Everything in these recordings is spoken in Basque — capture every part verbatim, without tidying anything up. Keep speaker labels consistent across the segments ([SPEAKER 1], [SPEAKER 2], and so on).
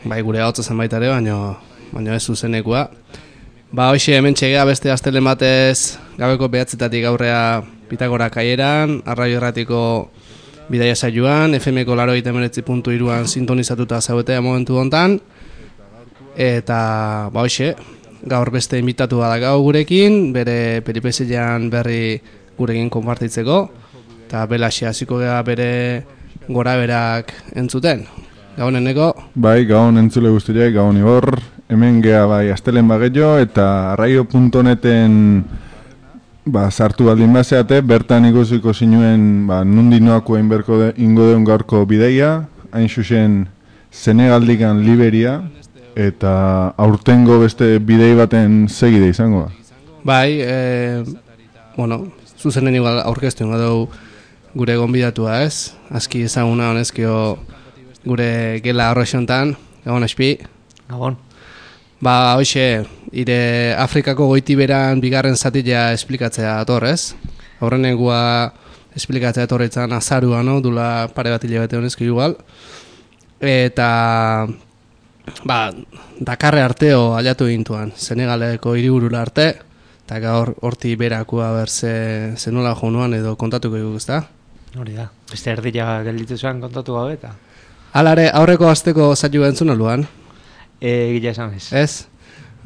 [SPEAKER 1] bai gure hau zen baita ere, baina baina ez zuzenekoa. Ba, hoxe hemen txegea beste astelen batez gabeko behatzetatik aurrea Pitagora kaieran, arraio erratiko bidaia saioan, F M ko laurogeita hemeretzi puntu hiruan sintonizatuta zaudetea momentu hontan. Eta, ba, hoxe, gaur beste invitatu da gau gurekin, bere peripezeian berri gurekin konpartitzeko, eta belaxe hasiko gea bere gora berak entzuten. Gabon eneko?
[SPEAKER 2] Bai, gabon entzule guztiak, gabon Igor, hemen gea bai astelen bagello, eta arraio puntu neten ba, sartu baldin bazeate, bertan ikusiko zinuen ba, nundi noako inberko de, ingo deun gaurko bideia, hain zuzen Senegaldikan Liberia, eta aurtengo beste bidei baten segide izango da.
[SPEAKER 1] Bai, e, bueno, zuzenen igual aurkeztu dugu gure gonbidatua ez, aski ezaguna honezkio gure gela horrexontan, gabon espi.
[SPEAKER 3] Gabon.
[SPEAKER 1] Ba, hoxe, ire Afrikako goitiberan bigarren zatila esplikatzea atorrez. Aurrenengua esplikatzea atorretzan azarua, no? Dula pare bat hilabete honezko igual. Eta, ba, Dakarre arteo aliatu gintuan, Senegaleko hiriburura arte, eta gaur horti berakua berze zenula jonuan edo kontatuko dugu, ezta?
[SPEAKER 3] Hori da, beste erdila gelditu zuen kontatu gabe eta.
[SPEAKER 1] Alare, aurreko asteko zailu entzun aluan?
[SPEAKER 3] E, gila esan ez.
[SPEAKER 1] Ez?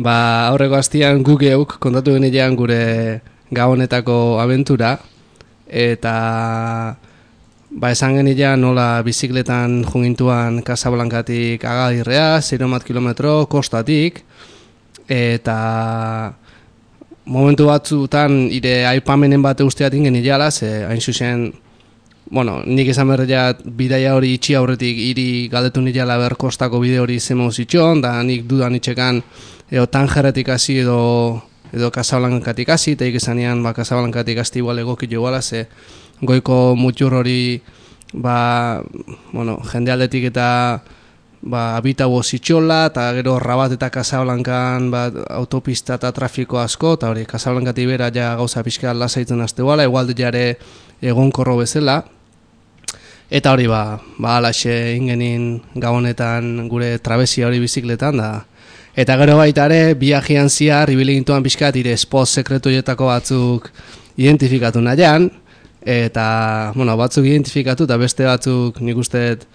[SPEAKER 1] Ba, aurreko astian gu geuk kontatu genilean gure gabonetako abentura, eta ba, esan genilean nola bizikletan jungintuan Casablancatik Agadirrea, zero kilometro kostatik, eta momentu batzutan ire aipamenen bate usteatik genileala, ze hain zuzen, bueno, nik esan berreia bidaia hori itxi aurretik hiri galdetu nireala ber kostako bide hori zemau zitxon, da nik dudan itxekan edo Tangerretik hasi edo edo Casablancatik hasi, eta ikesanean ba, Casablancatik hasi igual egokit iguala, ze goiko mutxur hori ba, bueno, jende aldetik eta ba, abitabo zitxola, eta gero Rabat eta Casablancan ba, autopista eta trafiko asko, eta hori Casablancatik bera ja gauza pixka lasaitzen haste guala, igual jare egonkorro bezala. Eta hori ba, ba alaxe ingenin gabonetan gure trabesia hori bizikletan da. Eta gero baita ere, biajian ziar, ibili gintuan pixkat, ire espoz sekretuetako batzuk identifikatu nahian, eta, bueno, batzuk identifikatu eta beste batzuk nik usteet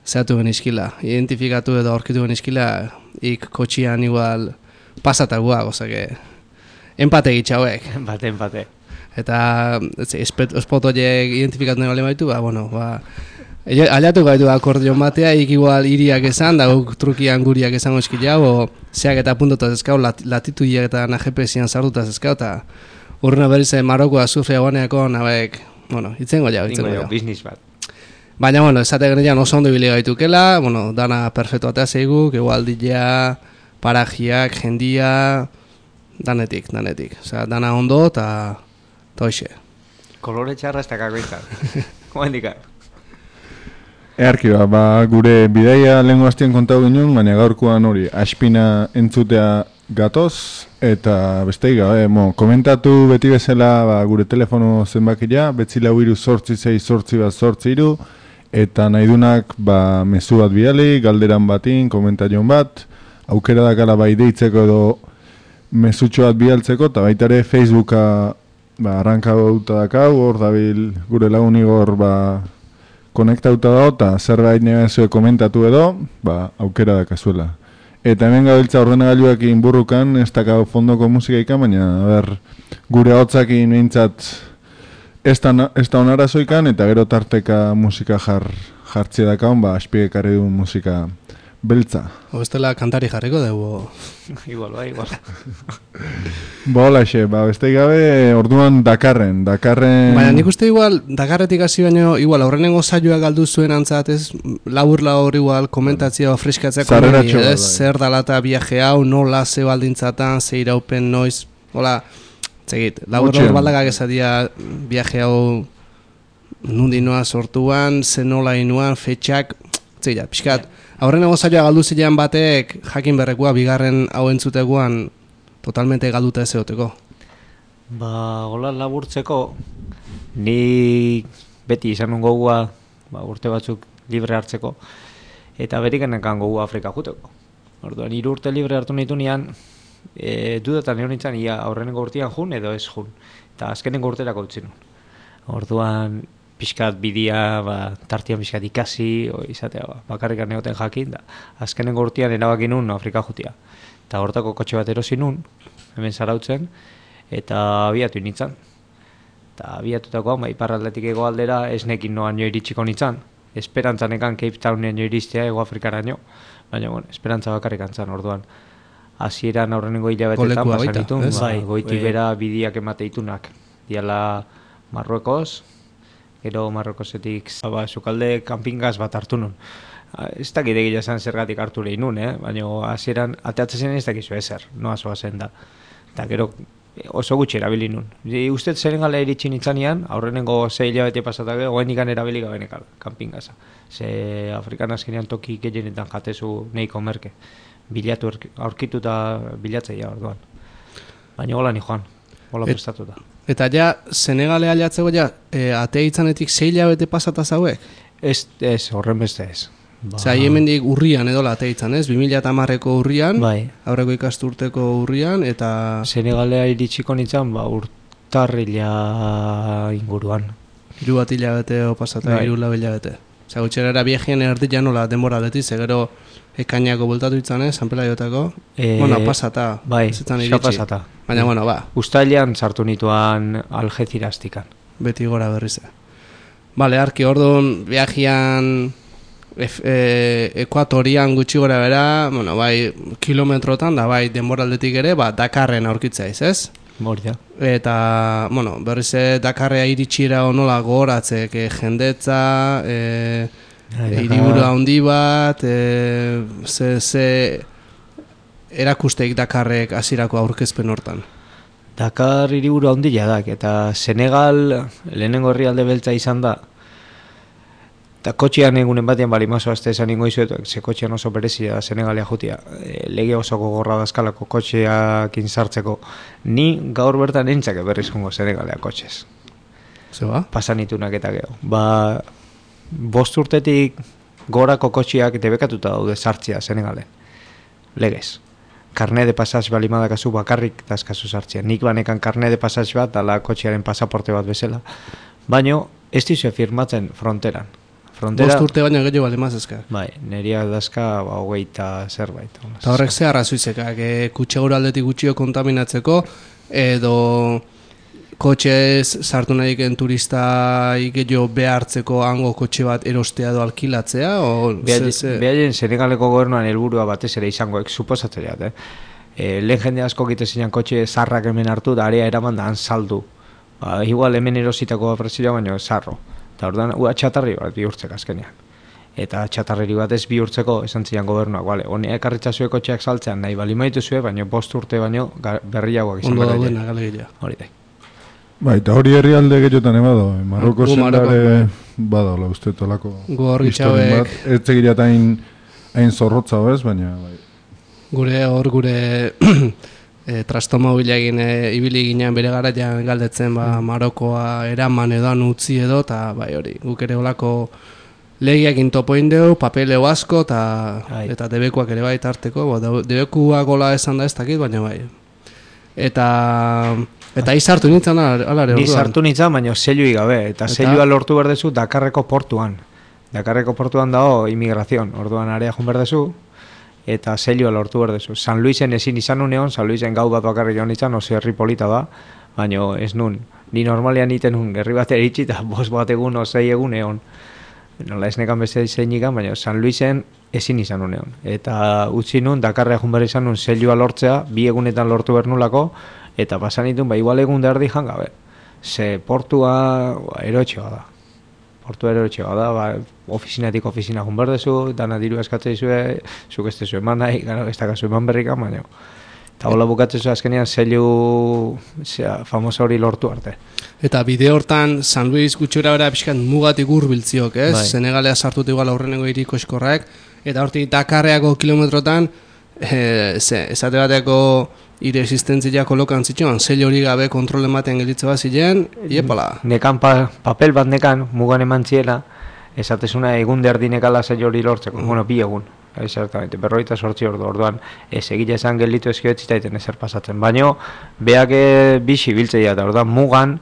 [SPEAKER 1] zehatu genizkila. Identifikatu edo aurkitu genizkila, ik kotxian igual pasatagua, gozake, empate gitxauek.
[SPEAKER 3] Empate, empate.
[SPEAKER 1] Eta espot horiek identifikatu nahi baitu, ba, bueno, ba, aliatu gaitu akordion batea, ik igual iriak esan, da guk trukian guriak esango eskila, o zeak eta puntotaz eskau, lat, latitudiak eta G P S-ian sardutaz eskau, eta urruna berriz Marokoa azufria guaneako, nabek, bueno, itzengo jau, itzengo jau.
[SPEAKER 3] Business bat.
[SPEAKER 1] Baina, bueno, esate genean oso ondo ibili gaitukela, bueno, dana perfecto atea zeiguk, igual dila, parajiak, jendia, danetik, danetik. Osea, dana ondo, eta toixe.
[SPEAKER 3] Kolore txarra ez dakako izan. Komendika.
[SPEAKER 2] Earki ba, ba, gure bidaia lehenko hastien kontau ginen, baina gaurkoan hori aspina entzutea gatoz, eta besteik gabe, mo, komentatu beti bezala ba, gure telefono zenbakia, betzi lau iru sortzi zei sortzi bat sortzi iru, eta nahidunak ba, mezu bat bidali, galderan batin, komentarion bat, aukera dakala bai deitzeko edo mezutxo bat bialtzeko, eta baita ere Facebooka ba, arranka gauta dakau, hor dabil gure lagun Igor ba, konektauta da, eta zerbait negazioe komentatu edo, ba, aukera dakazuela. Eta hemen gabiltza ordenagailuak inburrukan, ez dakau fondoko musika ikan, baina ber, gure hotzakin behintzat ez da onara zoikan, eta gero tarteka musika jar, jartzea dakaun, ba, aspiekare du musika beltza.
[SPEAKER 1] Obestela kantari jarriko dugu.
[SPEAKER 3] Igual, ba, igual.
[SPEAKER 2] Ba, hola xe, ba, beste gabe, orduan Dakarren, Dakarren...
[SPEAKER 1] Baina nik uste igual, Dakarretik hasi baino, igual, aurrenengo saioa galdu zuen antzat, ez, labur labur igual, komentatzea, freskatzea, komeni, ez, zer dalata viaje hau, nola, ze baldintzatan, ze iraupen, noiz, hola, zegit, labur labur baldakak esatia, viaje hau, nundi noa sortuan, ze nola inuan, fetxak, zegit, pixkat, aurrenengo saioa galdu zilean batek, jakin berrekua, bigarren hau entzuteguan, totalmente galduta ez egoteko.
[SPEAKER 3] Ba, hola laburtzeko, ni beti izan nuen gogua, ba, urte batzuk libre hartzeko, eta berikenekan gogu Afrika juteko. Orduan, hiru urte libre hartu nitu nian, e, dudatan egon nintzen, ia aurrenengo urtean jun edo ez jun. Eta azkenengo urterako utzi nun. Orduan, pixkat bidia, ba, tartian pixkat ikasi, o, izatea, ba, bakarrikan egoten jakin, da, azkenengo urtean erabakin nun Afrika jutia. Eta hortako kotxe bat erosi nun, hemen zarautzen, eta abiatu nintzen. Eta abiatutako, ba, iparraldetik ego aldera, esnekin noan jo iritsiko nintzen. Esperantzanekan Cape Townen jo iristea ego Afrikaraino, baina, bueno, esperantza bakarrik antzan, orduan. Hasieran aurrenengo hilabetetan pasanitun, bai, goiti bera bidiak emate itunak. Diala Marruekos, gero Marruekosetik, ba, sukalde kanpingaz bat hartu nun. Ez dakit egia esan zergatik hartu lehin nun, eh? Baina hasieran ateatzen ez dakizu ezer, noa zoa zen da. Eta gero oso gutxi erabili nun. Usted Senegala iritsi nintzanean, aurrenengo sei hilabete pasatak, oain ikan erabili gabenekal, kanpingaza. Ze Afrikan azkenean toki gehienetan jatezu neiko merke. Bilatu aurkitu eta bilatzeia orduan. Baina hola ni joan, hola Et, prestatuta.
[SPEAKER 1] Eta ja, Senegale aliatzeko ja, e, atea itzanetik sei hilabete pasata zauek?
[SPEAKER 3] Ez, ez, horren beste ez.
[SPEAKER 1] Ba. Zer, hemendik urrian edo atea itzan, ez? bi mila hamareko urrian,
[SPEAKER 3] bai.
[SPEAKER 1] Aurreko ikasturteko urrian, eta...
[SPEAKER 3] Senegalea iritsiko nintzen, ba, urtarrila inguruan.
[SPEAKER 1] Hiru bat hilabete o pasata, hiru lau hilabete. Zer, gutxerera biegien erdi nola denbora aldetik, zegero ekainako bultatu itzan, ez? San Pelaiotako.
[SPEAKER 3] E,
[SPEAKER 1] bueno, pasata.
[SPEAKER 3] Bai, xa pasata.
[SPEAKER 1] Baina, bueno, ba.
[SPEAKER 3] Uztailean sartu nituan Algeciraztikan.
[SPEAKER 1] Beti gora berriz. Bale, arki, orduan, viajian... E, ekuatorian gutxi gora bera, bueno, bai, kilometrotan, da bai, denboraldetik ere, ba, Dakarren aurkitzaiz, ez?
[SPEAKER 3] Mordia.
[SPEAKER 1] Eta, bueno, berriz Dakarrea iritsira onola gogoratzek, e, jendetza, e, e, hiriburu handi bat, e, ze, ze erakusteik Dakarrek hasierako aurkezpen hortan.
[SPEAKER 3] Dakar hiriburu handia dak, eta Senegal lehenengo herrialde beltza izan da. Eta kotxean egunen batean bali mazo azte esan ingo izuetu, ze kotxean oso berezia Senegalia jutia. E, lege oso gogorra dazkalako kotxeak inzartzeko. Ni gaur bertan entzake berriz jongo Senegalia kotxez.
[SPEAKER 1] Zeba?
[SPEAKER 3] Pasanitunak eta geho. Ba, bost urtetik gorako kotxeak debekatuta daude sartzia Senegalen. Legez. Karne de pasaz balimadakazu bakarrik dazkazu sartzia. Nik banekan karne de pasaz bat, dala kotxearen pasaporte bat bezala. Baina ez dizue firmatzen fronteran. Frontera,
[SPEAKER 1] bost urte baina gehiago bali mazezkak.
[SPEAKER 3] Bai, neria dazka ba, hogeita zerbait.
[SPEAKER 1] Eta horrek ze arrazoizekak, e, kutxegura aldetik gutxio kontaminatzeko, edo kotxez sartu nahi eken turista gehiago behartzeko hango kotxe bat erostea edo alkilatzea?
[SPEAKER 3] Behaien Senegaleko gobernuan helburua batez ere izangoek, suposatzeat, eh? E, lehen jende asko gite zeinan kotxe zarrak hemen hartu, da area eraman da han saldu. Ba, igual hemen erositako presioa baino zarro. Eta orduan, ua txatarri bat bihurtzek azkenean. Eta txatarreri bat ez bihurtzeko esan zian gobernuak, bale, honi ekarritzazue kotxeak saltzean nahi bali maitu zue, baina bost urte baino berriagoak izan
[SPEAKER 1] berreia. Ondo daudena, gale gila.
[SPEAKER 3] Hori da.
[SPEAKER 2] Bai, eta hori herrialde gehiotan ebado, eh? Marroko zendare bada, hola, uste tolako
[SPEAKER 1] historin bat.
[SPEAKER 2] Ez tegirat hain, hain zorrotza bez, baina... Bai.
[SPEAKER 1] Gure hor, gure... E, trastomobila egin e, ibili ginean bere garaian galdetzen ba, Marokoa eraman edoan utzi edo, eta bai hori, guk ere olako legiak intopo indeu, papeleo asko, ta, eta debekuak ere bai tarteko, bo, debekuak gola esan da ez dakit, baina bai. Eta eta izartu nintzen alare orduan.
[SPEAKER 3] Ni sartu nintzen, baina zeilui gabe, eta, eta? Zeilua lortu berdezu Dakarreko portuan. Dakarreko portuan dago imigrazion, orduan area jun berdezu, eta zeilua lortu berdezu. San Luisen ezin izan uneon, San Luisen gau bat bakarrik joan izan, oso herri polita da, baina ez nun. Ni normalean iten nun, gerri bat eritxi, eta bos bat egun, osei egun egon. Nola ez nekan beste zeinikan, baina San Luisen ezin izan uneon. Eta utzi nun, Dakarra egun behar izan nun, zeilua lortzea, bi egunetan lortu bernulako, eta pasan ditun, ba, igual egun derdi jangabe. Ze portua ba, erotxoa da. Portu erotxoa da, ba, ofizinatik ofizina jun berdezu, dana diru eskatzea izue, zuk ez tezu eman nahi, gano, ez dakazu eman berrikan, baina. Eta hola bukatzezu azkenean zeilu famosa hori lortu arte.
[SPEAKER 1] Eta bide hortan, San Luis gutxora bera pixkan mugatik urbiltziok, ez? Bai. Senegalea sartut igual aurrenengo hiriko eskorrak, eta hortik Dakarreako kilometrotan, e, ze, esate bateko ire existentzia kolokan zituen, zeil hori gabe kontrolen batean gelitze bat ziren, iepala.
[SPEAKER 3] Nekan pa, papel bat nekan, mugan eman ziela, esatezuna egun derdinekala zei hori lortzeko, mm. bueno, bi egun, exactamente, berroita sortzi ordu, orduan, ez egile esan gelditu ezkio etzitaiten ezer pasatzen, baino, beak bixi biltzeia, eta orduan mugan,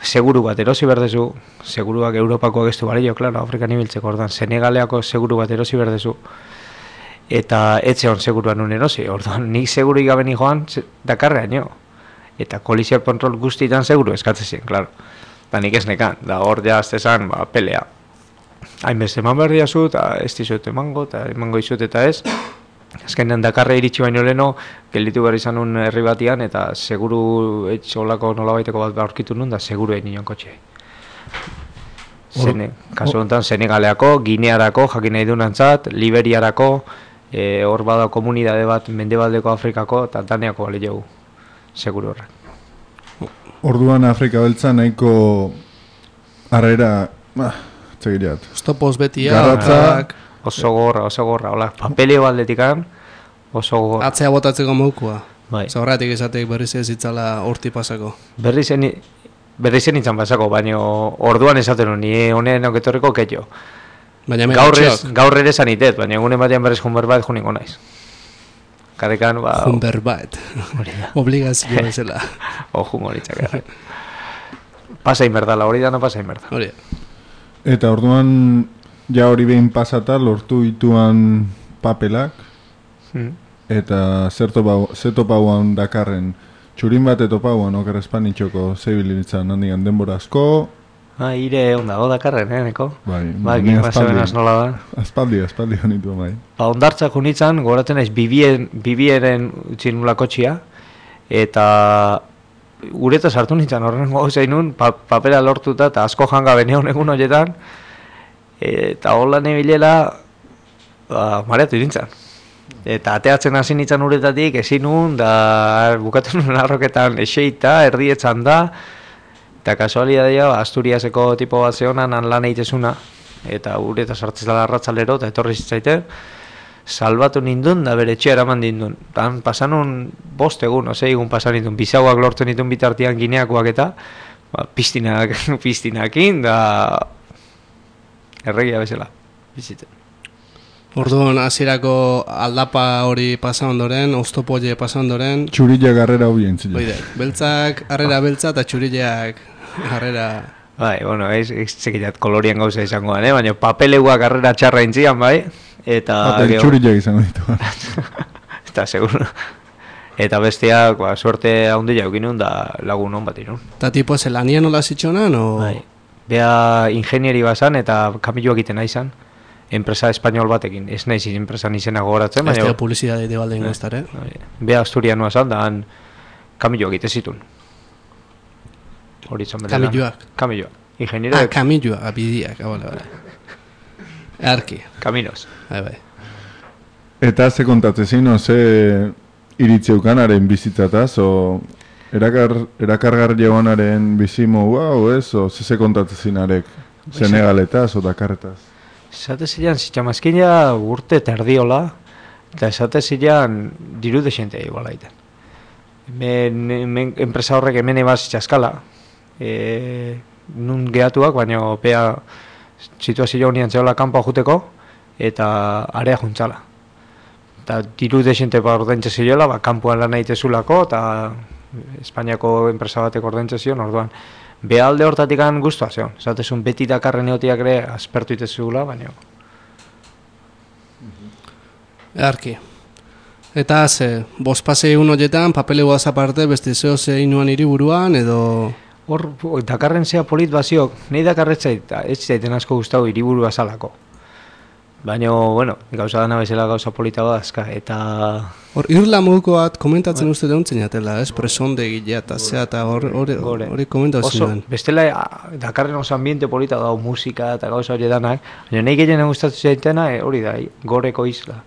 [SPEAKER 3] seguru bat erosi berdezu, seguruak Europakoak ez du balio, klaro, Afrikan ibiltzeko, orduan, Senegaleako seguru bat erosi berdezu, eta etxe hon seguruan un erosi, orduan, nik seguru igaben joan, Dakarrean jo, eta kolizio kontrol guztietan seguru eskatzen zien, klaro, eta nik ez nekan, da hor jaztezan, ba, pelea, hainbeste eman behar diazu, eta ez dizut emango, eta emango izut eta ez, azkenean Dakarra iritsi baino leno, gelditu behar izan un herri batian, eta seguru etxolako nolabaiteko bat aurkitu nun, da seguru egin nion kotxe. Zene, kasu honetan, Senegaleako, Ginearako, jakin nahi dunantzat, Liberiarako, e, hor bada komunidade bat Mendebaldeko Afrikako, eta Daneako bale jau, seguru horrek.
[SPEAKER 2] Orduan Afrika beltza nahiko harrera, ah, txegirat.
[SPEAKER 1] Stopoz betia,
[SPEAKER 2] garratza,
[SPEAKER 3] oso gorra, oso gorra, hola, papeleo aldetikan, oso gorra.
[SPEAKER 1] Atzea botatzeko moukua.
[SPEAKER 3] Bai.
[SPEAKER 1] Zaurratik esatek berriz ez itzala horti pasako.
[SPEAKER 3] Berriz zen, berriz zen itzan pasako, baina orduan esaten honi, honen oketorreko ketxo.
[SPEAKER 1] Baina
[SPEAKER 3] gaur, ez, gaur ere zanitet, baina egunen batean berriz jun berbait juniko naiz. Karekan, ba...
[SPEAKER 1] Jun berbait. Obligazio bezala.
[SPEAKER 3] Ojo moritzak. Pasa inberdala, hori da no pasa inberda.
[SPEAKER 1] Hori.
[SPEAKER 2] Eta orduan... Ja hori behin pasata lortu ituan papelak hmm. Eta zerto pauan Dakarren txurin bat eto pauan oker espanitxoko zebilitzen handigan denbora asko.
[SPEAKER 3] Ah, ire onda, o Dakarren, eh, neko?
[SPEAKER 2] Bai,
[SPEAKER 3] bai, aspaldi,
[SPEAKER 2] nola da? Aspaldi, aspaldi honitu bai.
[SPEAKER 3] Ba, ondartzak honitzen, goratzen naiz bibien, bibieren utzi nula kotxia, eta ureta sartu nintzen horren gauza inun, pa, papera lortuta, eta asko janga beneon egun horietan, eta hola nebilela ba, mareatu irintzen. Eta ateatzen hasi nintzen uretatik, ezin nun, da bukatu nuen arroketan eseita, erdietzan da, eta kasualidadea, Asturiaseko tipo bat zehonan lan eitezuna, eta ureta sartzez dala arratzalero, eta etorri zitzaiten, salbatu nindun, da bere etxea eraman dindun. Dan pasanun bost egun, ose, egun pasan nindun, bizauak lortu nindun bitartian Gineakoak eta, ba, piztinak, piztinakin, da... Erregia bezala, biziten.
[SPEAKER 1] Orduan, hasierako aldapa hori pasa ondoren, oztopoie pasa ondoren...
[SPEAKER 2] Txurilla garrera hori entzile.
[SPEAKER 1] Oide, beltzak, harrera beltza eta txurillak harrera...
[SPEAKER 3] Bai, bueno, ez, ez txekitat kolorien gauza izango da, eh? Baina papeleuak harrera txarra intzian, bai? Eta...
[SPEAKER 2] Eta txurillak izango ditu.
[SPEAKER 3] Eta, seguro. Eta besteak, ba, suerte handia eukinun da lagun hon bat inun.
[SPEAKER 1] Eta tipo, zelanian nola zitxonan, o...?
[SPEAKER 3] Bai. Bea ingenieri bazan eta kamioak egiten naizan, enpresa espainol batekin, ez naiz enpresan izena gogoratzen,
[SPEAKER 1] baina... Ez da publizidade de balde ingoztar, eh?
[SPEAKER 3] Bea asturianoa zan, da han kamioak egiten zitun. Horitzon bere lan.
[SPEAKER 1] Kamioak?
[SPEAKER 3] Kamioak, ingeniero...
[SPEAKER 1] Ah, kamioak, abidiak, abale, bale. Erki.
[SPEAKER 3] Kaminos.
[SPEAKER 1] Bai, bai.
[SPEAKER 2] Eta ze kontatzezin, o ze iritzeukanaren bizitzataz, o... Erakar, erakargar joanaren bizimo guau, ez? O zeze kontatzen arek Senegaletaz o Dakarretaz?
[SPEAKER 3] Esate zilean, zitxamazkina urte terdiola, eta esate zilean diru desentea iguala iten. Enpresa horrek hemen ebaz txaskala, e, nun gehatuak, baina pea situazio honian zehola kanpoa juteko, eta area juntzala. Eta diru desente ba ordaintze zilela, ba, kanpoan lan naitezulako, eta Espainiako enpresa batek ordaintzen zion, orduan behalde hortatik an guztua zion. Zatezun beti Dakarren egotiak ere aspertu itezugula, baina...
[SPEAKER 1] Earki. Eta ze, bospase egun horietan, papelegu aparte beste zeo ze inuan hiriburuan edo...
[SPEAKER 3] Hor, Dakarren zea polit baziok, nahi Dakarretzait, ez zaiten asko guztau hiriburua zalako. Baina, bueno, gauza dana bezala gauza polita badazka, eta...
[SPEAKER 1] Hor, irla moduko bat komentatzen uste deuntzen jatela, ez? Presonde gilea eta zea, eta hori komentatzen duen.
[SPEAKER 3] Bestela, Dakarren oso ambiente polita dau, musika eta gauza hori danak, baina nahi gehien gustatu zaitena, hori da, goreko isla.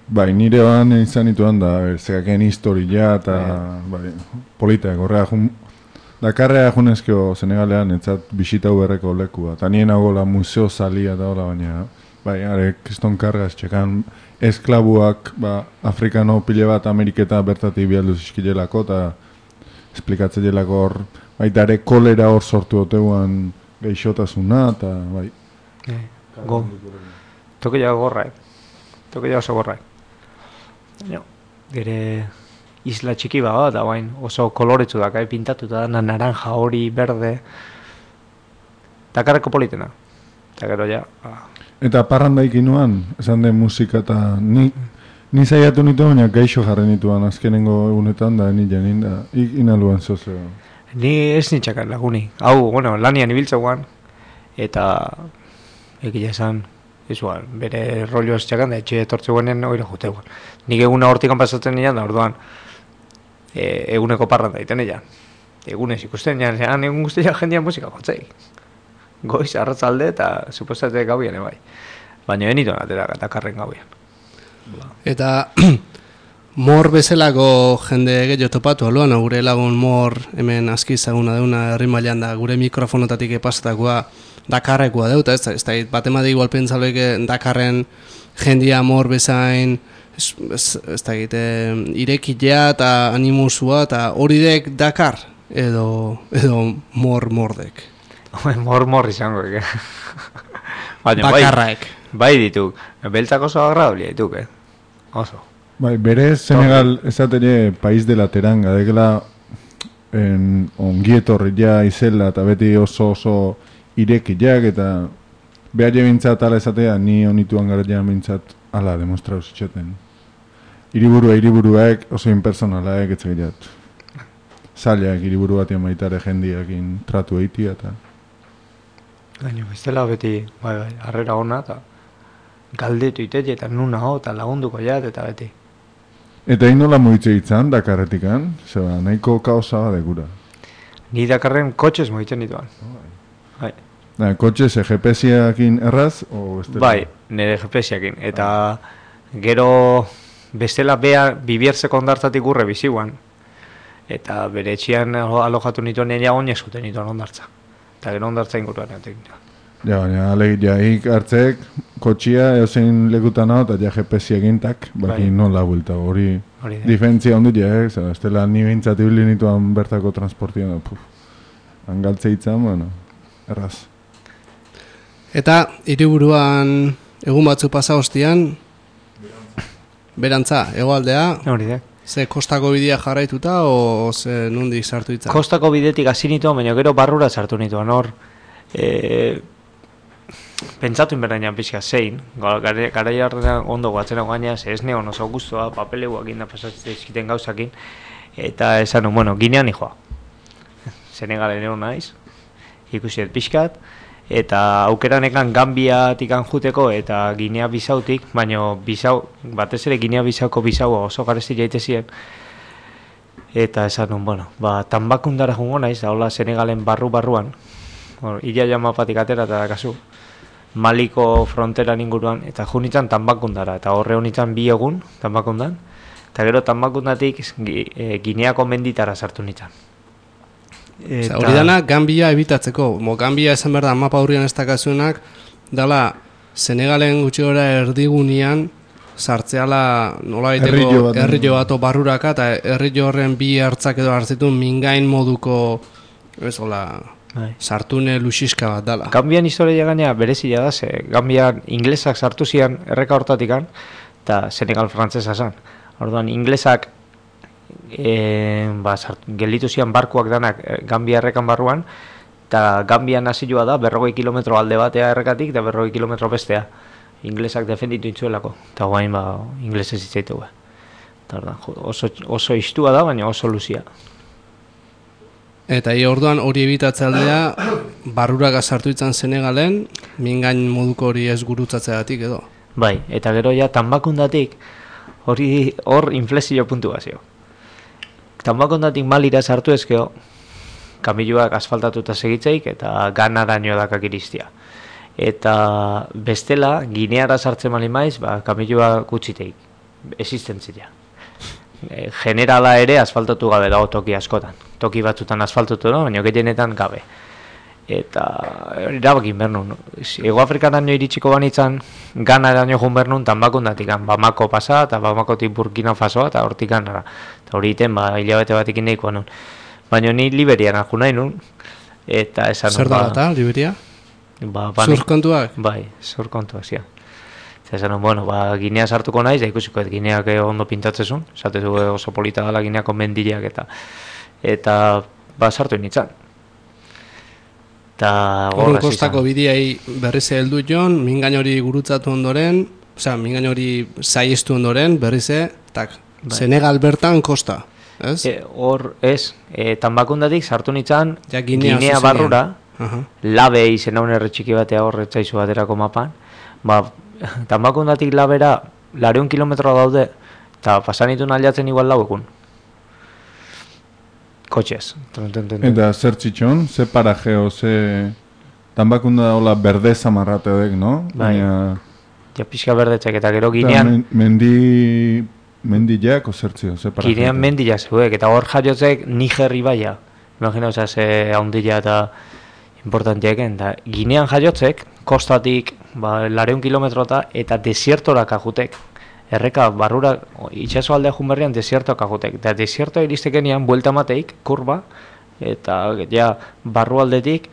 [SPEAKER 2] Bai, nire ban izan ituan da, zekaken historia eta bai, polita, gorrea jun... Dakarrea junezkio Senegalean etzat bisitau berreko lekua, eta nien agola museo salia da hola, baina... Bai, are, kriston kargaz, txekan esklabuak, ba, afrikano pile bat Ameriketa bertatik bialdu zizkilelako, eta esplikatzen jelako hor, baita ere kolera hor sortu oteuan geixotasuna, eta bai,
[SPEAKER 3] Eh, go. Tokia gorraek. Tokia oso gorraek. No, gere isla txiki bada da bain oso koloretsu da kai pintatuta da naranja, hori, berde. Dakarreko politena. Eta gero ja, ba.
[SPEAKER 2] Eta parrandaik inuan, esan den musika eta ni, ni zaiatu nitu, baina gaixo jarri nituan azkenengo egunetan da, ni janin da, inaluan zozeo.
[SPEAKER 3] Ni ez nitxakar laguni. Hau, bueno, lanian ibiltzauan, eta egia esan, izuan, bere rollo ez txakan, da etxe etortze guenen oira juteuan. Nik eguna hortikan pasatzen nian, da orduan, e, eguneko parranda iten nian. Egunez ikusten nian, zean egun guztia jendean musika jotzei. Goiz, arratzalde eta supostate gauian ebai. Baina benituen atera Dakarren gauian.
[SPEAKER 1] Eta mor bezalako jende gehiago topatu aluan, gure lagun mor hemen aski zaguna deuna herri mailan da gure mikrofonotatik epasatakoa Dakarrekoa deuta, ez da, ez da bat emade igual pentsaloike Dakarren jendia mor bezain ez, ez, ez da egite irekilea eta animusua eta hori dek Dakar edo, edo mor mordek.
[SPEAKER 3] Mor mor izango, eke.
[SPEAKER 1] Bakarraek.
[SPEAKER 3] Bai, bai dituk. Beltzak oso agradablia dituk, eh? Oso.
[SPEAKER 2] Bai, bere Senegal esatere país de la teranga, dekela en ongietorri ja izela eta beti oso oso irekiak eta behar jebintzat ala esatea ni honituan gara ja bintzat ala demostrau zitxoten. Hiriburua hiriburuak oso impersonalaek etxegirat. Zailak hiriburu batean baitare jendiakin tratu eitia eta
[SPEAKER 3] Gaino, bestela beti, bai, bai, harrera hona eta galdetu itete eta nuna ho eta lagunduko jat eta beti.
[SPEAKER 2] Eta hain nola moitze itzan, Dakarretikan? Zeba, nahiko kaosa bade gura.
[SPEAKER 3] Ni Dakarren kotxez moitzen dituan. Bai.
[SPEAKER 2] Da, kotxez G P S-iakin erraz? O bestela?
[SPEAKER 3] Bai, nire G P S-iakin. Eta gero bestela bea bibierzeko ondartzatik urre biziguan. Eta bere etxian alojatu nituen nire oinez zuten nituen ondartza. Eta gero ondartza inguruan egotek nituen.
[SPEAKER 2] Ja, baina, alegit, ja, ik hartzek, kotxia, eozein lekutan hau, eta ja G P S-iakin tak, baki bai. Nola bulta, hori diferentzia ondut, ja, eh? Zara, estela ni behintzat ibili nituan bertako transportian, puf, angaltze itzan, bueno, erraz.
[SPEAKER 1] Eta, hiriburuan egun batzu pasa hostian, berantza, hegoaldea,
[SPEAKER 3] hori da.
[SPEAKER 1] Ze kostako bidea jarraituta, o ze nundik sartu itzan?
[SPEAKER 3] Kostako bidetik hasi nituen, baina gero barrura sartu nituen, hor, e, pentsatu inberainan pixka zein, gara jarrean ondo guatzena gaina, ze ez neon oso guztua, papeleuak inda pasatzen izkiten gauzakin, eta esan, bueno, Ginean nijoa. Senegalen egon naiz, ikusiet pixkat, eta aukeranekan Gambiatik anjuteko eta Ginea Bisautik, baina Bisau, batez ere Ginea Bisauko Bisaua oso garesti jaitezien, eta esan, bueno, ba, Tambakundara jungo naiz, da hola Senegalen barru-barruan, illa jamapatik atera eta kasu, Maliko fronteran inguruan, eta junitzen Tambakundara, eta horre honitzen bi egun, Tambakundan, eta gero Tambakundatik e, Gineako menditara sartu nitzen.
[SPEAKER 1] Eta... Hori dana Gambia ebitatzeko, mo Gambia esan behar da mapa hurrian ez dakazunak, dala Senegalen gutxi gora erdigunean sartzeala nola baiteko herri bat barruraka, eta herri horren bi hartzak edo hartzitun mingain moduko, ez hola... Bai. Sartune luxiska bat dala.
[SPEAKER 3] Gambian historia gaina berezia da, ze Gambian inglesak sartu zian erreka hortatikan, eta Senegal frantzesa zan. Orduan, inglesak e, ba, gelditu zian barkuak danak Gambia errekan barruan, eta Gambian hasilua da berrogei kilometro alde batea errekatik, eta berrogei kilometro bestea. Inglesak defenditu intzuelako, eta guain ba, inglesez itzaitu. Oso, oso istua da, baina oso luzia.
[SPEAKER 1] Eta hi orduan hori ebitatze aldea barruraga sartu itzan Senegalen, mingain moduko hori ez gurutzatzeagatik edo.
[SPEAKER 3] Bai, eta gero ja Tambakundatik hori hor inflexio puntu bazio. Tambakundatik Malira sartu ezkeo, kamiluak asfaltatuta segitzeik eta ganaraino dakak iristia. Eta bestela, Gineara sartzen mali maiz, ba, kamilua gutxiteik, existentzia. E, generala ere asfaltatu gabe dago toki askotan. Toki batzutan asfaltatu da, baina gehienetan gabe. Eta erabakin bernun. Ego Afrikaraino iritsiko banitzan, Ganaraino jun bernun, Tambakundatik, Bamako pasa, eta Bamakotik Burkina Fasoa, eta hortik Ganara. Eta hori iten, ba, hilabete batekin nahikoa nun. Baina ni Liberian arju nahi nun, eta esan...
[SPEAKER 1] Zer da eta, Liberia?
[SPEAKER 3] Ba, bani-
[SPEAKER 1] Zur kontuak?
[SPEAKER 3] Bai, zur kontuak, zia. Zesan, bueno, ba, Ginea sartuko naiz, da ikusiko, et Gineak eh, ondo pintatzezun, zatezu eh, oso polita gala Gineako mendileak eta eta ba, sartu nintzen. Eta
[SPEAKER 1] Horren
[SPEAKER 3] horraz
[SPEAKER 1] kostako bideai berriz heldu jon, mingain hori gurutzatu ondoren, osea, mingain hori saiestu ondoren, berriz tak,
[SPEAKER 3] Bai.
[SPEAKER 1] Senegal bertan kosta, ez?
[SPEAKER 3] E, hor, ez, e, tanbakundatik sartu nintzen
[SPEAKER 1] Ja, Ginea
[SPEAKER 3] Ginea
[SPEAKER 1] zuzenean.
[SPEAKER 3] barrura,
[SPEAKER 1] Aha.
[SPEAKER 3] labe izen haun erre txiki batea horretzaizu baterako mapan, ba, tanbakundatik labera lareun kilometro daude, eta pasanitun aldatzen igual lau egun. Kotxez. Tun, tun, tun, tun.
[SPEAKER 2] Eta zer txitxon, ze parajeo, ze... Tanbakunda da hola berde zamarrateodek, no?
[SPEAKER 3] Bai.
[SPEAKER 2] Baina...
[SPEAKER 3] Ja pixka berdetzek eta gero
[SPEAKER 2] eta
[SPEAKER 3] Ginean,
[SPEAKER 2] men- Mendi... Mendiak o zertzio, ze parajeo.
[SPEAKER 3] Ginean mendila zeuek, eta hor jaiotzek Niger ibaia. Imagina, oza, ze haundila eta importantieken. Da, Ginean jaiotzek, kostatik, ba, lareun kilometrota, eta desiertorak ajutek. Erreka, barrura, itxaso aldea junberrian, desiertoak ajutek. Eta desiertoa iristekenean, buelta mateik, kurba, eta ja, barru aldetik,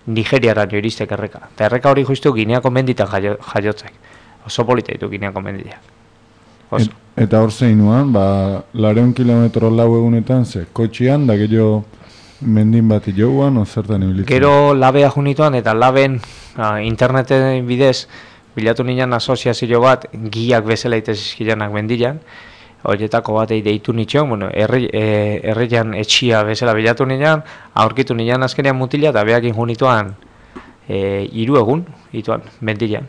[SPEAKER 3] Nigeriara jo iristek erreka. Eta erreka hori justu Gineako menditan jaio, jaiotzek. Oso polita ditu Gineako mendiak. Oso.
[SPEAKER 2] Et, eta hor zeinuan, ba, lareun kilometro lau egunetan, ze, kotxian, da gehiago mendin bat joan, o zertan ibilitzen.
[SPEAKER 3] Gero labea junituan, eta laben ah, interneten bidez, bilatu nian asoziazio bat, giak bezala itezizkilanak mendilan, horietako batei deitu nitxon, bueno, herri, e, herrian etxia bezala bilatu nian, aurkitu nian azkenean mutila, eta behakin junituan e, hiru egun, ituan, mendilan.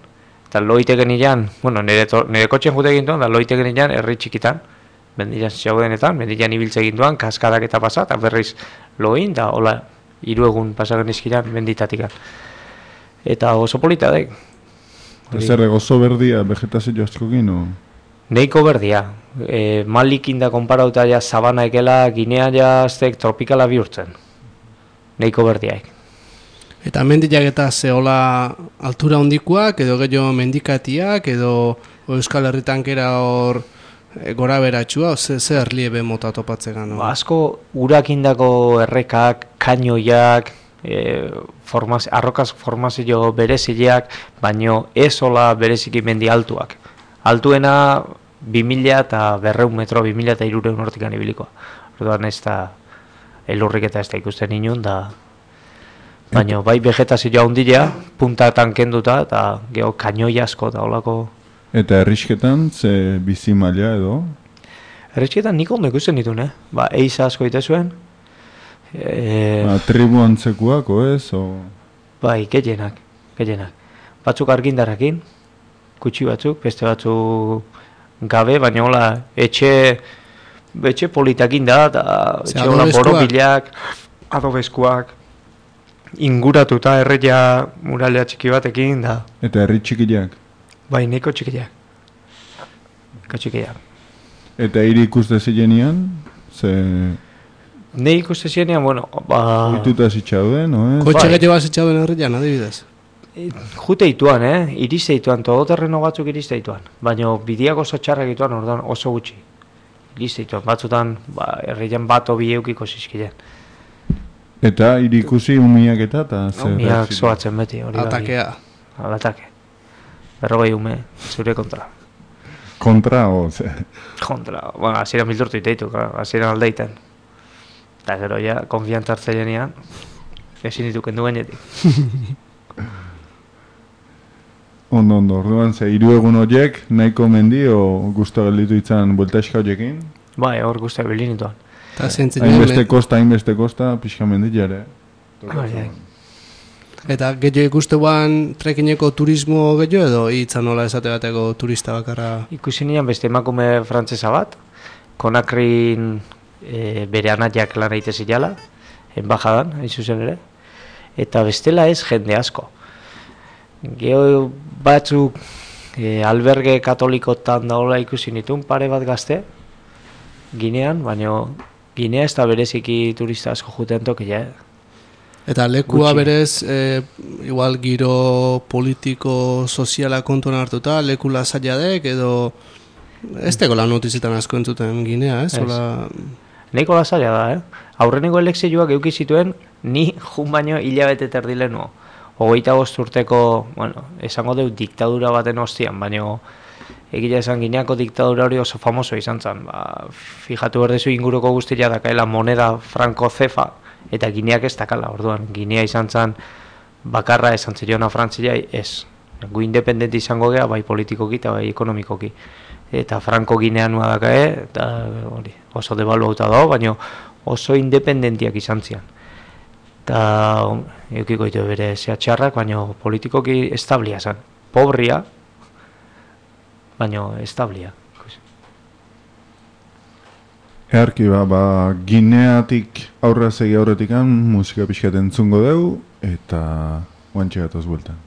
[SPEAKER 3] Eta loiteken nian, bueno, nire, to, nire kotxen jute egintuan, da loiteken nian herri txikitan, mendilan zaudenetan, mendilan ibiltze egintuan, kaskadak eta pasa, eta berriz loin, da hola, hiru egun pasagen izkilan menditatikan. Eta oso polita daik.
[SPEAKER 2] Zer gozo berdia, vegetazio askokin, o...
[SPEAKER 3] Neiko berdia, e, malikin da konparauta ja sabana ekela, Ginea jaztek tropikala bihurtzen. Neiko berdiaik.
[SPEAKER 1] Eta mendiak eta zehola altura hondikoak, edo gehiago mendikatiak, edo Euskal Herritankera hor e, gora beratxua, ze, ze erliebe mota topatzegan. No?
[SPEAKER 3] Ba, asko urakindako errekak, kainoiak, e, formaz, arrokaz formazio berezileak, baino ez hola bereziki mendi altuak. Altuena bi mila eta berreun metro, bi mila eta hirureun hortikan ibilikoa. Orduan ez da elurrik eta ez da ikusten inun, da... Baina bai vegetazioa hundilea, puntatan kenduta, eta geho kainoi asko eta holako...
[SPEAKER 2] Eta errisketan, ze bizi maila edo?
[SPEAKER 3] Erretxetan nik ondo ikusten ditun, eh? Ba, eiza asko ite zuen. E,
[SPEAKER 2] Ba, tribu antzekuako ez, o...
[SPEAKER 3] bai, gehienak, gehienak. Batzuk argindarrekin, kutsi batzuk, beste batzuk gabe, baina hola, etxe, etxe politakin da, eta
[SPEAKER 1] Ze
[SPEAKER 3] etxe hola
[SPEAKER 1] adobeskuak.
[SPEAKER 3] borobilak, adobeskuak, inguratuta erreia muralea txiki batekin, da,
[SPEAKER 2] Eta herri txikiak.
[SPEAKER 3] bai, neko txikiak. Neko txikiak.
[SPEAKER 2] Eta hiri ikuste zilenean, ze...
[SPEAKER 3] Ne ikuste zienean, bueno, ba...
[SPEAKER 2] Oituta zitxauden, no ez?
[SPEAKER 1] Kotxe
[SPEAKER 3] bai.
[SPEAKER 1] gehiago bat zetxauden herrian, adibidez.
[SPEAKER 3] Jute ituan, eh? Iriste ituan, todoterreno batzuk iriste ituan. Baina bidiak oso txarrak ituan, orduan oso gutxi. Iriste ituan, batzutan, ba, herrian bat obi eukiko zizkilen.
[SPEAKER 2] Eta hiri ikusi umiak eta, eta zer...
[SPEAKER 3] Miak zoatzen beti, hori bai.
[SPEAKER 1] Atakea.
[SPEAKER 3] Alatake. Berrogei ume, zure kontra.
[SPEAKER 2] Kontra, o... Ze...
[SPEAKER 3] Kontra, bueno, hasieran bildurtu iteitu, hasieran aldeiten. Eta gero ja, konfiantza hartzeilenean, ezin ditu kendu gainetik.
[SPEAKER 2] Ondo, ondo, orduan, ze hiru egun horiek nahiko mendi o gusto gelditu itzan buelta eska horiekin?
[SPEAKER 3] Bai, hor guztiak bilin ituan.
[SPEAKER 1] Eta zentzen
[SPEAKER 2] Hainbeste kosta, hainbeste kosta, pixka mendi jare.
[SPEAKER 3] Hori,
[SPEAKER 1] Eta gehiago ikustean trekineko turismo gehiago edo hitzan nola esate bateko turista bakarra?
[SPEAKER 3] Ikusi nian beste emakume frantsesa bat, Konakrin e, bere anatiak lan egite zilala, enbajadan, hain zuzen ere, eta bestela ez jende asko. Geho batzuk e, alberge katolikotan daola ikusi nituen pare bat gazte, Ginean, baina Ginea ez da bereziki turista asko juten tokia, eh?
[SPEAKER 1] Eta lekua
[SPEAKER 3] Gutxi.
[SPEAKER 1] berez, e, igual giro politiko soziala kontuan hartuta, leku lasaiadek edo ez teko lan notizitan asko entzuten Ginea, ez?
[SPEAKER 3] Ez.
[SPEAKER 1] Hola...
[SPEAKER 3] Nahiko lasaia da, eh? Aurreneko elekzioak euki zituen, ni jun baino hilabete terdi lehenuo. hogeita bost urteko, bueno, esango deu diktadura baten ostian, baina egia esan Gineako diktadura hori oso famoso izan zen. Ba, fijatu berdezu inguruko guztia dakaela moneda franko zefa, eta Gineak ez dakala, orduan, Ginea izan zen bakarra esan zeriona Frantziai, ez. Gu independenti izango gea, bai politikoki eta bai ekonomikoki. Eta franko Ginea nua dakae, eta hori, oso debaluauta dago, baina oso independentiak izan zian. Eta eukiko ditu bere zehatxarrak, baina politikoki establia zen. Pobria, baina establia.
[SPEAKER 2] Earki ba, ba, Gineatik aurra segi aurretikan musika pixkat entzungo deu, eta guantxe gatoz bueltan.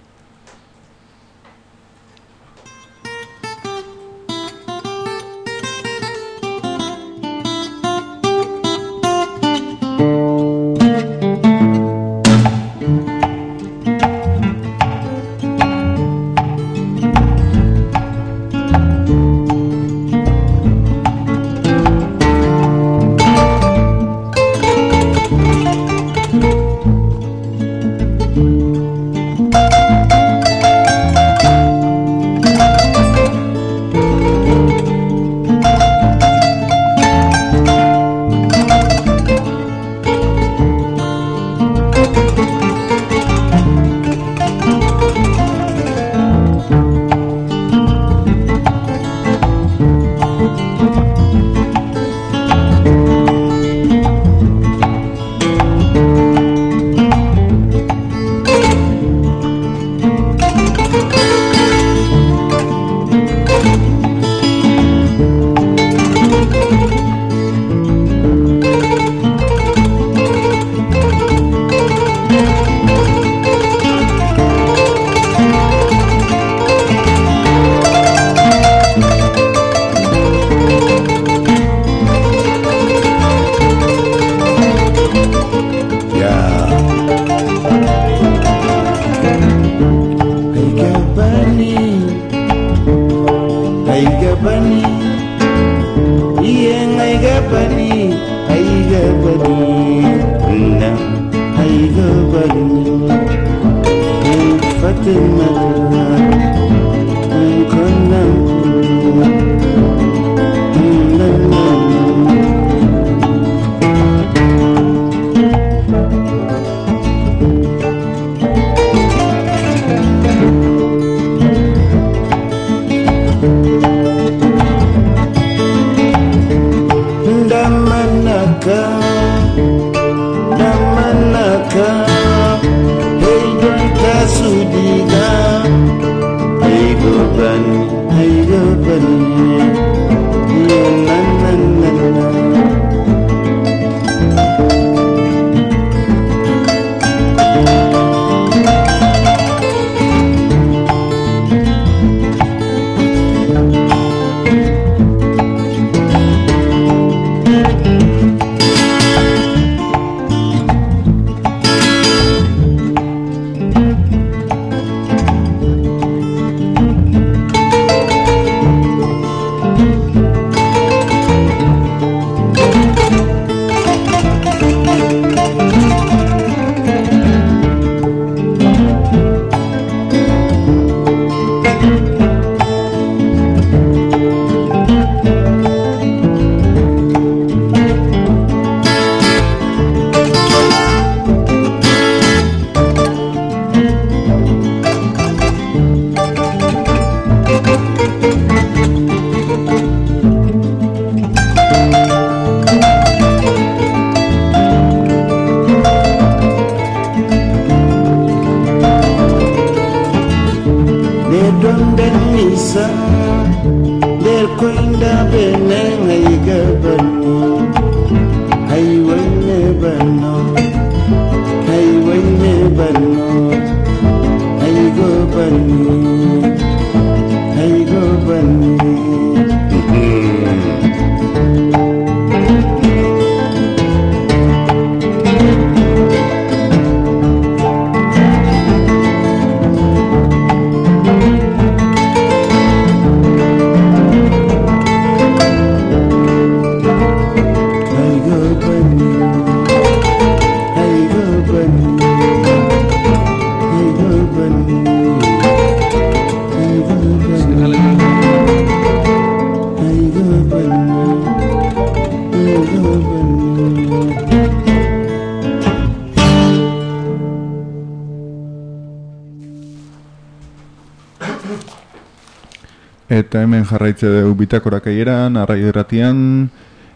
[SPEAKER 2] eta hemen jarraitze dugu bitakorak eieran, arrai erratian,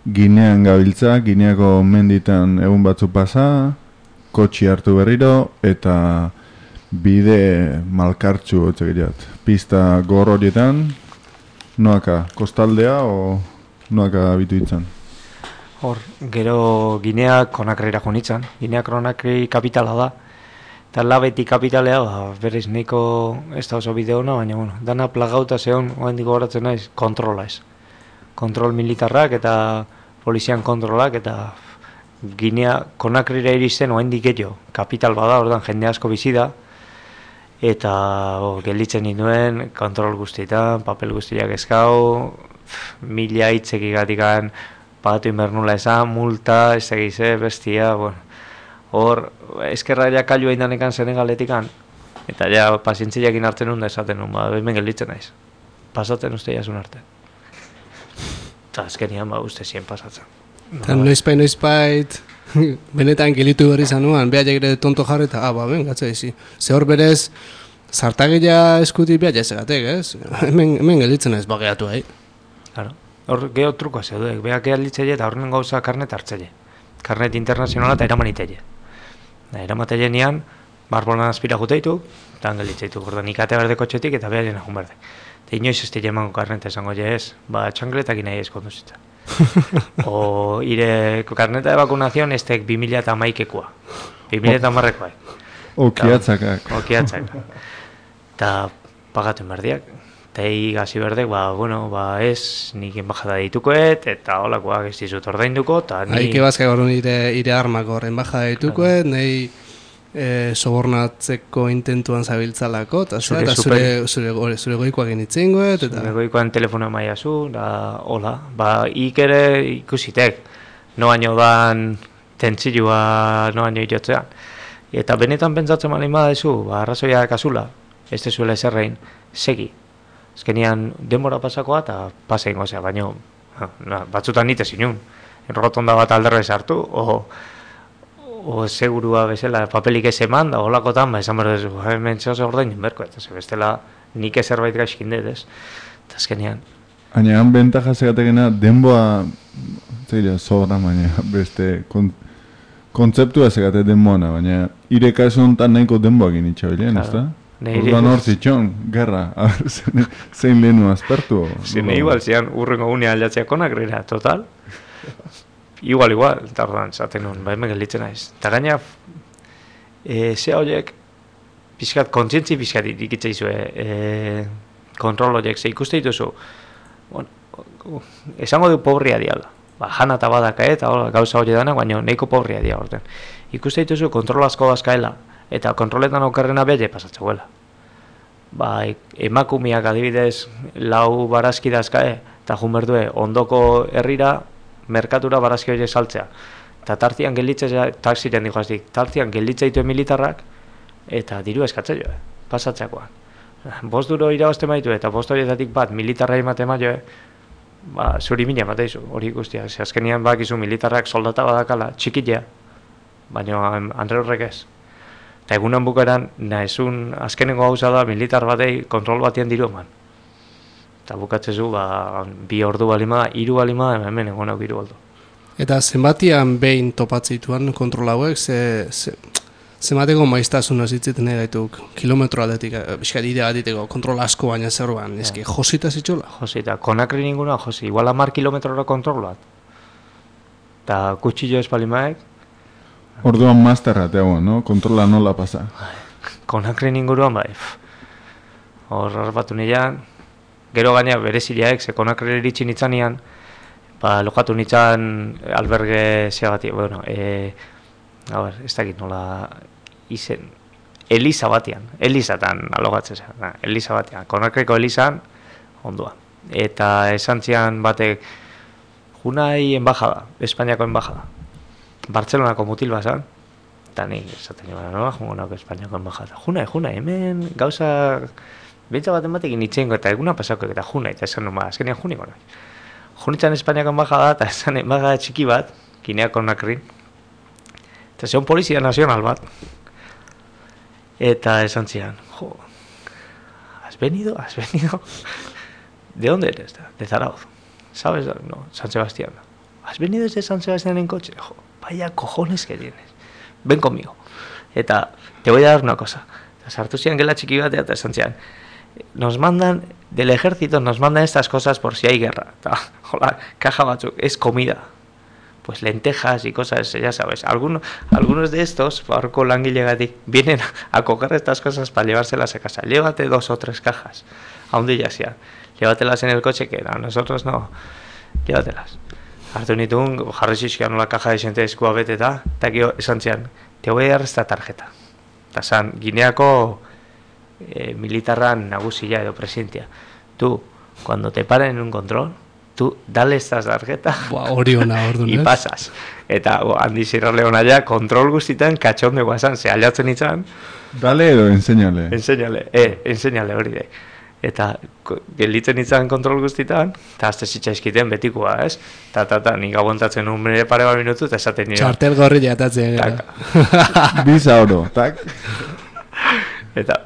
[SPEAKER 2] Ginean gabiltza, Gineako menditan egun batzu pasa, kotxi hartu berriro, eta bide malkartxu otzegirat. Pista gor horietan, noaka, kostaldea o noaka bitu itzan?
[SPEAKER 3] Hor, gero Ginea Konakrira jonitzan, Ginea Konakri kapitala da, eta labeti kapitalea, ba, berriz nahiko ez da oso bide hona, baina bueno, dana plagauta zehon, oendik gogoratzen naiz, kontrola ez. Kontrol militarrak eta polizian kontrolak, eta Ginea Konakrira iristen oendik gehiago, kapital bada, ordan jende asko bizi da, eta oh, gelditzen ninduen, kontrol guztietan, papel guztiak eskau, mila hitzekigatikan, pagatu inbernula esan, multa, ez egize, bestia, bueno. Hor, eskerra ja kailu egin danekan Senegaletikan, eta ja pazientziakin hartzen nun da esaten nun, ba, hemen gelditzen naiz. Pasatzen uste jasun arte. Eta azkenian, ba, uste zien pasatzen.
[SPEAKER 1] Eta noizpait, noizpait, benetan gelitu berri zanuan, behar ere tonto jarri eta, ah, ba, ben, gatza izi. Ze hor berez, zartagila eskuti behar jasegatek, ez? Hemen, hemen gelditzen naiz, bageatu, hai.
[SPEAKER 3] Claro. Hor, geho trukoa zeudek, behar gehalditzele eta horren gauza karnet hartzele. Karnet internazionala eta eraman itele. Eramatele nian, barbolan azpira juteitu, eta angelitzeitu, gorda nik ate berdeko txetik eta behar jenakun berde. Eta inoiz ez dira emango karneta esango je ez, ba txangletak nahi ez konduzitza. O ire karneta de vacunación estek bi mila eta hamaikekoa, bi mila eta hamarrekoa.
[SPEAKER 2] Okiatzakak.
[SPEAKER 3] Okiatzakak. Eta pagatu berdiak. Eta egi gazi berdek, ba, bueno, ba, ez, nik enbajada ditukoet, eta holakoak ez dizut ordainduko, eta ni...
[SPEAKER 1] Haike bazka gaur ire, ire armak hor, enbajada ditukoet, nahi e, sobornatzeko intentuan zabiltzalako, eta zure, eta zure, zure, zure, zure goikoak initzen goet, eta...
[SPEAKER 3] Zure goikoan telefono maia zu, da, hola, ba, ik ere ikusitek, no baino dan tentzilua, no baino irotzean. Eta benetan pentsatzen malin badazu, ba, arrazoia kasula, ez dezuela eserrein, segi. Azkenean denbora pasakoa eta pasa ingo zea, baina na, batzutan nite zinun. Rotonda bat alderrez hartu, o, o segurua bezala papelik ez eman, da holakotan, ba, esan berdezu, hemen zehose ordainen berko, eta ze bestela nik zerbait gaizkin dut, ez? Eta azkenean...
[SPEAKER 2] Baina, han bentaja zegatekena, denboa, zeira, sobra, baina, beste, kon, kontzeptua zegate denboana, baina, ire kasu honetan nahiko denboak initxabilean, ez da? Urban hor zitxon, gerra, zein lehenu azpertu?
[SPEAKER 3] Zene igual, zian urrengo gunea aldatzea Konakrira, total. Igual, igual, eta ordan, zaten nun, ba, hemen gelditzen naiz. Eta gaina, e, ze horiek, pixkat, kontzientzi pixkat ikitza izue, e, kontrol horiek, ze ikuste dituzu, bueno, esango du pobria diala. Ba, jana eta badaka eta gauza hori dana, baina nahiko pobria dia orden. Ikuste dituzu kontrol asko bazkaela, eta kontroletan okerrena belle pasatzeuela. Ba, emakumeak adibidez lau barazki dazkae, eta jun berdue ondoko herrira, merkatura barazki horiek saltzea. Eta tartian gelditzea, taksiren dihoazdik, tartian gelditzea ditu militarrak, eta diru eskatzea joe, pasatzeakoan. Bost duro irabazte maitu, eta bost horietatik bat militarra emate maioe, ba, zuri mina bateizu, hori guztia. Ze azkenian bakizu militarrak soldata badakala, txikilea, baina Andre horrek ez. Eta egunan bukaeran, nahizun azkenengo gauza da militar batei kontrol batean diru eman. Eta bukatzezu, ba, bi ordu balima da, hiru balima da, hemen egon hau hiru ordu.
[SPEAKER 1] Eta zenbatian behin topatzituan kontrol hauek, ze, ze, zenbateko maiztasuna zitzeten egaituk kilometro aldetik, biskat idea diteko, kontrol asko baina zerroan, eski, josita zitxola?
[SPEAKER 3] Josita, Konakri ninguna josi, igual amar kilometrora kontrol bat. Eta kutsillo espalimaek,
[SPEAKER 2] orduan masterra teago, no? Kontrola nola pasa.
[SPEAKER 3] Konakri inguruan bai. Hor batu nian, gero gaina berezileaek, ze Konakri iritsi nitzanian, ba, lokatu nitzan alberge zeagati, bueno, e, a ber, ez dakit nola izen, Eliza batian, Elizatan alogatzen zen, Eliza batian, Konakriko Elizan, ondua. Eta esan zian batek, junai enbajada, Espainiako enbajada. Bartzelonako mutil bazan, eta nik esaten nioa, nola jungo nauk Espainiako enbajada. Junai, junai, hemen gauza bentsa baten batekin itxengo eta eguna pasako eta junai, eta esan numa, azkenean juniko nahi. Junitzen Espainiako enbajada, eta esan enbajada txiki bat, Gineako Konakrin, eta zeon polizia nazional bat, eta esan zian, jo, has venido, has venido, ¿de dónde eres? De Zarauz. ¿Sabes? No, San Sebastián. ¿Has venido desde San Sebastián en coche? Jo, vaya cojones que tienes. Ven conmigo. Eta, te voy a dar una cosa. Sartu zian gela txiki batea eta esan zian, nos mandan, del ejército nos mandan estas cosas por si hay guerra. Ta, hola, caja batzuk, es comida. Pues lentejas y cosas, ya sabes. Algunos, algunos de estos, barco langilegatik, vienen a coger estas cosas para llevárselas a casa. Llévate dos o tres cajas. A un día sea. Llévatelas en el coche, que a nosotros no. Llévatelas. Hartu nitun, jarri zizkian la caja de xente eskua beteta, eta gero esan zian, te voy a dar esta tarjeta. Eta zan, Gineako eh, militarran nagusia edo presidentia. Tú, cuando te paren en un control, tú dale esta tarjeta
[SPEAKER 1] hori ona, orduan,
[SPEAKER 3] y pasas. Eta bo, handi zirrale hona ja, kontrol guztitan katxonde guazan, ze aliatzen itzan.
[SPEAKER 2] Dale edo enseñale.
[SPEAKER 3] Enseñale, eh, enseñale hori de. Eta gelditzen itzan kontrol guztitan, eta azte zitzaizkiten betikoa, ez? Ta, ta, ta, nik aguantatzen un pare bat minutu, eta esaten nire.
[SPEAKER 1] Txartel gorri jatatzen.
[SPEAKER 2] Biza oro, tak?
[SPEAKER 3] Eta,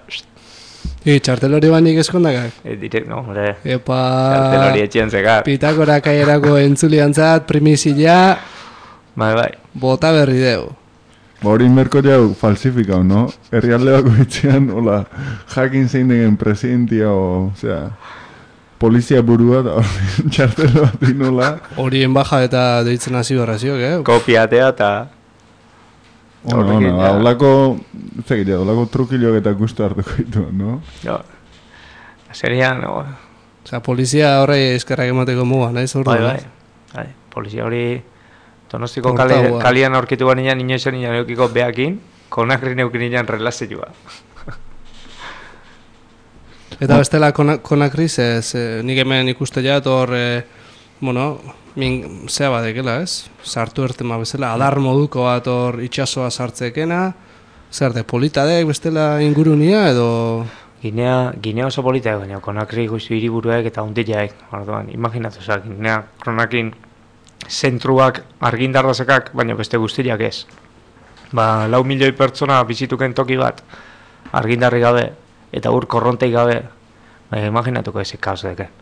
[SPEAKER 1] I, txartel hori banik eskondakak?
[SPEAKER 3] E, dire, no, hombre,
[SPEAKER 1] Epa,
[SPEAKER 3] txartel hori etxien zekar.
[SPEAKER 1] Pitakora kaierako entzuliantzat, primizila,
[SPEAKER 3] Bai, bai.
[SPEAKER 1] bota berri deu.
[SPEAKER 2] Hori merko jau falsifikau, no? Herrialde bako itzean, hola, jakin zein degen presidentia, o, osea, polizia burua, da hori txartel bat inola.
[SPEAKER 1] Hori enbaja eta deitzen hasi berraziok, eh?
[SPEAKER 3] Kopiatea eta...
[SPEAKER 2] Ona, ona, ba, holako, zegitea, holako trukilok eta gustu hartuko ditu, no?
[SPEAKER 3] Jo, seria, no...
[SPEAKER 1] Osea, polizia horrei eskerrak emateko muga, nahi zordu?
[SPEAKER 3] Bai, bai, bai, polizia hori... Donostiko kale, kalian aurkitu banean inoizan nian eukiko behakin, konakri neukin nian relazioa.
[SPEAKER 1] Eta bestela konakri, ze, ze, nik hemen ikuste jat hor, e, bueno, min, zea badekela, ez? Sartu ertema bezala, adar moduko bat hor itxasoa sartzekena, zer de, politadek bestela ingurunia edo...
[SPEAKER 3] Ginea, Ginea oso polita baina konakri guztu hiriburuek eta hundileak, orduan, imaginatu, oza, Ginea kronakin zentruak argindarrazekak, baina beste guztiak ez. Ba, lau milioi pertsona bizituken toki bat, argindarri gabe, eta ur korrontei gabe, ba, imaginatuko eze kaos deken.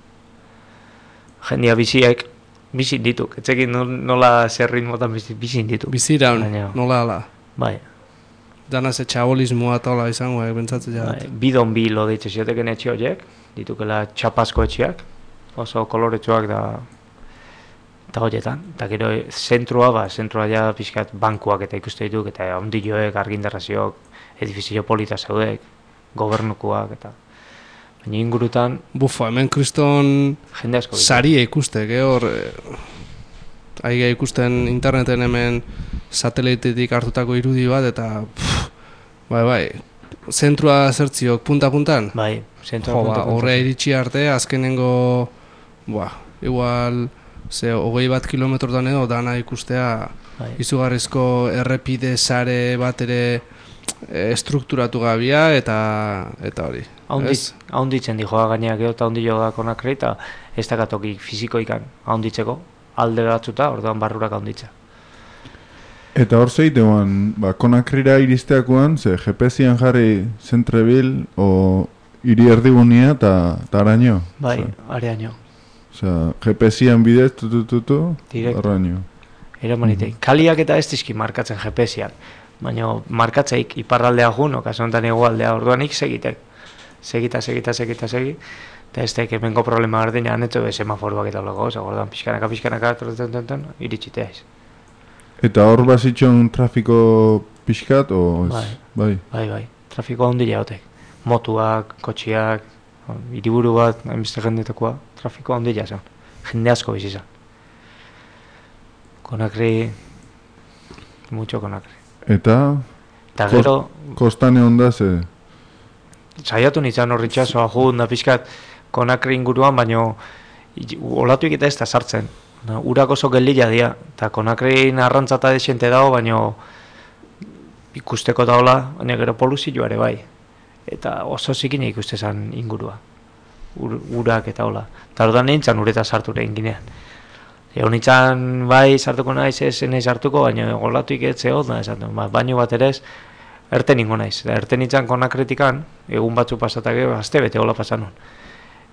[SPEAKER 3] Jendia biziek, bizin dituk, etzekin nola zer ritmotan bizin dituk.
[SPEAKER 1] Biziraun, nola ala.
[SPEAKER 3] Bai.
[SPEAKER 1] Danaz etxabolismoa tola izango, eh, bentsatzen jat.
[SPEAKER 3] Bai, bidon bi lo deitze zioteken etxe horiek, ditukela txapazko etxeak, oso koloretsuak da... Eta horietan, eta gero zentrua, ba, zentrua ja pixkat bankuak eta ikuste dituk, eta ondilloek, argindarrazioak, edifizio polita zeudek, gobernukuak, eta baina ingurutan...
[SPEAKER 1] Bufa, hemen kriston
[SPEAKER 3] jende asko
[SPEAKER 1] saria ikuste, hor, aige ikusten interneten hemen satelitetik hartutako irudi bat, eta pff, bai, bai, zentrua zertziok punta-puntan?
[SPEAKER 3] Bai, zentrua punta-puntan.
[SPEAKER 1] Horre iritsi arte, azkenengo, ba, igual... Ze, hogei bat kilometrotan edo dana ikustea bai. Izugarrizko errepide sare bat ere e, strukturatu gabia eta eta hori.
[SPEAKER 3] Haunditzen di joa gaineak edo eta haundillo da konakri eta ez dakatoki fizikoikan haunditzeko alde batzuta, orduan barrurak haunditza.
[SPEAKER 2] Eta hor zeitean, ba, konakrira iristeakoan, ze G P S-ian jarri Zentrebil o hiri erdigunia eta araño.
[SPEAKER 3] Bai, araño.
[SPEAKER 2] Osea, G P S-ian bidez, tutututu, arraño.
[SPEAKER 3] Ero manitei. Kaliak eta ez dizki markatzen G P S-ian. Baina markatzeik iparraldea jun, okazontan egualdea orduan ik segitek. Segita, segita, segita, segi. Eta ez teik emengo problema gardina, aneto be semaforuak eta olago, oza, orduan pixkanaka, pixkanaka, torretan, iritsitea ez.
[SPEAKER 2] Eta hor bazitxon trafiko pixkat, o ez?
[SPEAKER 3] Bai,
[SPEAKER 2] bai,
[SPEAKER 3] bai, bai. Trafiko handila hotek. Motuak, kotxiak, hiriburu bat, hainbeste jendetakoa, trafiko handila zen. Jende asko bizi zen. Konakri, mucho konakri.
[SPEAKER 2] Eta,
[SPEAKER 3] eta gero,
[SPEAKER 2] kostane onda ze?
[SPEAKER 3] Saiatu nintzen horri txasoa jun da pixkat konakri inguruan, baino olatuik eta ez da sartzen. Urak oso gelila dira, eta konakri arrantzata desente dago, baino ikusteko daola, baina gero poluzioa ere bai. Eta oso zikine ikuste zen ingurua. Ur, urak eta hola. Eta orduan nintzen ureta sartu egin ginean. Egon nintzen bai sartuko naiz, ez nahi sartuko, baina golatuik ez zehot, ba, baino bat ere ez, erten ingo naiz. Erten nintzen konakritikan, egun batzu pasatak, azte bete hola pasan nun.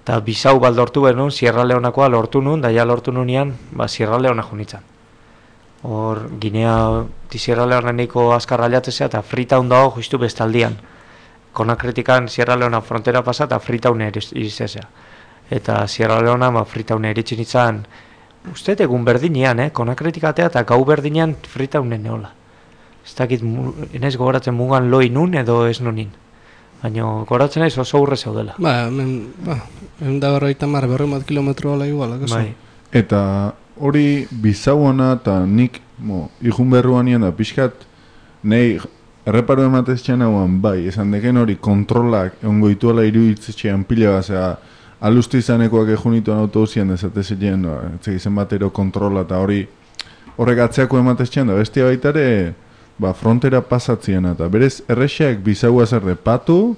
[SPEAKER 3] Eta Bisau bat lortu behar nun, Sierra Leonakoa lortu nun, da ja lortu nunean, ba, Sierra Leona junitzen. Hor, Ginea, di Sierra Leonaniko azkarra aliatzea, eta Freetown dago justu bestaldian. Konakritikan Sierra Leona frontera pasa, eta Freetown irizesea. Eta Sierra Leona, ba, Freetown eritxin izan, uste egun berdinean, eh? Konakritikatea eta gau berdinean Freetownen neola. Ez dakit, enez gogoratzen mugan loi nun edo ez nunin. Baina goratzen naiz oso urre zaudela.
[SPEAKER 1] Ba, hemen, ba, hemen da berroita mar, berroi bat kilometro ala igual, akaso.
[SPEAKER 3] Bai.
[SPEAKER 2] Eta hori Bizauana eta nik, mo, ikun berruan da pixkat, nahi erreparu emateztxean hauan, bai, esan deken hori kontrolak ongo ituela iruditzetxean pila bazea, alustu izanekoak ejunituan autobusian dezatezilean, no, etzegizen batero kontrola eta hori horrek atzeako emateztxean da, bestia baitare, ba, frontera pasatzien eta berez errexeak Bisaua zer de patu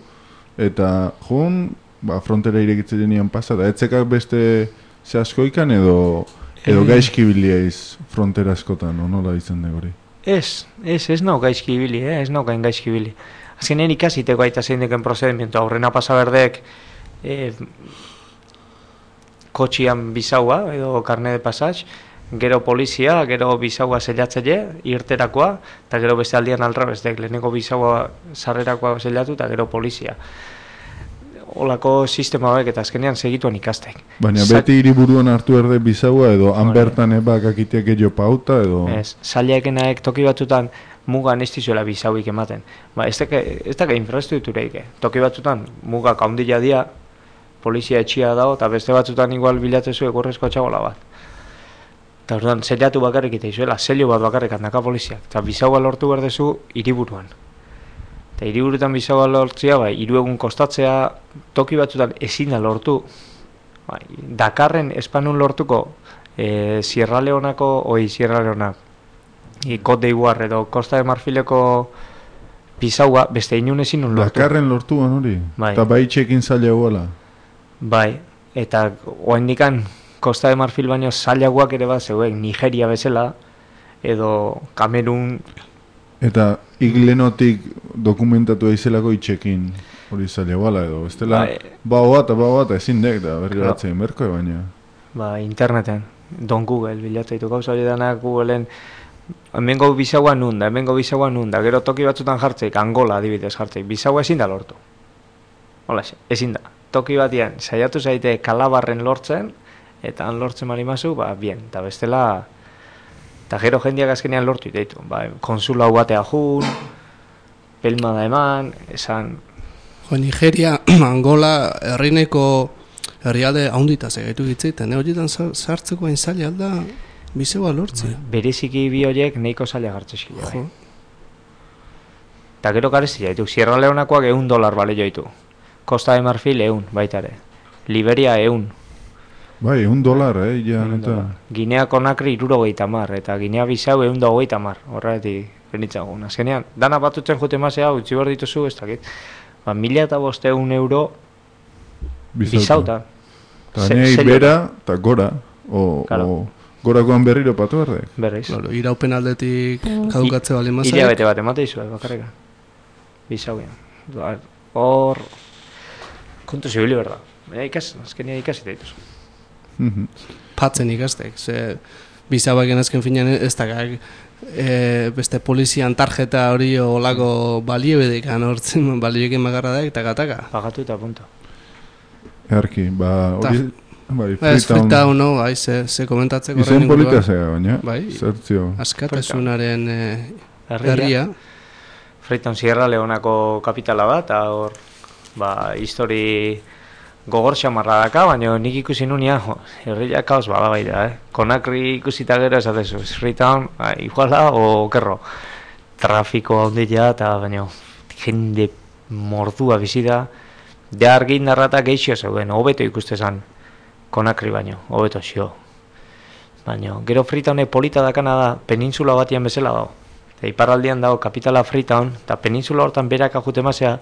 [SPEAKER 2] eta jun, ba, frontera irekitzen nian pasa, eta etzekak beste ze askoikan edo edo
[SPEAKER 3] Eh.
[SPEAKER 2] gaizki biliaiz frontera askotan, no, nola izan de hori?
[SPEAKER 3] Ez, ez, ez nau gaizki ibili, eh? ez nau gain gaizki ibili. Azkenean ikasiteko aita zein deken procedimiento, aurrena pasa berdek eh, kotxian Bisaua edo karne de pasatx, gero polizia, gero Bisaua zelatzaile, irterakoa, eta gero beste aldian aldrabestek, lehenengo Bisaua sarrerakoa zelatu, eta gero polizia. Olako sistema hauek eta azkenean segituan ikastek.
[SPEAKER 2] Baina
[SPEAKER 3] Sa-
[SPEAKER 2] beti hiriburuan hartu erde Bisaua edo han
[SPEAKER 3] Hori.
[SPEAKER 2] bertan ebak akiteak gehiago pauta edo...
[SPEAKER 3] Ez, zailaekenaek toki batzutan mugan ez dizuela Bisauik ematen. Ba, ez dake, ez dake infraestruktureik, eh. Toki batzutan mugak haundila dia, polizia etxia dago, eta beste batzutan igual bilatzezu egurrezko txabola bat. Eta orduan, zelatu bakarrik eta izuela, zelio bat bakarrik handaka poliziak. Eta Bisaua lortu berdezu hiriburuan. Eta hiriburutan Bisaua lortzia, bai, hiru egun kostatzea, toki batzutan ezin da lortu. Bai, Dakarren espanun lortuko, e, Sierra Leonako, oi, Sierra Leona, e, Cote d'Ivoire edo Costa de Marfileko Bisaua, beste inun ezin nun lortu.
[SPEAKER 2] Dakarren lortuan hori?
[SPEAKER 3] Bai.
[SPEAKER 2] Eta bai txekin zaila guala?
[SPEAKER 3] Bai, eta oaindikan Costa de Marfil baino zailagoak ere bat zeuen, Nigeria bezala, edo Kamerun.
[SPEAKER 2] Eta iglenotik dokumentatu eizelako itxekin hori zaila guala edo? Estela,
[SPEAKER 3] Bai.
[SPEAKER 2] bau bat, bau bat, ezin dek da, berri
[SPEAKER 3] Claro.
[SPEAKER 2] batzen berko baina.
[SPEAKER 3] Ba, interneten, don Google, bilatzaitu gauza hori danak Googleen, hemengo Bisaua nun da, hemengo Bisaua nun da, gero toki batzutan jartzeik, Angola adibidez jartzeik, Bisaua ezin da lortu. Hola, ezin da. Toki batian, saiatu zaite Kalabarren lortzen, eta han lortzen malimazu, ba, bien, eta bestela, eta gero jendeak azkenean lortu itaitu, ba, konsulau batea jun, pelmada eman, esan,
[SPEAKER 1] Jo, Nigeria, Angola, herrineko herrialde haundita segaitu gitzeiten, ne horietan sa- sartzeko hain zaila alda Bisaua lortzea.
[SPEAKER 3] bereziki bi horiek nahiko zaila gartzeskile, bai.
[SPEAKER 1] Jo.
[SPEAKER 3] Eta gero garezia ditu, Sierra Leonakoak eun dolar bale joitu. Costa de Marfil eun, baita ere. Liberia eun.
[SPEAKER 2] Bai, un dolar, eh, ja, eta...
[SPEAKER 3] Ginea Konakri irurogeita mar, eta Ginea Bisau eun da hogeita mar. Horregatik benitzagun. Azkenean, dana batutzen jute mazea, utzi behar dituzu, ez dakit. Ba, mila eta bosteun euro Bisauta.
[SPEAKER 2] Eta
[SPEAKER 3] Se-
[SPEAKER 2] nahi
[SPEAKER 3] sello.
[SPEAKER 2] bera, eta gora, o,
[SPEAKER 3] Claro.
[SPEAKER 2] o gorakoan berriro patu berdek.
[SPEAKER 3] Berriz.
[SPEAKER 1] Claro, iraupen aldetik kadukatze bali mazai.
[SPEAKER 3] Hilabete bat emate izu, bakarrika. Bisauian. Ba, Hor... Kontu zibili berda. Baina ikas, azkenean ikasi dituzu.
[SPEAKER 2] Mhm.
[SPEAKER 1] Patzen ikastek, ze Bisaua genazken finean ez da e, beste polizian tarjeta hori olako balioedik anortzen, balioekin magarra da eta gataka.
[SPEAKER 3] Pagatu eta punto.
[SPEAKER 2] Earki, ba, hori... Bai,
[SPEAKER 1] Ez
[SPEAKER 2] Freetown...
[SPEAKER 1] Freetown, no, bai, ze, ze komentatzeko
[SPEAKER 2] Izen
[SPEAKER 1] horren
[SPEAKER 2] polita
[SPEAKER 1] inguruan.
[SPEAKER 2] zega, baina,
[SPEAKER 1] Bai.
[SPEAKER 2] zertzio.
[SPEAKER 1] Askatasunaren eh,
[SPEAKER 3] Herria.
[SPEAKER 1] herria.
[SPEAKER 3] Freetown Sierra Leonako kapitala da, eta hor, ba, histori gogor xamarra daka, baina nik ikusi nunia, jo, herria kaos bada bai da, eh? Konakri ikusita gero esatezu, Freetown, ba, iguala o okerro. Trafiko handia eta baina jende mordua bizi da, ja argi narrata geixio zeuden, hobeto ikuste zan, Konakri baino, hobeto xio. Baina, gero Freetownek polita dakana da, peninsula batian bezala dago. Eta iparraldian dago kapitala Freetown, eta peninsula hortan berak ajute mazea,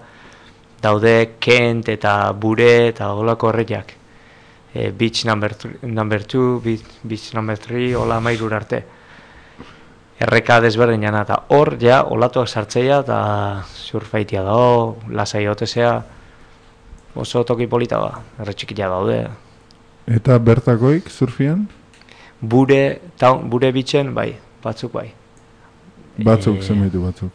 [SPEAKER 3] daude Kent eta Bure eta olako herriak. E, beach number, number two, beach, beach number three, hola mairur arte. Erreka desberdinana, eta hor, ja, olatuak sartzeia, eta surfaitia dago, lasai hotezea, Oso toki polita ba, herri txikia daude.
[SPEAKER 2] Eta bertakoik, surfian?
[SPEAKER 3] Bure, taun, bure bitxen, bai, batzuk bai.
[SPEAKER 2] Batzuk,
[SPEAKER 3] E,
[SPEAKER 2] zenbaitu batzuk.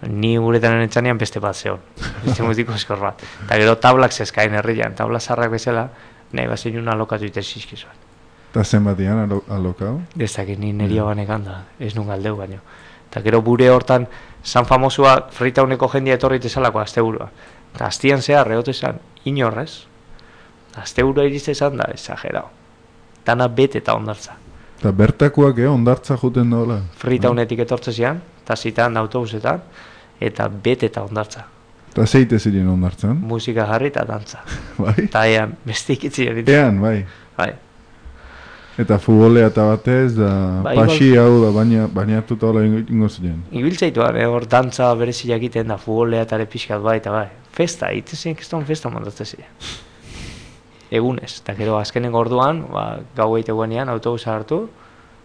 [SPEAKER 3] Ni guretan entzanean beste bat zeon. Beste mutiko eskor bat. Eta gero tablak zezkain herrian, tabla zarrak bezala, nahi bazen una alokatu ite zizkizuan.
[SPEAKER 2] Eta zenbatian alo, alokau?
[SPEAKER 3] Ez dakit ni nerio banekan da, ez nun galdeu baino. Eta gero bure hortan, San Famosua Freetowneko jendia etorri tezalako asteburua. Eta astian zehar, egote esan, inorrez. Asteburua irizte esan da, exagerao. Dana bete eta ondartza.
[SPEAKER 2] Eta bertakoak, eh, ondartza juten dola?
[SPEAKER 3] Freetownetik etortze zian, eta zitan autobusetan, eta bete eta ondartza.
[SPEAKER 2] Eta zeite ziren ondartzan?
[SPEAKER 3] Musika jarri eta dantza.
[SPEAKER 2] Bai?
[SPEAKER 3] Eta ean, beste ikitzi egiten.
[SPEAKER 2] Ean, bai.
[SPEAKER 3] Bai.
[SPEAKER 2] Eta futbolea eta batez, da
[SPEAKER 3] Bai,
[SPEAKER 2] pasi hau da baina, bainatuta hola ingo ziren.
[SPEAKER 3] Ibiltzaituan, eh, hor dantza berezia egiten da, futbolea eta ere pixkat bai, eta bai. Festa, itezen keston festa montatzen ziren. Egunez, eta gero azkenengo orduan, ba, gau egiteguenean autobusa hartu,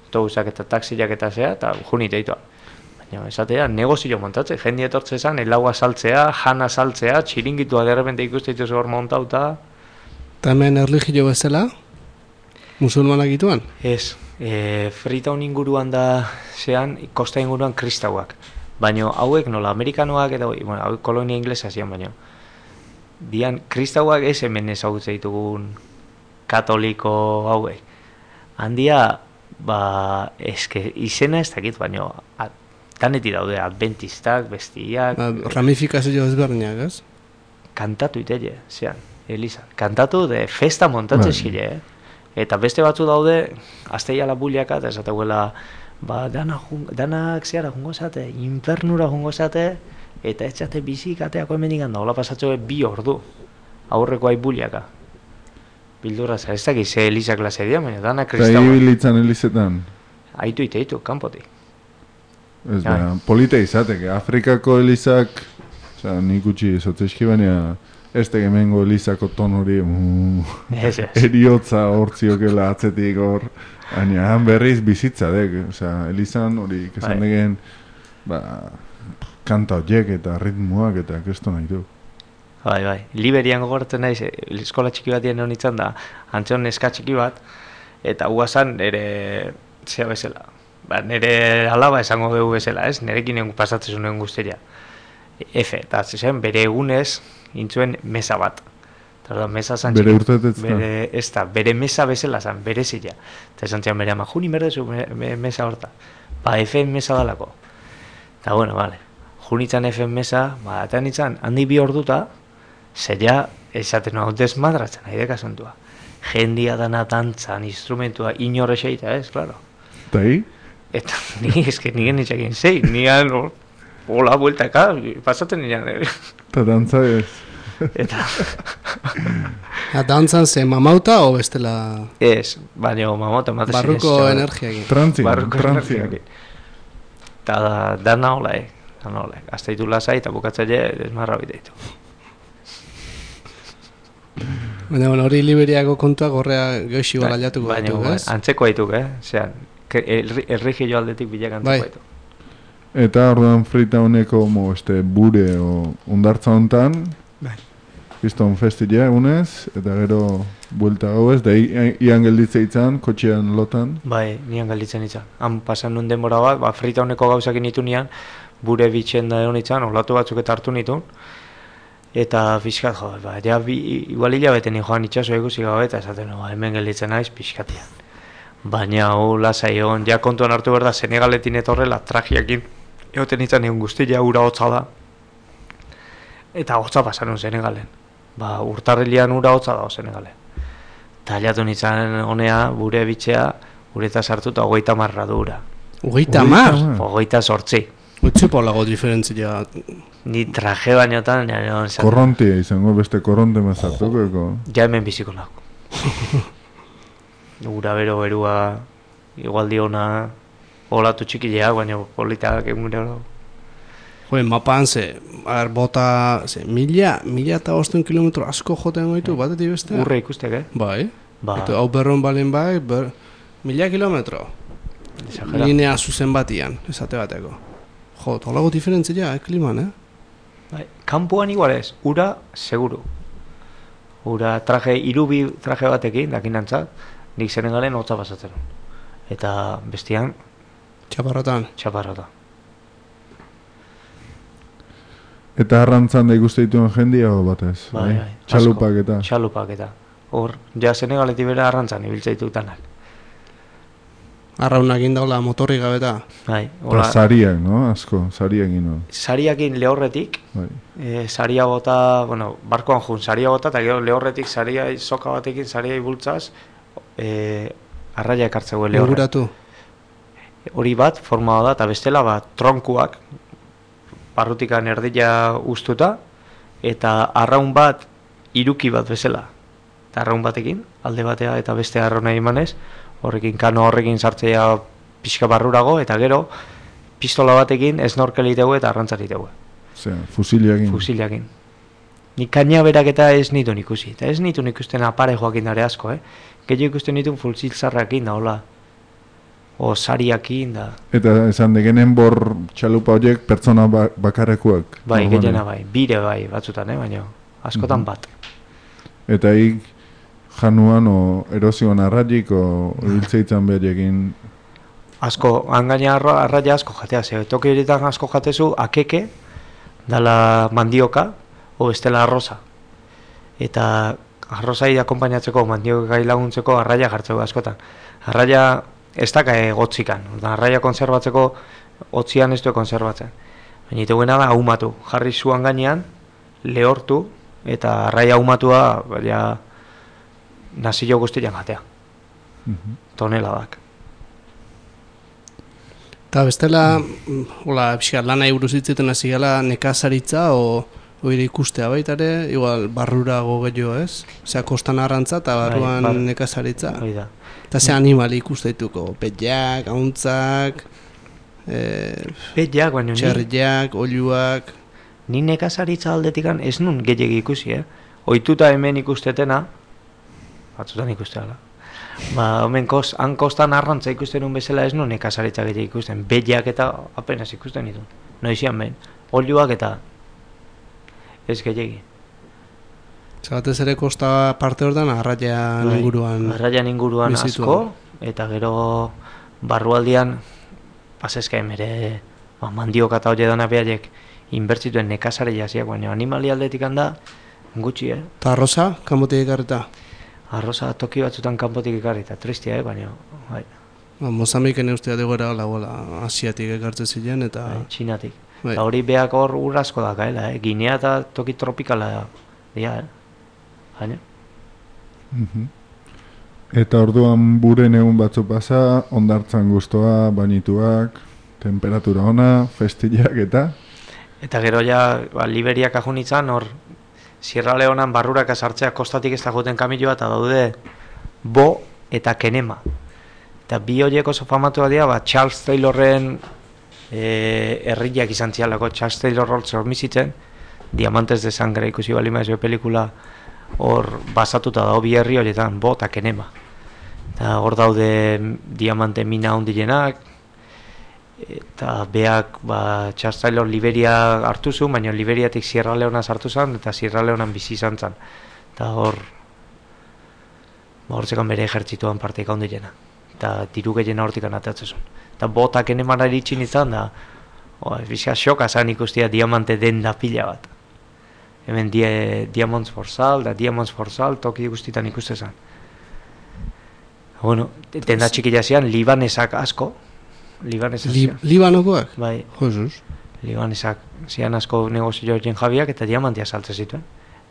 [SPEAKER 3] autobusak eta taxiak eta zea, eta junite itoa. Baina, esatea, negozio montatzen, jende etortze zan, elaua saltzea, jana saltzea, txiringitua derrepente ikuste dituzu hor montauta.
[SPEAKER 1] Eta hemen erligio bezala, musulmanak ituan?
[SPEAKER 3] Ez, e, Freetown inguruan da zean, kosta inguruan kristauak. Baina hauek nola, amerikanoak eta, bueno, hauek kolonia inglesa zian baino. Dian, kristauak ez hemen ezagutze ditugun katoliko hauek. Handia, ba, eske, izena ez dakit, baina daneti daude, adventistak, bestiak.
[SPEAKER 1] Ba, ramifikazio ezberdinak, ez?
[SPEAKER 3] Kantatu itelle, zean, Elisa. Kantatu de festa montatzen zile, eh? Eta beste batzu daude, azteiala buliaka, eta esateguela, ba, dana jun, danak zeara jungo zate, infernura jungo zate, eta ez zate bizik ateako hemenik handa, hola pasatxo bi ordu, aurreko aibuliaka. Bildurra za, ez dakiz ze Elisa klase dira, baina dana
[SPEAKER 2] Eta
[SPEAKER 3] kristaua.
[SPEAKER 2] ibilitzan elizetan.
[SPEAKER 3] Aitu iteitu, kanpotik.
[SPEAKER 2] Ez da, polita izateke. Afrikako elizak, oza, nik utxi ezotzezki, baina ez tegemengo elizako ton hori, mm,
[SPEAKER 3] Ez ez.
[SPEAKER 2] eriotza hortziokela atzetik hor, baina han berriz bizitza dek, oza, elizan hori kesan
[SPEAKER 3] Bai.
[SPEAKER 2] degen, ba, kanta horiek eta ritmoak eta kesto nahi du.
[SPEAKER 3] Bai, bai. Liberian gogoratzen naiz, eh, eskola txiki batien honitzen da, antzeon neska txiki bat, eta guazan nire, zea bezala, ba, nire alaba esango dugu bezala, ez? Nerekin egun pasatzen zuen guzteria. Efe, eta zen, bere egunez, intzuen mesa bat. Eta mesa zan
[SPEAKER 2] Bere
[SPEAKER 3] txiki-
[SPEAKER 2] urtetetz da?
[SPEAKER 3] Bere, ez da, bere mesa bezala zan, bere zila. Eta esan zian bere ama, juni berdezu me, me, mesa horta. Ba, F mesa dalako. Eta bueno, vale. Junitzan F mesa, ba, eta nintzen, handi bi orduta, zeia, esaten hau desmadratzen, nahi dekasuntua. Jendia dana dantzan, instrumentua, inorre xeita, ez, klaro.
[SPEAKER 2] Eta hi?
[SPEAKER 3] Eta ni, eske, nien nitxekin zei, nian, no, hola, bueltaka, pasaten nian, eh?
[SPEAKER 2] Eta dantza ez.
[SPEAKER 3] Eta,
[SPEAKER 1] Ja, dantzan ze mamauta o bestela
[SPEAKER 3] ez, baina mamota ematen ziren.
[SPEAKER 1] barruko
[SPEAKER 3] zeo-
[SPEAKER 1] energiakin.
[SPEAKER 2] Trantzian,
[SPEAKER 3] Barruko
[SPEAKER 2] trantzian.
[SPEAKER 3] energiakin. Eta da, dana hola, eh? Dana hola, gazteitu lasai eta bukatzaile desmarra biteitu.
[SPEAKER 1] Baina, bueno, hori Liberiako kontua gorrea goixi
[SPEAKER 3] Bai,
[SPEAKER 1] gara jatuko
[SPEAKER 3] baina,
[SPEAKER 1] gaitu,
[SPEAKER 3] bai,
[SPEAKER 1] ez?
[SPEAKER 3] antzeko haituk, eh? Zean, errigio aldetik bilak antzeko
[SPEAKER 1] Bai.
[SPEAKER 3] haituk.
[SPEAKER 2] Eta orduan Freetowneko mo, este, bure o ondartza hontan,
[SPEAKER 1] Bai.
[SPEAKER 2] Piston festila egunez, eta gero buelta gauez, da i- ian gelditze itzan, kotxean lotan.
[SPEAKER 3] Bai, nian galditzen itzan. Han pasan nun denbora bat, ba, Freetowneko gauzak nitu nian, bure bitxen da egon itzan, olatu batzuk eta hartu nitun. Eta fiskat, jo, ba, ja, bi, igual hilabete ni joan itxaso ikusi gabe, eta esaten, no, hemen gelditzen naiz pixkatian. Baina, hau, lasai egon, ja kontuan hartu behar da, Senegaletin etorrela, tragiakin, egoten itzan egun guztia ura hotza da. Eta hotza pasanun Senegalen. Ba, urtarrilean ura hotza dago Senegalen. Eta jatu nintzen honea, gure bitxea, gureta sartu eta hogeita marra du ura.
[SPEAKER 1] Hogeita mar?
[SPEAKER 2] Ah.
[SPEAKER 3] Hogeita sortzi.
[SPEAKER 1] Utsu polago diferentzia.
[SPEAKER 3] Ni traje bainotan, nire hon zaten.
[SPEAKER 2] Korrontia izango, beste korronte mazartuko, eko.
[SPEAKER 3] Ja hemen biziko nago. Ura bero berua, igual diona, olatu txikileak, baina politak egun gero.
[SPEAKER 1] Jo, mapan ze, ar, bota, ze, mila, mila eta bosten kilometro asko joten gaitu, batetik bestea.
[SPEAKER 3] Urre ikustek, eh?
[SPEAKER 1] Bai.
[SPEAKER 3] Ba,
[SPEAKER 1] Eta hau berron balen bai, ber, mila kilometro.
[SPEAKER 3] exagera.
[SPEAKER 1] Linea zuzen batian, esate bateko. Jo, tolago diferentzia, eh, kliman, eh?
[SPEAKER 3] Bai, kanpoan igual ez, ura, seguru. Hura traje, irubi traje batekin, dakinantzat, nik Senegalen hotza pasatzen. Eta bestian...
[SPEAKER 1] Txaparrotan.
[SPEAKER 3] Txaparrota.
[SPEAKER 2] Eta arrantzan da ikuste dituen jendia o batez?
[SPEAKER 3] Bai, bai.
[SPEAKER 2] Txalupak eta?
[SPEAKER 3] Txalupak eta. Hor, ja Senegaletik bera arrantzan ibiltza ditutanak.
[SPEAKER 1] Arraunak indaula motorri gabeta.
[SPEAKER 3] Bai,
[SPEAKER 2] Eta sariak, no? Asko, sariak ino.
[SPEAKER 3] Sariakin lehorretik,
[SPEAKER 2] bai.
[SPEAKER 3] e, saria bota, bueno, barkoan jun, saria bota, eta gero lehorretik saria soka batekin, saria ibultzaz, e, arraia ekartzeu lehorre.
[SPEAKER 1] Inguratu.
[SPEAKER 3] Hori bat, forma da, eta bestela bat, tronkuak, barrutikan erdila ustuta, eta arraun bat, iruki bat bezala. Eta arraun batekin, alde batea eta beste arrauna imanez, horrekin kano horrekin sartzea pixka barrurago, eta gero pistola batekin snorkelitegu eta arrantzaritegu.
[SPEAKER 2] Osea, fusilakin.
[SPEAKER 3] Fusilakin. Nik kaina berak eta ez nitu ikusi. Eta ez nitu ikusten apare joakin dare asko, eh? Gehiago ikusten nitu fusiltzarrakin da, hola. O sariakin da.
[SPEAKER 2] Eta esan degenen bor txalupa horiek pertsona ba bakarrekuak.
[SPEAKER 3] Bai, gehiena bai. Bire bai, batzutan, eh? Baina askotan
[SPEAKER 2] Mhm.
[SPEAKER 3] bat.
[SPEAKER 2] Eta hik januan o erosioan arraik o hiltzeitzan berekin.
[SPEAKER 3] Asko, hangaina arra, arraia asko jatea, ze toki horietan asko jatezu, akeke, dala mandioka, o bestela arroza. Eta arrozai akompainatzeko, mandiokai laguntzeko arraia jartzeko askotan. Arraia ez daka egotzikan, arraia konserbatzeko, otzian ez du konserbatzen. Baina iteguena da ahumatu, jarri zuan gainean, lehortu, eta arraia ahumatua, baina nazio guztian jatea.
[SPEAKER 2] Mhm.
[SPEAKER 3] Toneladak.
[SPEAKER 1] Eta bestela, hola, pixkat lana buruz hitzeten hasi gala nekazaritza o oire ikustea baita ere, igual barrurago gehiago, ez? Osea, kostan arrantza eta barruan
[SPEAKER 3] Bai, bar-
[SPEAKER 1] nekazaritza.
[SPEAKER 3] Hoi da.
[SPEAKER 1] Eta ze animali ikuste dituko, petjak, auntzak, eh,
[SPEAKER 3] Betiak, baina ni,
[SPEAKER 1] txerriak, oiluak,
[SPEAKER 3] ni nekazaritza aldetikan ez nun gehiagi ikusi, eh? Oituta hemen ikustetena, batzutan ikusteala. Ba, hemen kos, han kostan arrantza ikusten un bezala ez nun nekazaritza gehiagi ikusten. Betiak eta apenas ikusten ditu. Noizian behin. Oiluak eta ez gehiagi.
[SPEAKER 1] Zabatez ere kosta parte hortan arraian
[SPEAKER 3] Bai,
[SPEAKER 1] inguruan.
[SPEAKER 3] Arraian inguruan
[SPEAKER 1] bizituan.
[SPEAKER 3] asko, eta gero barrualdian, pasezka emere, ba, mandioka eta hori dana behaiek inbertzituen nekazare jaziak, baina animali aldetik handa, gutxi, eh?
[SPEAKER 1] Eta arroza, kanbotik ekarrita.
[SPEAKER 3] Arroza toki batzutan kanpotik ekarri, eta tristia, eh? Baina, bai,
[SPEAKER 1] Ba, Mozambiken eustea degora lagoela asiatik ekartzen ziren, eta
[SPEAKER 3] bai, txinatik.
[SPEAKER 1] bai.
[SPEAKER 3] Eta hori beak hor ur asko dakaela, eh? Ginea eta toki tropikala dira, eh? Baina,
[SPEAKER 2] Mhm. Eta orduan buren egun batzu pasa, ondartzan gustoa, bainituak, temperatura ona, festillak eta...
[SPEAKER 3] eta gero ja, ba, Liberiak ajunitzan, hor, Sierra Leonan barrurak sartzea kostatik ez da joten kamioa, eta daude Bo eta Kenema. Eta bi horiek oso famatua dira, ba, Charles Taylorren e, herriak izan zialako, Charles Taylor hor zormizitzen, Diamantes de Sangre ikusi bali maizue pelikula, hor basatuta dago bi herri horietan, Bo eta Kenema. Eta hor daude diamante mina handienak, eta beak, ba, Charles Taylor Liberia hartu zuen, baina Liberiatik Sierra Leona sartu zen, eta Sierra Leonan bizi izan zen. Eta hor, ba, hortzekan bere ejertzituan parteik handiena. Eta diru gehiena hortikan atatzen zuen. Eta botak enemara iritsin izan da, oh, bizka xoka zan ikustia diamante den da pila bat. Hemen die, Diamonds for Sale, da Diamonds for Sale, toki guztitan ikuste zen. Bueno, denda txikila zian, libanesak asko, libanesak
[SPEAKER 1] Li,
[SPEAKER 3] zian.
[SPEAKER 1] Libanokoak?
[SPEAKER 3] Bai,
[SPEAKER 1] Jesus.
[SPEAKER 3] libanesak zian asko negozio horien jabiak eta diamantia saltzen zituen.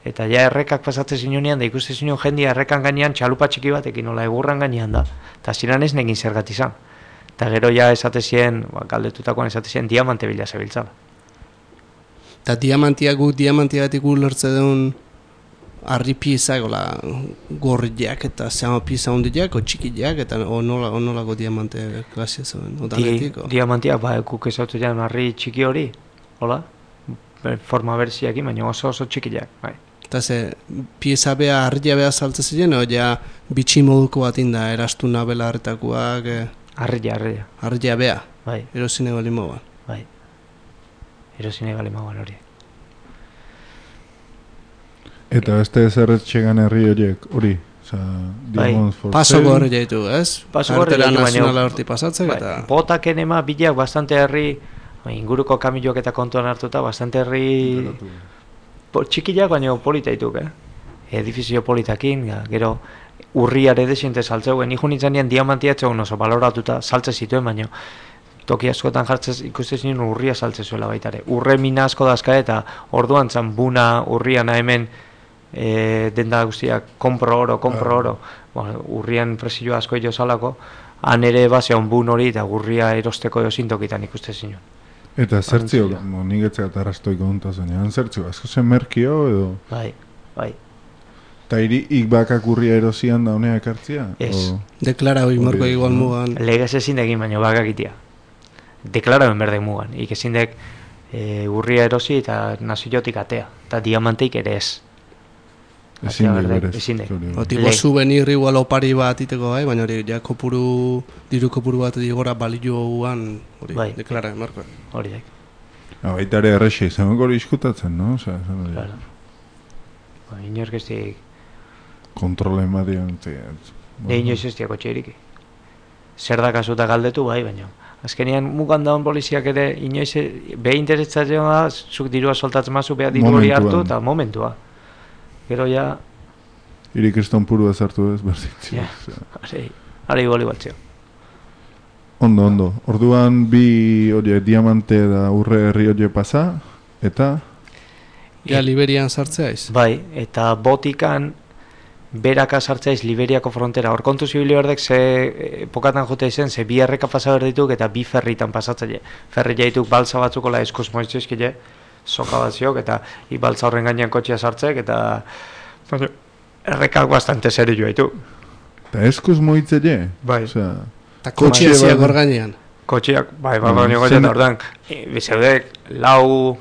[SPEAKER 3] Eta ja errekak pasatzen zinunean, da ikuste zinuen jendia errekan gainean txalupa txiki batekin, nola egurran gainean da. Eta ziren ez negin zergat izan. Eta gero ja esate zien, ba, galdetutakoan esate zien diamante bila zebiltzala.
[SPEAKER 1] Eta diamantiak guk diamantiagatik ulertze duen harri piezak, ola, gorriak eta zama pieza hondiak, o txikiak, eta o nola, o nolako diamante klasia zuen, o
[SPEAKER 3] Di,
[SPEAKER 1] danetiko.
[SPEAKER 3] diamantiak, ba, guk ezautu jan harri txiki hori, hola, Be- forma berziakin, baina oso oso txikiak, bai.
[SPEAKER 1] Eta ze, pieza bea, harria bea saltzen ziren, o ja, bitxi moduko bat inda, erastuna bela harretakoak, eh,
[SPEAKER 3] Harria, harria,
[SPEAKER 1] harria bea,
[SPEAKER 3] bai,
[SPEAKER 1] erosine bali mogan.
[SPEAKER 3] bai. Erosine bale mauan hori.
[SPEAKER 2] Eta beste zerretxegan herri horiek, hori? Osa, Diamonds for
[SPEAKER 1] Pasoko herri jaitu, ez?
[SPEAKER 3] Pasoko herri
[SPEAKER 1] Kartera
[SPEAKER 3] jaitu, baina-
[SPEAKER 1] nazionala horti pasatzek
[SPEAKER 3] Bai,
[SPEAKER 1] eta...
[SPEAKER 3] botak enema bilak bastante herri, bai, inguruko kamioak eta kontuan hartuta, bastante herri po, txikiak baina politaituk, eh? Edifizio politakin, ja, gero urriare desiente saltzeuen, ikun nintzen nien diamantia etzeuen oso baloratuta saltze zituen, baina toki askotan jartzez ikuste zinen urria saltze zuela baitare. Urre mina asko dazka eta orduan zan buna urriana hemen e, denda guztiak kompro oro, kompro oro. Bueno, urrian presioa asko jo salako, han ere base bun hori eta urria erosteko jozintokitan ikuste zinen.
[SPEAKER 2] Eta zertzio, nik etzea arrastoiko duntazen, zertzio, asko zen merkio edo...
[SPEAKER 3] Bai, bai.
[SPEAKER 2] Eta iri ik bakak urria erosian da honeak hartzia?
[SPEAKER 3] Ez.
[SPEAKER 2] O...
[SPEAKER 1] Deklara hori morko igual mugan.
[SPEAKER 3] Legez ezin egin baino bakakitia. Deklaraben berdek mugan. Ik ezin dek e, urria erosi eta naziotik atea. Eta diamanteik ere ez.
[SPEAKER 2] Ezin dek berez.
[SPEAKER 3] Ezin dek.
[SPEAKER 1] Otiko souvenir igual opari bat iteko gai, baina hori ja kopuru, diru kopuru bat digora balioan hori
[SPEAKER 3] bai.
[SPEAKER 1] deklara morko.
[SPEAKER 3] Hori dek.
[SPEAKER 2] Baita ere errexi, zenok hori iskutatzen, no? Osa, zen hori.
[SPEAKER 3] Claro. Ba, inork ez dik...
[SPEAKER 2] Kontrole emadian,
[SPEAKER 3] Ne inoiz ez diako txeriki. Zer da kasuta galdetu bai, baina. Azkenean mugan daun poliziak ere inoiz beha interesatzen da, zuk dirua soltatzen mazu, beha diru hori hartu eta momentua. Gero ja...
[SPEAKER 2] Iri kriston purua zartu ez, berditzu.
[SPEAKER 3] Ja, ari, ari boli baltzio.
[SPEAKER 2] Ondo, ondo. Orduan bi oie, diamante da urre herri oie pasa, eta...
[SPEAKER 1] Ja, Liberian sartzeaiz.
[SPEAKER 3] Bai, eta botikan beraka sartzaiz Liberiako frontera. Hor kontu zibili berdek ze epokatan jute izen, ze bi erreka pasa berdituk eta bi ferritan pasatzaile. Ferri jaituk balsa batzukola eskuz moitzizkile, soka batziok, eta i balsa horren gainean kotxea sartzek, eta bueno, errekak bastante serio joaitu.
[SPEAKER 2] Eta eskuz moitzeile?
[SPEAKER 3] Bai.
[SPEAKER 2] Osea,
[SPEAKER 1] Eta kotxea ziak hor gainean.
[SPEAKER 3] Kotxiak, bai, bai, bai, bai, bai, ordan, bizeudek, lau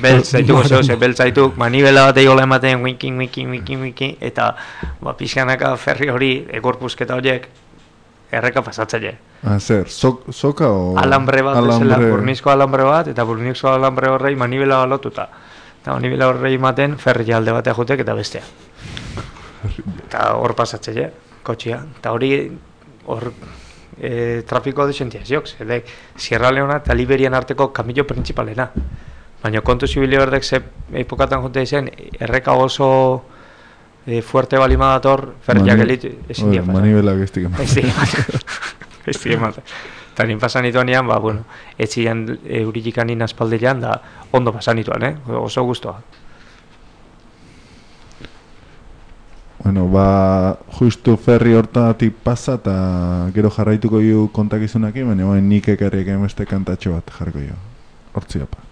[SPEAKER 3] beltz zaituko zeu, ze beltz zaituk, manibela bat egola ematen, winkin, winkin, winkin, winkin, eta, ba, pixkanaka ferri hori, egorpuzketa horiek, erreka pasatzaile.
[SPEAKER 2] Ah, zer, sok, soka o...
[SPEAKER 3] Alambre bat, ezela, burnizko alambre bat, eta burnizko alambre horrei manibela bat lotuta. Eta manibela horrei ematen, ferri alde batea jutek eta bestea. Eta hor pasatzaile, kotxia, eta hori, hor... E, trafiko desentia ziok, zedek Sierra Leona eta Liberian arteko kamillo principalena. Baina kontu zibili berdek ze epokatan jonte izen, erreka oso e, fuerte balima dator, ferriak elitu, ezin dia pasan.
[SPEAKER 2] Manibelak ez dik ematen.
[SPEAKER 3] Ez dik ematen. Ez dik ematen. Eta nien pasan ituan ean, ba, bueno, etxian eurilikan nien aspaldilean, da ondo pasan ituan, eh? Oso guztua.
[SPEAKER 2] Bueno, ba, justu ferri hortatik pasa eta gero jarraituko ju kontakizunakin, baina bain nik ekarriak emeste kantatxo bat jarriko jo. Hortzi apa.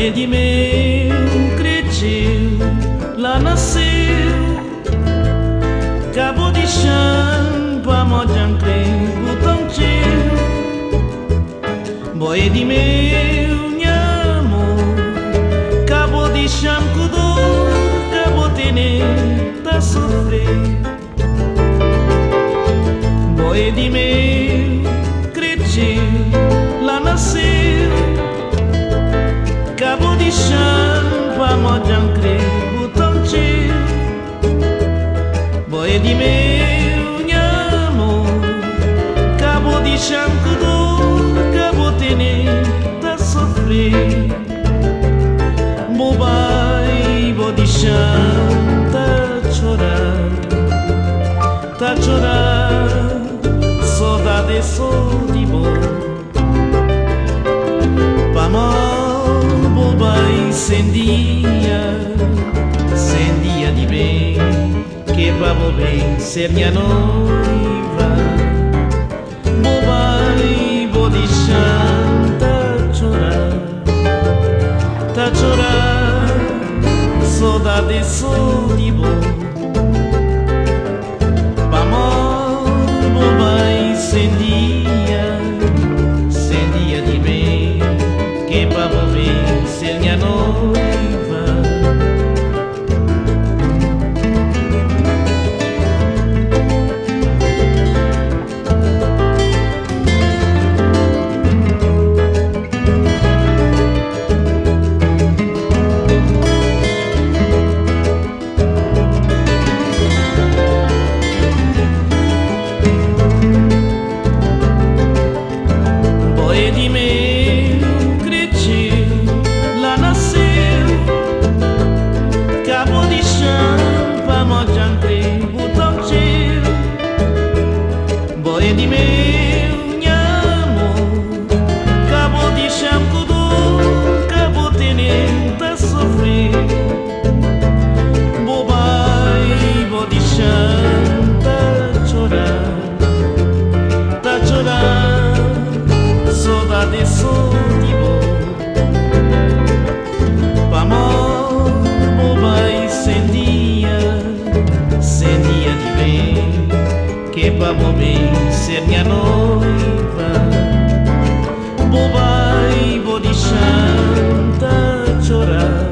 [SPEAKER 4] De meu cretiu, lá nasceu, cabo de chão, pamojan crem, botão tio, boi de meu nhamo, cabo de chão, cudor, cabo tene, tá sofrer, boi de meu cretiu, lá nasceu. Cabo de chão, pamojan crem, botão tio, boi de meu nhamo, cabo de chão, cudor, cabo tene, tá sofrer, bobai, bo de chão, tá chorar, tá chorar, saudade só de bom, pamó. Sendia, sendia de bem, que vamos bem ser minha noiva. Bobai, vou deixar, tá chorar, tá chorar, saudade só de bom. Vamos, bobai, sem dia, sem dia de bem, que pra volver ser minha noiva. Vamos bem ser minha noiva. Bobai, vou deixar tá chorar,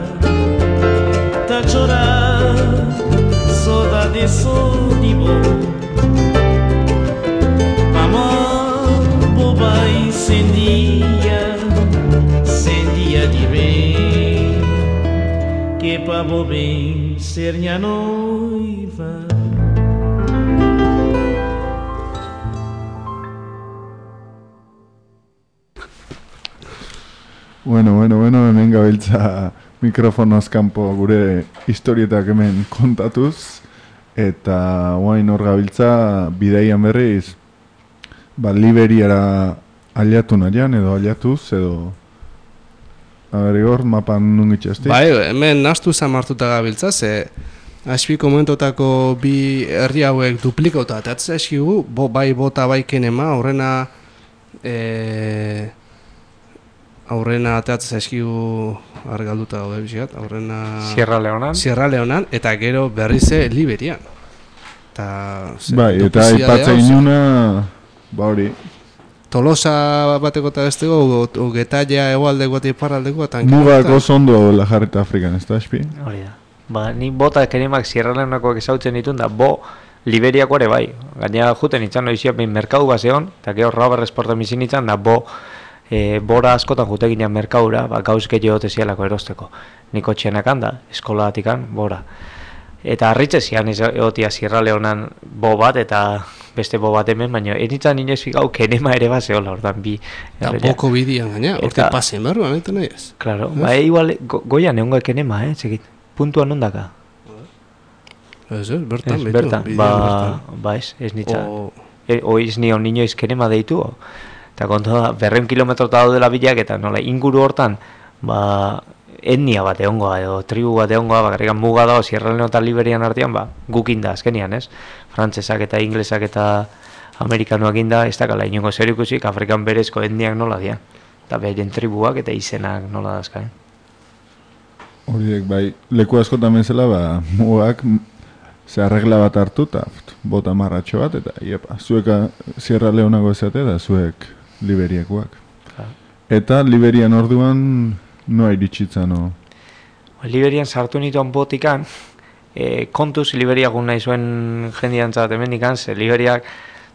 [SPEAKER 4] tá chorar, saudade só de bom. Amor, bobai, sem dia, sem dia de bem, que pra vou bem ser minha noiva.
[SPEAKER 2] Bueno, bueno, bueno, hemen gabiltza mikrofonoz kanpo gure historietak hemen kontatuz, eta guain hor gabiltza bidaian berriz, ba, Liberiara aliatu nahian, edo aliatuz, edo... A ber, Igor, mapan nun itxasti?
[SPEAKER 1] Bai, hemen nastu zamartuta gabiltza, ze... Aspi komentotako bi herri hauek duplikauta, eta atzea eskigu, bo, bai bota bai kenema, horrena... E... aurrena ateatzen zaizkigu argalduta gaude biziat, aurrena...
[SPEAKER 3] Sierra Leonan.
[SPEAKER 1] Sierra Leonan, eta gero berrize Liberian. Ta, ze,
[SPEAKER 2] bai, eta aipatzen inuna, ba hori.
[SPEAKER 1] Tolosa bateko eta besteko, o Getaia egualdeko eta iparraldeko.
[SPEAKER 2] Mugako zondo la jarrita Afrikan, ez da, espi?
[SPEAKER 3] Hori da. Ba, ni bota kenemak Sierra Leonakoak ezautzen ditun da, bo Liberiako ere bai. Gainera juten itzan noizia behin merkadu bazeon, eta gero rabar esporta mizin itzan da, bo... E, bora askotan juteginean merkaura, ba, gauz gehiago tezialako erosteko. Niko txenak handa, eskolatikan, bora. Eta harritze zian egotia Sierra Leonan bo bat, eta beste bo bat hemen, baina enitzan inez figau kenema ere bat zehola, ordan bi.
[SPEAKER 1] Eta boko bidian gaina, orte pasen berruan, eta nahi ez?
[SPEAKER 3] Claro, ba, e, igual, go, goian egon kenema, eh, txekit, puntuan ondaka.
[SPEAKER 1] Ez, ez, bertan,
[SPEAKER 3] ez, bertan, ba, bertan. Ba, ez, ez nitzan. O... E, o iz nion niñoiz kenema deitu, o? Eta kontu da, berreun kilometro eta daudela bilak, eta nola, inguru hortan, ba, etnia bat egongoa, edo tribu bat egongoa, bakarrikan muga dago, Sierra Leone eta Liberian artean, ba, gukin da, azkenian, ez? Frantzesak eta inglesak eta amerikanoak inda, ez dakala, inongo zer ikusik, Afrikan berezko etniak nola dian. Eta beharen tribuak eta izenak nola dazkain.
[SPEAKER 2] Horiek, bai, leku askotan bezala, ba, mugak, ze arregla bat hartu, eta bota marratxo bat, eta, iepa, zueka Sierra Leonako ezate, eta zuek Liberiakoak. Ja. Eta Liberian orduan noa iritsitzen, no?
[SPEAKER 3] Liberian sartu nituan botikan, e, kontuz Liberiak un nahi zuen jendian zat emendikan, ze Liberiak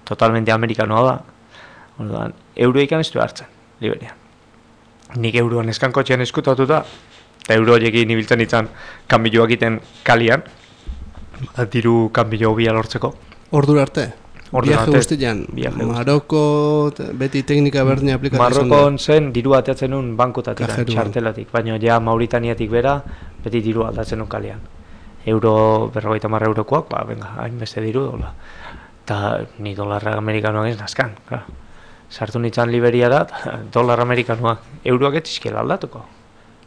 [SPEAKER 3] totalmente amerikanoa da. Orduan, euroikan ez du hartzen, Liberian. Nik euroan eskankotxean eskutatuta, eta euro horiekin ibiltzen itzan kanbiloak iten kalian, diru kanbilo bia lortzeko.
[SPEAKER 1] Ordura arte? Viaje guztian, Maroko beti teknika berdina aplikatzen.
[SPEAKER 3] Marokon zen diru ateatzen nun bankutatik, txartelatik, baina ja Mauritaniatik bera beti diru aldatzen nun kalean. Euro, berrogeita marra eurokoak, ba, venga, hain beste diru dola. Eta ni dolarra amerikanoak ez nazkan, klar. Sartu nintzen Liberia da, dolar amerikanoak, euroak etzizkiela aldatuko.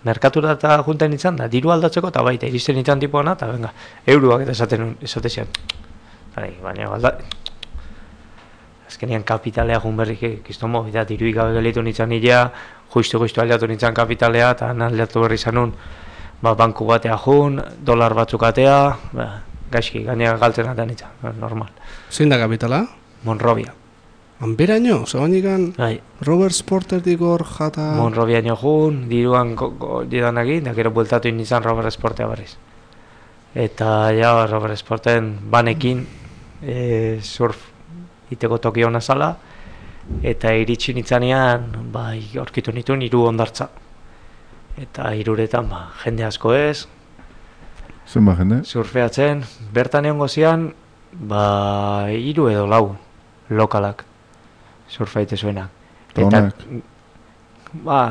[SPEAKER 3] Merkatura eta junten nintzen da, diru aldatzeko, eta baita, iristen nintzen tipuana, eta venga, euroak eta esaten esatezian. Baina, alda... Azkenean kapitalea jun berrik ikiztomo, eta diruik gabe gelitu nintzen nila, juistu-juistu aldatu nintzen kapitalea, eta aldatu berri zanun, ba, banku batea jun, dolar batzuk atea, ba, gaizki, gainera galtzen atean nintzen, normal.
[SPEAKER 1] Zein da kapitala?
[SPEAKER 3] Monrovia.
[SPEAKER 1] Hanberaino, zabanikan
[SPEAKER 3] Bai,
[SPEAKER 1] Robert Sporterdik hor jata...
[SPEAKER 3] Monrobiaino jun, diruan didanagin, da gero bueltatu izan Robert Sportea barriz. Eta ja, Robert Sporten banekin e, surf iteko toki hona zala, eta iritsi nitzanean, bai, aurkitu nituen hiru hondartza. Eta hiruretan, ba, jende asko ez,
[SPEAKER 2] Zenba jende?
[SPEAKER 3] surfeatzen, bertan egon gozian, ba, hiru edo lau lokalak surfaite zuenak.
[SPEAKER 2] Eta
[SPEAKER 3] ba,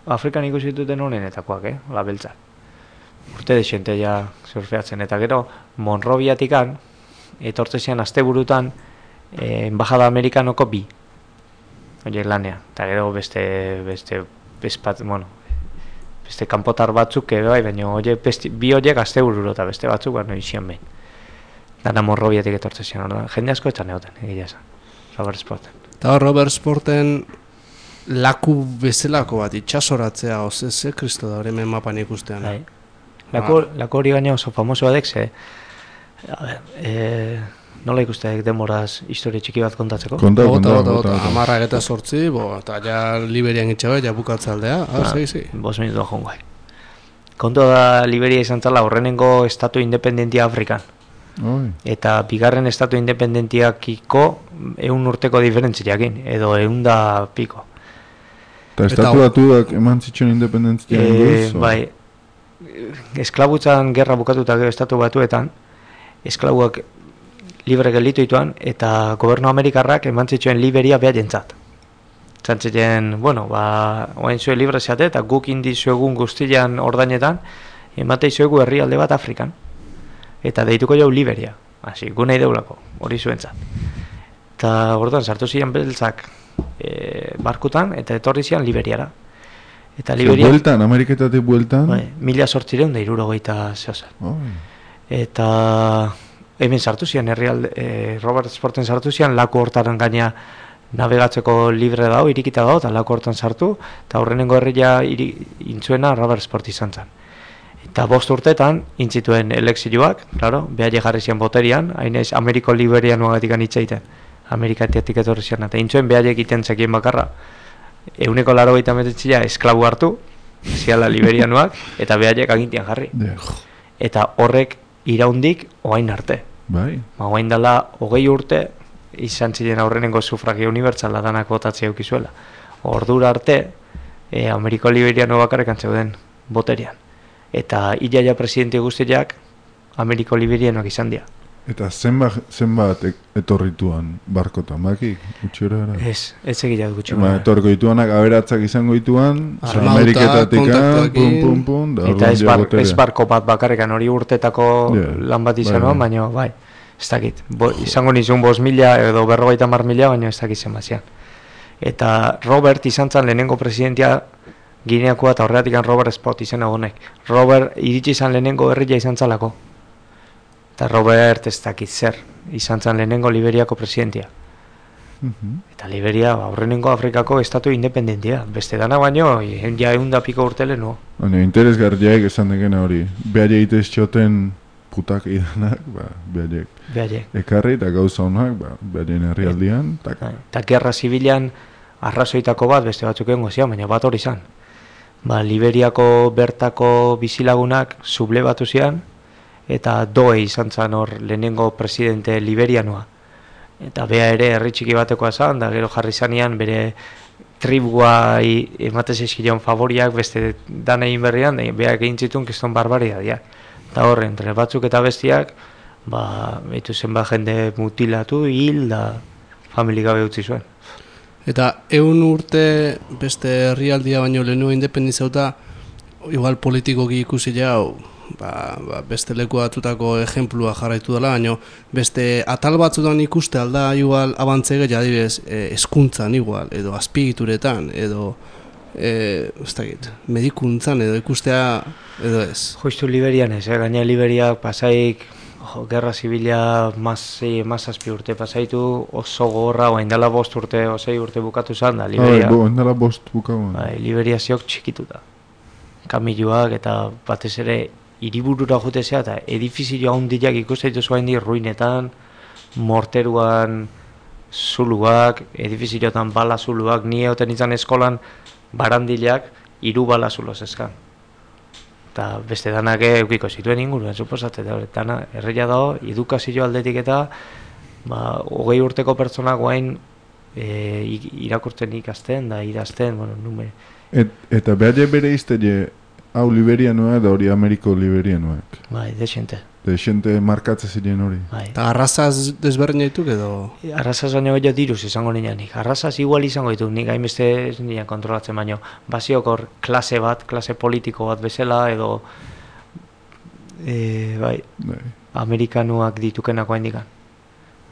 [SPEAKER 3] Afrikan ikusi duten honenetakoak, eh, labeltzak. Urte desente ja surfeatzen, eta gero Monroviatikan, etortzezian asteburutan, eh, Embajada Amerikanoko bi, horiek lanea, eta gero beste, beste, bespat, bueno, beste kanpotar batzuk ere bai, baina oie, besti, bi horiek astebururo eta beste batzuk, baina izian behin. Dana Monroviatik etortzezian, orduan, jende asko etxan egoten, egia esan, Robert Sporten.
[SPEAKER 1] Eta hor Robert Sporten laku bezalako bat itxasoratzea, oze, ze kristo da hori hemen mapan ikustean.
[SPEAKER 3] Bai. Lako, lako hori gaina oso famoso badek, ze, a ber, e, nola ikustek demoraz historia txiki bat kontatzeko?
[SPEAKER 2] Konta,
[SPEAKER 1] Bota,
[SPEAKER 2] konta,
[SPEAKER 1] bota,
[SPEAKER 2] bota.
[SPEAKER 1] bota, amarrak eta sortzi, bo, eta ja Liberian itxabe, ja bukatzaldea, ah,
[SPEAKER 3] Ah,
[SPEAKER 1] segi, segi.
[SPEAKER 3] Bos minutu jongo. Kontua da Liberia izan zala horrenengo estatu independentia Afrikan.
[SPEAKER 2] Oi.
[SPEAKER 3] Eta bigarren estatu independentiakiko eun urteko diferentziakin, edo eun da piko.
[SPEAKER 2] Eta estatu batuak eman zituen independentzia
[SPEAKER 3] E,
[SPEAKER 2] inguruz?
[SPEAKER 3] bai, esklabutzan gerra bukatuta gero estatu batuetan, esklabuak libre gelditu ituan, eta gobernu amerikarrak eman zituen Liberia behar jentzat. Zantziten, bueno, ba, oain zuen libre zeate, eta guk indizuegun guztian ordainetan, emate izuegu herrialde bat Afrikan. Eta deituko jau Liberia, hasi, gu nahi deulako, hori zuentzat. Eta orduan sartu ziren beltzak e, barkutan, eta etorri zian Liberiara. Eta Liberia,
[SPEAKER 2] Bueltan, Ameriketatik bueltan?
[SPEAKER 3] bai, mila sortzireun da irurogeita zehozer.
[SPEAKER 2] Oi.
[SPEAKER 3] Eta hemen sartu zian, herrialde, e, Robert Sporten sartu zian, laku hortaren gaina navegatzeko libre dago, irikita dago, eta laku hortan sartu, eta horrenengo herria iri, intzuena Robert Sport izan zen. Eta bost urtetan, intzituen elekzioak, claro, behar jarri zian boterian, hainez Ameriko Liberianuagatik anitzaiten, Amerikatiatik etorri zian, eta intzuen behar egiten zekien bakarra, euneko laro gaita metetzia esklabu hartu, ziala Liberianuak, eta behar agintian jarri.
[SPEAKER 2] Yeah.
[SPEAKER 3] Eta horrek iraundik oain arte.
[SPEAKER 2] Bai.
[SPEAKER 3] Ma oain dela hogei urte, izan ziren aurrenengo sufragio unibertsala danak botatzea eukizuela. Ordura arte, e, Ameriko Liberiano bakarrekan zeuden boterian. Eta ilaia presidente guztiak Ameriko Liberianoak izan dira.
[SPEAKER 2] Eta zenbat, zenbat e- etorrituan barkotan, bakik? Utxura era?
[SPEAKER 3] Ez, ez egitea gutxi.
[SPEAKER 2] Ba, etorriko dituanak aberatzak izango dituan,
[SPEAKER 1] Armauta,
[SPEAKER 2] Ameriketatik,
[SPEAKER 1] kontaktuekin.
[SPEAKER 2] pum, pum, pum, da
[SPEAKER 3] Eta
[SPEAKER 2] orduan
[SPEAKER 3] ez,
[SPEAKER 2] ja
[SPEAKER 3] bar,
[SPEAKER 2] boterea.
[SPEAKER 3] ez barko bat bakarrekan hori urtetako
[SPEAKER 2] Yeah,
[SPEAKER 3] lan bat
[SPEAKER 2] bai,
[SPEAKER 3] izan,
[SPEAKER 2] bai.
[SPEAKER 3] baina bai, ez dakit. Bo, izango nizun bost mila edo berrogeita mar mila, baina ez dakit zenbazian. Eta Robert izan zen lehenengo presidentia Gineakoa eta horreatikan Robert Spot izena honek. Robert iritsi izan lehenengo herria izan zalako. Eta Robert ez dakit zer, izan zen lehenengo Liberiako presidentia.
[SPEAKER 2] Mhm.
[SPEAKER 3] Eta Liberia ba, aurrenengo Afrikako estatu independentia. Beste dana baino, e, ja egun da piko urtele no.
[SPEAKER 2] Baina interesgarriak esan dekena hori. Behar egitez txoten putak idanak, ba, behar
[SPEAKER 3] Behaiek.
[SPEAKER 2] ekarri eta gauza honak, ba, behar herrialdian, taka.
[SPEAKER 3] Eta gerra zibilan arrazoitako bat beste batzuk egongo zian, baina bat hori izan. Ba, Liberiako bertako bizilagunak sublebatu zian, eta doe izan zan hor lehenengo presidente liberianoa. Eta bea ere herri txiki batekoa zan, da gero jarri zanean bere tribua ematez eskilion favoriak beste dan egin berrian, da beak egin zituen kiston barbariadiak. Eta hor, entre batzuk eta bestiak, ba, behitu zenba jende mutilatu, hil, da famili gabe utzi zuen.
[SPEAKER 1] Eta eun urte beste herrialdia baino lehenua independizauta, igual politikoki ikusi jau, ba, ba, beste leku batutako ejemplua jarraitu dela, baino beste atal batzutan ikuste alda igual abantzege jadibez e, eskuntzan igual, edo azpigituretan, edo e, ez dakit, medikuntzan edo ikustea edo ez.
[SPEAKER 3] Justu Liberian ez, eh? Gaina Liberiak pasaik, jo, gerra zibila mazei, mazazpi urte pasaitu, oso gorra, oain dela bost urte, osei urte bukatu zan da, Liberia.
[SPEAKER 2] Ah, bo, endala bost bukauen.
[SPEAKER 3] Bai, Liberia ziok txikituta. Kamiluak eta batez ere hiriburura jutezea eta edifizio handiak ikusten dituzu hain di ruinetan, morteruan zuluak, edifiziotan bala zuluak, ni egoten izan eskolan barandilak hiru bala zulo zezkan. Eta beste danak eukiko zituen inguruan, suposatzen, dana erreia dago, edukazio aldetik eta ba, hogei urteko pertsonak guain e, irakurtzen ikasten da idazten, bueno, nume.
[SPEAKER 2] Et, eta behar bere izte hau liberianoa edo hori Ameriko liberianoak?
[SPEAKER 3] Bai, desente.
[SPEAKER 2] Desente markatzen ziren hori?
[SPEAKER 3] Bai.
[SPEAKER 1] Eta arrazaz desberdin dituk edo?
[SPEAKER 3] Arrazaz baino gehiago diruz izango nianik. Arrazaz igual izango ditu, nik hainbeste ez nian kontrolatzen baino. Baziok hor klase bat, klase politiko bat bezala edo e, bai,
[SPEAKER 2] bai.
[SPEAKER 3] Amerikanuak ditukenako handikan.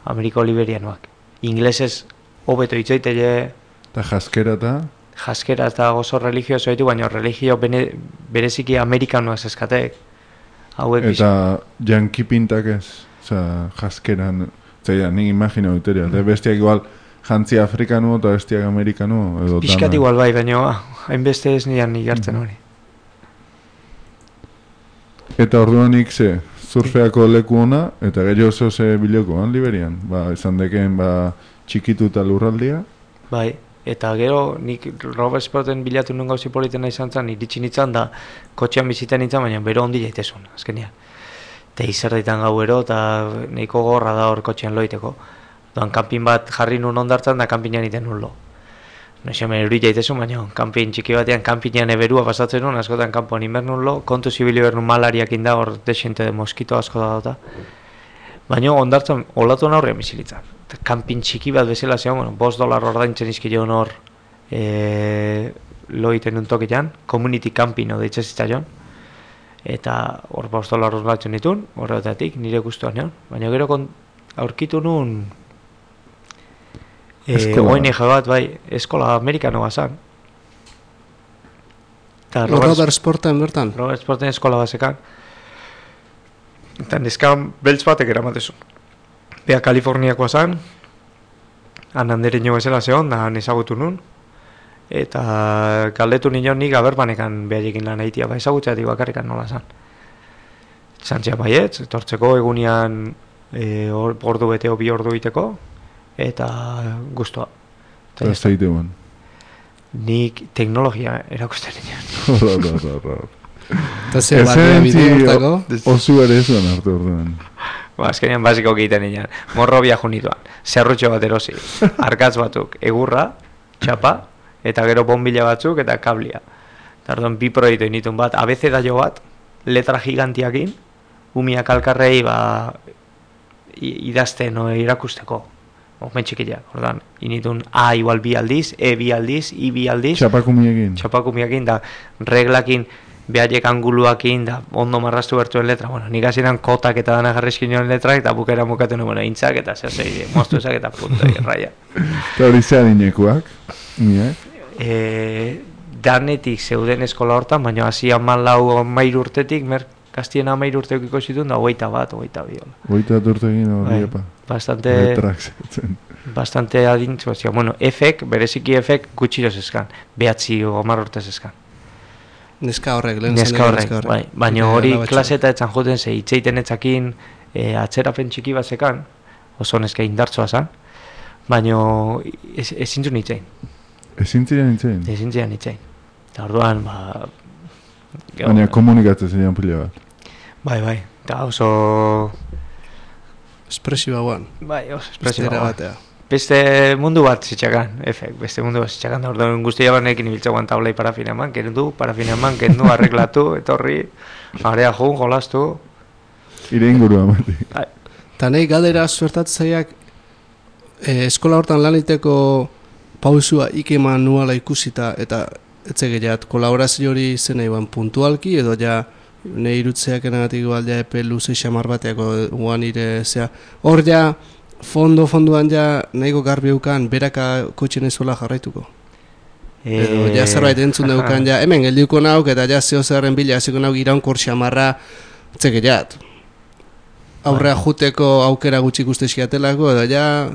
[SPEAKER 3] Ameriko liberianoak. Inglesez hobeto itzaitele.
[SPEAKER 2] Eta jaskera eta?
[SPEAKER 3] Jaskera eta oso religioso ditu, baina religio bene, bereziki amerikanoak zeskatek. Hauek
[SPEAKER 2] eta janki pintak ez, oza, jaskeran, zeia, nik imagino duteria, mm. bestiak igual jantzi afrikanu eta bestiak amerikanu edo
[SPEAKER 3] Piskat igual bai, baina hainbeste ez nian igartzen hori.
[SPEAKER 2] Eta orduan nik ze, surfeako leku ona, eta gehiago oso ze bilokoan Liberian, ba, esan deken, ba, txikitu eta lurraldia.
[SPEAKER 3] Bai, eta gero nik Robert Sporten bilatu nuen gauzi politena izan zen, iritsi nintzen da kotxean bizitan nintzen, baina bero ondi jaitezun, azkenian. Eta izerdaitan gauero, eta nahiko gorra da hor kotxean loiteko. Doan kanpin bat jarri nun ondartzen da kanpinan iten nun lo. No xemen eri jaitezun, baina kanpin txiki batean kanpinan eberua pasatzen nun, askotan kanpoan inber nun lo, kontu zibili behar nun malariak inda hor desente de moskito asko da dota. Baina ondartzen olatu aurrean bizilitzen. Kanpin txiki bat bezala zegoen, bueno, bost dolar ordaintzen izkion hor e, loiten un tokian, community camping o deitze zitzaion, eta hor bost dolar ordaintzen ditun, horretatik nire gustuan egon, baina gero kon, aurkitu nun e, O N G bat, bai, eskola amerikanoa zan.
[SPEAKER 1] Robert, Robert Sporten bertan?
[SPEAKER 3] Robert Sporten eskola bat zekan. Eta neskan beltz batek eramatezun. Bea Kaliforniakoa zan, han handere nio bezala zehon, da ezagutu nun, eta galdetu nion nik aberbanekan behaiekin lan egitea, ba ezagutzeatik bakarrikan nola zan. Zantzia baietz, etortzeko egunean e, or, ordu beteo bi ordu iteko, eta guztua.
[SPEAKER 2] Eta ez daite ban.
[SPEAKER 3] Nik teknologia erakusten nion.
[SPEAKER 2] Horra, horra, horra.
[SPEAKER 1] Eta ze bat bideo hortako?
[SPEAKER 2] Osu ere zuen hartu orduan.
[SPEAKER 3] Ba, azkenean basiko egiten nian. Morro biaju nituan. Zerrutxo bat erosi. Arkatz batzuk. Egurra, txapa, eta gero bombila batzuk, eta kablia. Tardon, bi proiektu initun bat. Abecedaio bat, letra gigantiakin, umiak alkarrei, ba, idazten o irakusteko. Omen txikila, ordan. Initun A igual bi aldiz, E bi aldiz, I bi aldiz.
[SPEAKER 2] Txapakumiekin.
[SPEAKER 3] Txapakumiekin, da reglakin, behaiek anguluakin, da ondo marrastu bertuen letra. Bueno, nik hasieran kotak eta dana jarrizkin joan letrak, eta bukera mukaten bueno, intzak, eta zer zei, moztu ezak eta punto, erraia.
[SPEAKER 2] Eta hori zean inekuak?
[SPEAKER 3] E, danetik zeuden eskola hortan, baina hasi amalau amair urtetik, mer, kastien amair urteukiko zituen, da hogeita bat, hogeita biola.
[SPEAKER 2] Hogeita bat urtekin hori epa.
[SPEAKER 3] Bastante...
[SPEAKER 2] Letrak zetzen. Bastante
[SPEAKER 3] adintzu, bueno, efek, bereziki efek gutxiro zezkan, behatzi o amar urte zezkan.
[SPEAKER 1] Neska horrek, lehen
[SPEAKER 3] neska horrek, bai. Baina hori klaseta etzan joten ze itzeiten etzakin e, atzerapen txiki bat zekan, oso neska indartzoa zan, baina ezin zuen itzein.
[SPEAKER 2] Ezin ziren itzein?
[SPEAKER 3] Ezin ziren itzein. Eta orduan, ba...
[SPEAKER 2] Baina komunikatzen ziren pila bat.
[SPEAKER 3] Bai, bai, eta oso...
[SPEAKER 1] Espresiba guan.
[SPEAKER 3] Bai, oso espresiba
[SPEAKER 1] batea.
[SPEAKER 3] Beste mundu bat zitxakan, efek, beste mundu bat zitxakan, da orduan guztia banekin ibiltzagoan taulei parafina eman, kendu, parafina eman, kendu, arreglatu, etorri, area jun, jolastu.
[SPEAKER 2] Ire ingurua mati.
[SPEAKER 1] Eta nahi galdera suertatzaiak eh, eskola hortan laniteko pausua ikeman nuala ikusita eta etzegeat kolaborazio hori zen nahi puntualki edo ja nahi irutzeak enagatik baldea epe luze xamar bateako guan ire zea. Hor ja fondo fonduan ja nahiko garbi eukan beraka kotxen ezola jarraituko. E... Edo ja zerbait entzun daukan ja hemen geldiuko nauk eta ja zeo zerren bila hasiko nauk iraunkor xamarra tzegeat. Aurrea juteko aukera gutxi ikusteskiatelako edo ja...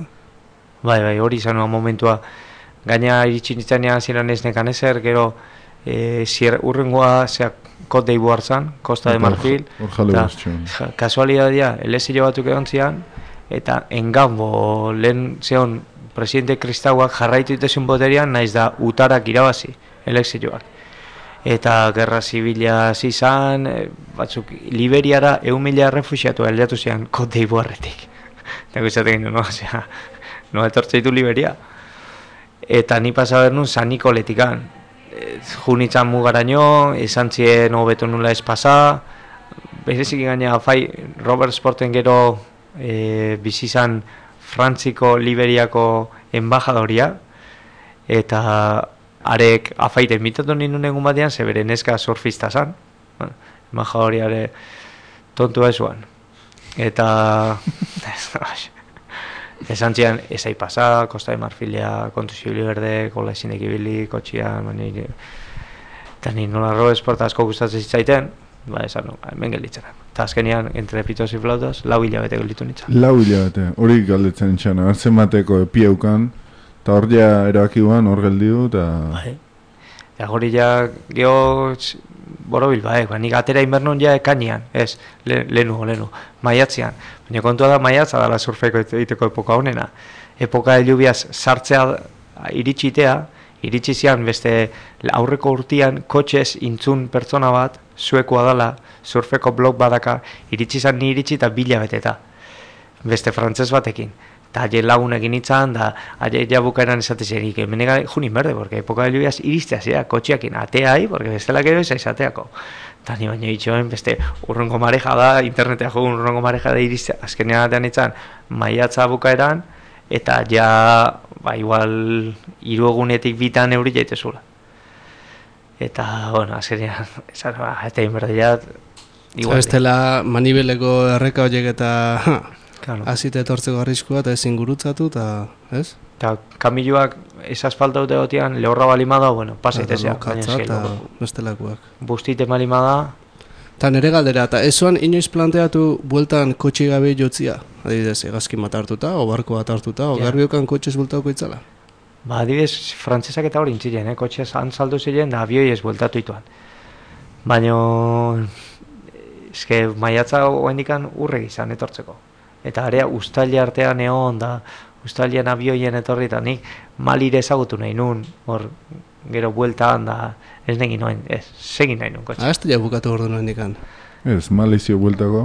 [SPEAKER 3] Bai, bai, hori izanua momentua. Gaina iritsi nitzanean ziren ez nekan ezer, gero e, zier, urrengoa zeak kot deibu hartzan, Costa de Marfil.
[SPEAKER 2] Hor jale guztxon.
[SPEAKER 3] Kasualidadia, elezio batzuk egon zian, eta engambo lehen zeon presidente kristauak jarraitu itezun boterian, naiz da utarak irabazi, elekzioak. Eta gerra zibila zizan, batzuk Liberiara eun mila refusiatu aldatu zian Kote Iboarretik. Eta gustatzen no, osea, no etortze ditu Liberia. Eta ni pasa bernun San Nikoletikan. Junitzan mugaraino, esan zien hobeto nula ez pasa, berezik gaina fai Robert Sporten gero e, bizizan Frantziko Liberiako enbajadoria, eta arek afaite mitatu nindun egun batean, zebere neska surfista zan, bueno, embajadoriare tontua esuan. Eta esan zian, ezai pasa, Costa de Marfilia, kontuzio liberde, kola esinek ibili, kotxian, mani, eta ni nola Robert Sport asko gustatzen zitzaiten, ba, esan no, hemen gelditzen. Eta azkenean, entre pitos y flautas, lau hilabete gelditu nintzen.
[SPEAKER 2] Lau hilabete, hori galdetzen txana, hartzen bateko epieukan, eta hor ja erabakiguan hor geldiu, eta...
[SPEAKER 3] Bai. Eta hori ja, geho, borobil, bai, ba, nik atera inbernon ja ekanian, ez, le, lehenu, lehenu, maiatzean. Baina kontua da maiatza dala surfeko egiteko epoka honena. Epoka elubiaz sartzea iritsitea, iritsi zian beste aurreko urtean kotxez intzun pertsona bat, suekoa dala, surfeko blog badaka, iritsi zan ni iritsi eta bila beteta. Beste frantzez batekin. Eta aile lagun egin itzan, da aile jabukaeran esatezerik, menega junin berde, porque epoka elubiaz iristea zea, kotxeakin ateai, porque bestela gero eza izateako. Eta ni baino itxoen, beste urrongo mareja da, internetea jogun urrongo mareja da iristea, azkenean atean itzan, maiatza bukaeran, eta ja, ba, igual, hiru egunetik bitan euri jaitezula. Eta, bueno, azkenean, esan, ba, eta inberdeiat, igual.
[SPEAKER 1] Ez dela manibeleko erreka horiek eta
[SPEAKER 3] claro.
[SPEAKER 1] Azite etortzeko arriskua eta ezin gurutzatu, eta, ez?
[SPEAKER 3] Eta kamiluak ez asfalta dute gotean, lehorra balimada, bueno, pasaitezea.
[SPEAKER 1] Katza eta bestelakoak.
[SPEAKER 3] Bustite balimada.
[SPEAKER 1] Eta nere galdera, eta ez zoan inoiz planteatu bueltan kotxe gabe jotzia? Adibidez, egazkin bat hartuta, o barko bat hartuta, o yeah. Garbiokan kotxez bueltauko itzala?
[SPEAKER 3] Ba, adibidez, frantzesak eta hori intziren, eh? Kotxez antzaldu ziren, da abioi ez bueltatu ituan. Baina, eske, maiatza oendikan urregi izan etortzeko. Eta area ustaili artean egon da, ustailian abioien etorri eta nik malire ezagutu nahi nun, hor gero bueltaan da, ez negin noen, ez, segin nahi nun kotxe.
[SPEAKER 1] Ah, ez da bukatu ordu noen dikan.
[SPEAKER 2] Ez, malizio bueltako,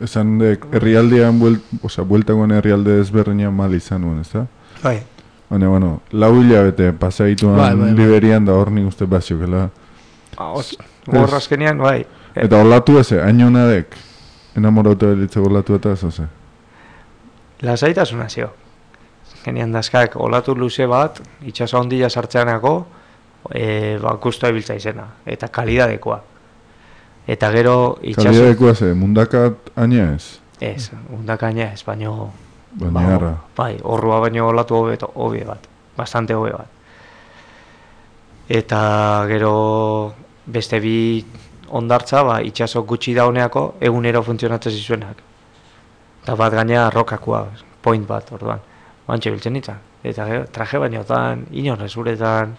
[SPEAKER 2] esan dek, herrialdean, buelt, oza, bueltakoan herrialde ezberdinean mal izan nuen, ez da?
[SPEAKER 3] Bai.
[SPEAKER 2] Baina, bueno, lau hilabete pasaituan bai, bai, bai. Liberian da hor nik uste baziokela.
[SPEAKER 3] Hor azkenean, bai.
[SPEAKER 2] Eta olatu eze, hainonadek, enamorauta belitzeko olatu eta ez, oze?
[SPEAKER 3] Lasaitasuna zio. Genian dazkak olatu luze bat, itxaso ondila sartzeanako, e, ba, kustoa ibiltza izena, eta kalidadekoa. Eta gero itxaso...
[SPEAKER 2] Kalidadekoa ze, mundakat aina ez?
[SPEAKER 3] Ez, mundakat aina ez, baino...
[SPEAKER 2] Baina harra.
[SPEAKER 3] Bai, horrua baino olatu hobe, hobe bat, bastante hobe bat. Eta gero beste bi ondartza, ba, itxaso gutxi dauneako, egunero funtzionatzen zizuenak. Eta bat gaina rokakoa, point bat, orduan. Bantxe biltzen nintzen. Eta gero, traje bainotan, inorrez uretan,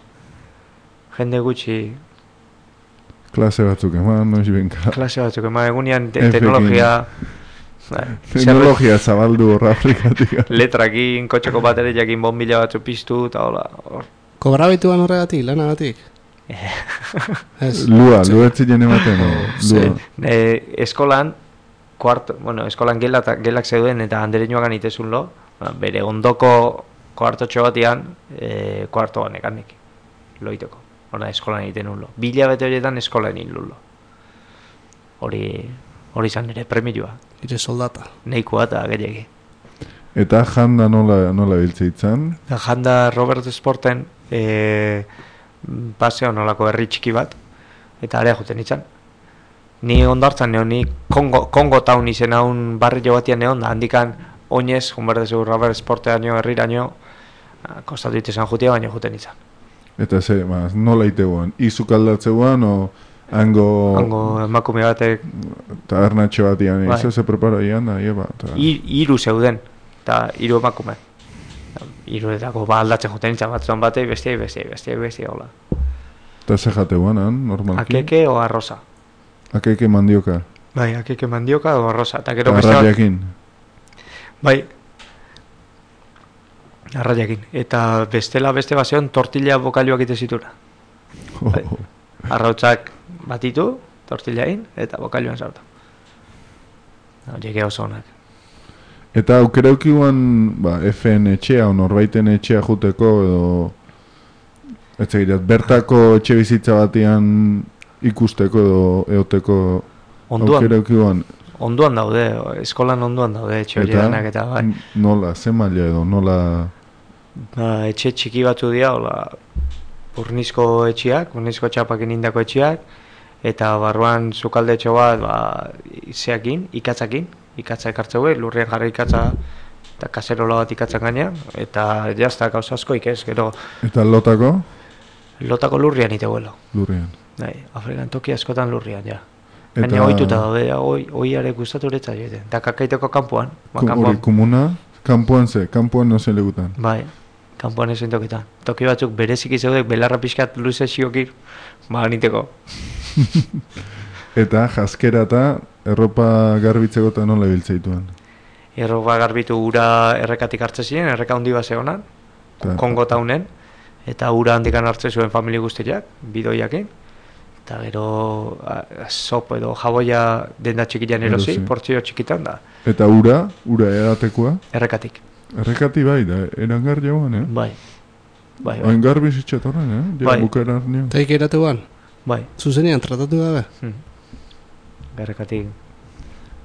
[SPEAKER 3] jende gutxi...
[SPEAKER 2] Klase batzuk eman, noiz benka.
[SPEAKER 3] Klase batzuk eman, egunean te teknologia... Ba,
[SPEAKER 2] teknologia zabaldu horra Afrikatik.
[SPEAKER 3] Letrakin, kotxeko baterejakin bombila batzu piztu, eta hola... Or...
[SPEAKER 1] Kobra baituan horregatik, lanagatik?
[SPEAKER 2] Lua, lua etzien ematen, lua.
[SPEAKER 3] E, eskolan, kuarto, bueno, eskolan gelak, gelak zeuden eta andereñoagan itezun lo, bere ondoko kuartotxo batian, e, kuarto ganekanik, loiteko, hona eskolan egiten un lo. Bila bete horietan eskolan egin lo. Hori, hori izan nire premioa.
[SPEAKER 1] Ire soldata.
[SPEAKER 3] Neikoa eta gehiagi.
[SPEAKER 2] Eta janda nola, nola biltzeitzan?
[SPEAKER 3] Janda Robert Sporten e, paseo nolako herri txiki bat, eta area juten itzan. Ni ondartzan neon, ni Kongo, Kongo Town izen haun barri jo batian neon, da handikan oinez, junberdezu Robert Sporteaino, herriraino, kostatu itezan jutia, baina juten izan.
[SPEAKER 2] Eta ze, maz, nola iteguan? Izuk aldatzeuan, o hango...
[SPEAKER 3] Hango emakume batek...
[SPEAKER 2] Tabernatxo batian, bai. Izo ze preparo ian da, ieba. Ta...
[SPEAKER 3] Iru zeuden, eta iru emakume. Iruetako ba aldatzen juten izan batzuan batei, bestiai, bestiai, bestiai, bestiai, hola.
[SPEAKER 2] Eta ze jateuan, han, normalki?
[SPEAKER 3] Akeke o arroza.
[SPEAKER 2] Akeke mandioka.
[SPEAKER 3] Bai, akeke mandioka o arroza. Eta gero
[SPEAKER 2] arrabiakin.
[SPEAKER 3] Bai. Arraiakin. Eta bestela beste baseon tortilla bokailuak ite zituna. Bai. Arrautzak batitu, tortillain, eta bokailuan sartu. Horiek oso onak.
[SPEAKER 2] Eta aukereukiuan, ba, F-en etxea, o norbaiten etxea juteko, edo, ez egirat, bertako etxe bizitza batian ikusteko edo eoteko aukereukiuan.
[SPEAKER 3] Onduan daude, eskolan onduan daude etxe horienak eta bai.
[SPEAKER 2] Nola, ze maila edo, nola...
[SPEAKER 3] Ba, etxe txiki batzu dira, hola, urnizko etxeak, urnizko txapakin indako etxeak, eta barruan sukalde etxo bat, ba, zeakin, ikatzakin, ikatza ekartzeu, lurrien jarri ikatza, eta kaserola bat ikatzan gainean, eta jazta gauza askoik ez, gero...
[SPEAKER 2] Eta lotako?
[SPEAKER 3] Lotako lurrian iteuelo.
[SPEAKER 2] Lurrian.
[SPEAKER 3] Bai, Afrikan toki askotan lurrian, ja. Baina ohituta daude, oiare gustatu uretza joeten. Eta kakaiteko kanpoan.
[SPEAKER 2] Hori, komuna, kanpoan ze, kanpoan no ze legutan.
[SPEAKER 3] Bai, kanpoan ezen tokitan. Toki batzuk bereziki zeudek, belarra pixkat luze xiokir, ba, niteko.
[SPEAKER 2] Eta jaskera eta erropa garbitzeko eta nola biltzeituen?
[SPEAKER 3] Erropa garbitu ura errekatik hartze ziren, erreka handi base honan, Kongo taunen, eta ura handikan hartze zuen familia guztiak, bidoiakin. Eta gero sop edo jaboia denda txikian erosi, portzio txikitan da.
[SPEAKER 2] Eta ura, ura eratekoa?
[SPEAKER 3] Errekatik.
[SPEAKER 2] Errekati bai, da, erangar jauan, eh?
[SPEAKER 3] Bai. Bai,
[SPEAKER 2] bai. Oengar bizitxatorren, eh? Ja,
[SPEAKER 3] bai.
[SPEAKER 2] Bukaerar nio.
[SPEAKER 1] Taik eratuan?
[SPEAKER 3] Bai.
[SPEAKER 1] Zuzenian, tratatu gabe?
[SPEAKER 3] Hmm. Errekatik.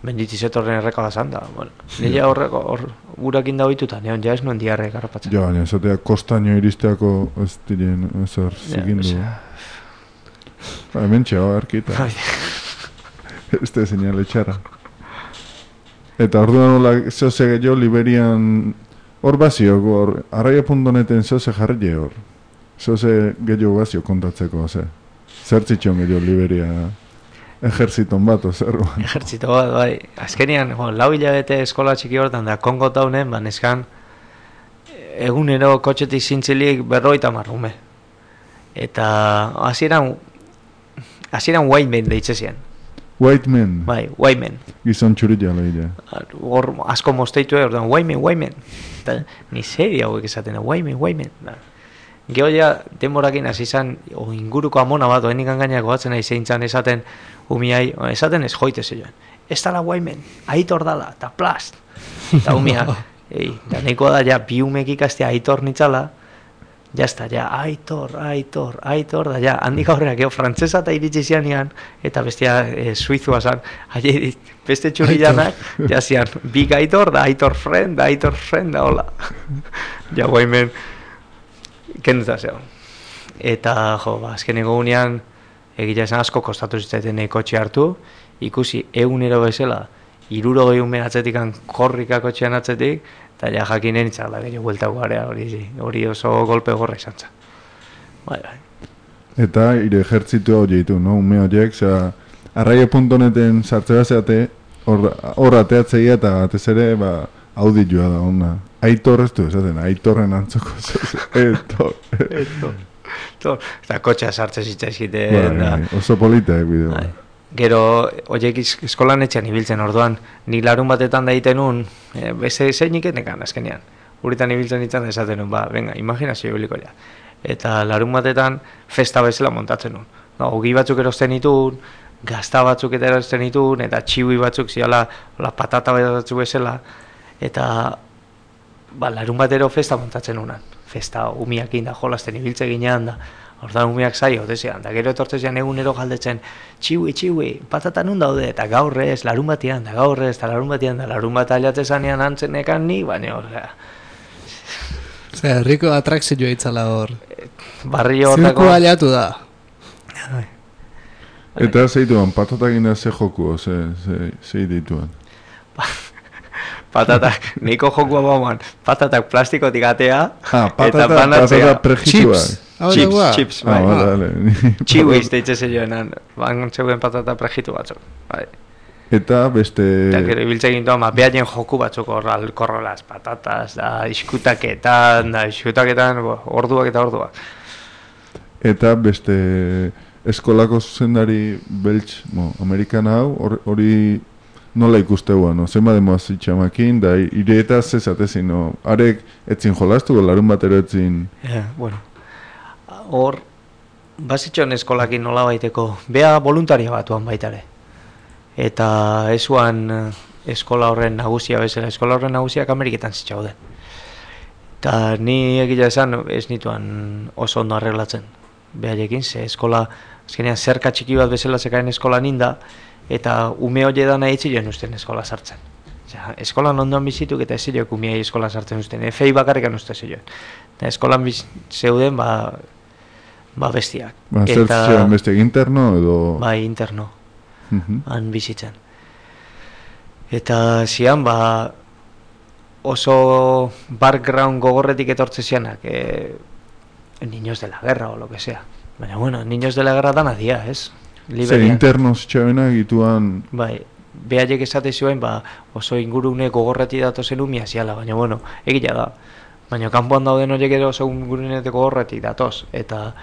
[SPEAKER 3] Menditizetorren erreka bazan da. Bueno, nila horreko, hor, urakin da hoituta, neon ja ez nuen diarrek harrapatzen.
[SPEAKER 2] Ja, baina, esatea kostaino iristeako ez diren, ezer zikindu. Ja, ba, hemen txeo, arkita. Ez da señale txarra. Eta orduan nola, zoze gehiago Liberian, hor bazio, hor, arraia punto neten zoze jarri hor. Zoze gehiago bazio kontatzeko, ze. Zertzitxon gehiago Liberia ejerziton bat, ozerruan.
[SPEAKER 3] Ejerzito bat, bai. Azkenian, jo, lau hilabete eskola txiki hortan da, Kongo taunen, ba, neskan, egunero kotxetik zintzilik berroita marrume. Eta, hasieran hasieran white men deitze zian.
[SPEAKER 2] White men?
[SPEAKER 3] Bai, white men.
[SPEAKER 2] Gizon txuritia lehia.
[SPEAKER 3] Hor, asko mosteitu egin, orduan, white men, white men. Eta, ni seria hauek esaten, white men, white men. Da. Geo ja, denborakin hasi izan, o inguruko amona bat, oenik angainak goatzen nahi zeintzan esaten, umiai, esaten ez joite zeioen. Ez dala white men, aitor dala, eta plast. Eta umia, ei, da nekoa da, ja, bi umek ikastea aitor nitzala, ja esta, ja, aitor, aitor, aitor, da, ja, handik aurreak, gero, frantzesa eta iritsi zianean, eta bestia e, suizua zan, aie, beste txurillanak, ja zian, big aitor, da aitor friend, da aitor friend, da hola. Ja, guaimen, kenduta zeo. Eta, jo, ba, azkeneko unean, egia esan asko kostatu zitzaiten kotxe hartu, ikusi egunero bezala, iruro gehi umen atzetikan korrika kotxean atzetik, eta ja jakinen itzala gehiago bueltako garea, hori, hori oso golpe gorra izan zen. Bai, bai.
[SPEAKER 2] Eta ire ejertzitu hau jeitu, no? Ume horiek, zera, arraia punto neten sartze bazeate, hor ateatzeia eta batez ere, ba, auditua da, onda. Aitor ez du, esaten, aitorren antzoko, etor,
[SPEAKER 3] etor. Eta kotxea sartze zitzaizkiten.
[SPEAKER 2] Bai, oso politaek bideo.
[SPEAKER 3] Bai. Gero, oiek eskolan etxean ibiltzen orduan, nik larun batetan da egiten nun, e, beze zeinik etekan azkenean. Uritan ibiltzen ditzen esaten nun, ba, venga, imaginazio ibiliko ja. Eta larun batetan festa bezala montatzen nun. No, ogi batzuk erosten ditun, gazta batzuk eta erosten ditun, eta txiui batzuk ziala, la patata batzuk bezala, eta ba, larun batero festa montatzen nunan. Festa umiakin da, jolasten ibiltze ginean da, ordan umiak zaio, desean, da gero etortzean egunero galdetzen, txiui, txiui, patata nun daude, eta gaur ez, larun batean, da gaur ez, eta larun batean, da larun bat aliatze zanean antzenekan ni, baina hor,
[SPEAKER 1] Zer, herriko atrakzioa itzala hor.
[SPEAKER 3] Barri hortako...
[SPEAKER 1] Zirku aliatu da.
[SPEAKER 2] Eta zeituan, patatakin da ze joku, ze, ze, ze dituan.
[SPEAKER 3] Patatak, niko jokua bauan, patatak plastikotik atea,
[SPEAKER 2] ah, patata,
[SPEAKER 3] eta banatzea.
[SPEAKER 2] Patata prejitua.
[SPEAKER 3] Chips, chips, chips, bai.
[SPEAKER 2] Ah, vale, vale.
[SPEAKER 3] Chihuiz deitze zeioenan, ban zeuden patata prejitu batzuk, bai.
[SPEAKER 2] Eta beste...
[SPEAKER 3] Eta gero ibiltze gintuan, ma, behaien joku batzuk horral, korrolaz, patatas, da, iskutaketan, da, iskutaketan, orduak eta orduak.
[SPEAKER 2] Eta beste eskolako zuzendari beltz, mo, amerikan hau, hori nola ikuste guan, no? Zenba demoaz itxamakin, da ireetaz ezatezin, no? Arek etzin jolastu, larun batero etzin...
[SPEAKER 3] Ja, bueno, hor, bazitxon eskolakin nola baiteko, bea voluntaria batuan baitare. Eta esuan eskola horren nagusia bezala, eskola horren nagusiak Ameriketan zitzauden. Eta ni egia esan ez nituan oso ondo arreglatzen behaiekin, ze eskola, azkenean zerka txiki bat bezala zekaen eskola ninda, eta ume hori edana eitzioen usten eskola sartzen. Osea, eskolan ondoan bizituk eta ez zioek umeai eskola sartzen usten, efei bakarrikan uste zioen. Eta eskolan biz, zeuden, ba, ba bestiak.
[SPEAKER 2] Ba, zer zioen bestiak interno edo...
[SPEAKER 3] Bai, interno,
[SPEAKER 2] Mhm.
[SPEAKER 3] han bizitzen. Eta zian, ba, oso background gogorretik etortze zianak, e, niños de la guerra o lo que sea. Baina, bueno, niños de la guerra dana dia, ez?
[SPEAKER 2] Zer
[SPEAKER 3] Liberian.
[SPEAKER 2] internos txabena egituan...
[SPEAKER 3] Bai, behaiek esate zuen, ba, oso ingurune gogorreti datozen umia ziala, baina, bueno, egia da. Baina, kanpoan dauden horiek ere oso ingurune gogorreti datoz, eta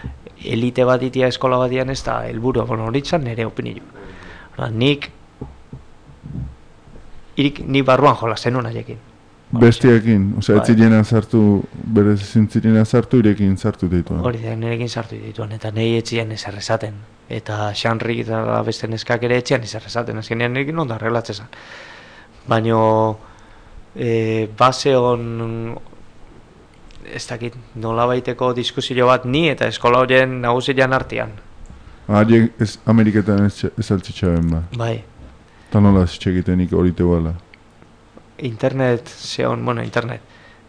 [SPEAKER 3] elite bat itia eskola batian ez da helburu, bueno, horitzan nire opinio. Orduan, nik, irik, nik barruan jolazen hona jekin.
[SPEAKER 2] Bestiakin, osea,
[SPEAKER 3] Bai.
[SPEAKER 2] ez zirena sartu, berez zintzirena sartu, irekin sartu dituan.
[SPEAKER 3] Hori da, nirekin sartu dituan, eta nahi etxian ezer esaten. Eta Xanri eta beste neskak ere etxian ezer esaten, azkenean nirekin ondo arreglatzezan. Baina, e, base on, ez dakit, nola baiteko diskusio bat ni eta eskola horien nagusian artean.
[SPEAKER 2] Hariek ez Ameriketan ez, ez altzitxaben ba.
[SPEAKER 3] Bai,
[SPEAKER 2] Eta nola ez txekitenik hori teguala.
[SPEAKER 3] internet, zeon, bueno, internet,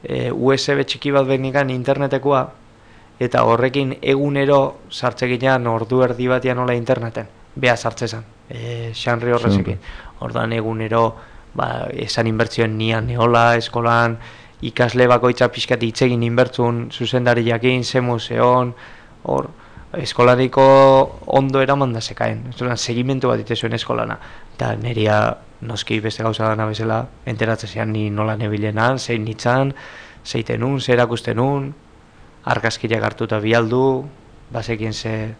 [SPEAKER 3] e, U S B txiki bat benikan internetekoa, eta horrekin egunero sartzeginan ordu erdi batian nola interneten, beha sartzezan, e, Xanri horrezekin. Ordan egunero, ba, esan inbertzioen nian neola, eskolan, ikasle bakoitza pixkat itzegin inbertzun, zuzendari jakin, ze museon, hor, eskolariko ondo eraman da zekaen, segimentu bat ite zuen eskolana. Eta neria noski beste gauza dana bezala, enteratzen ni nola nebilenan, zein nitzan, zeitenun, ze erakustenun, argazkiak hartuta bialdu, bazekin ze...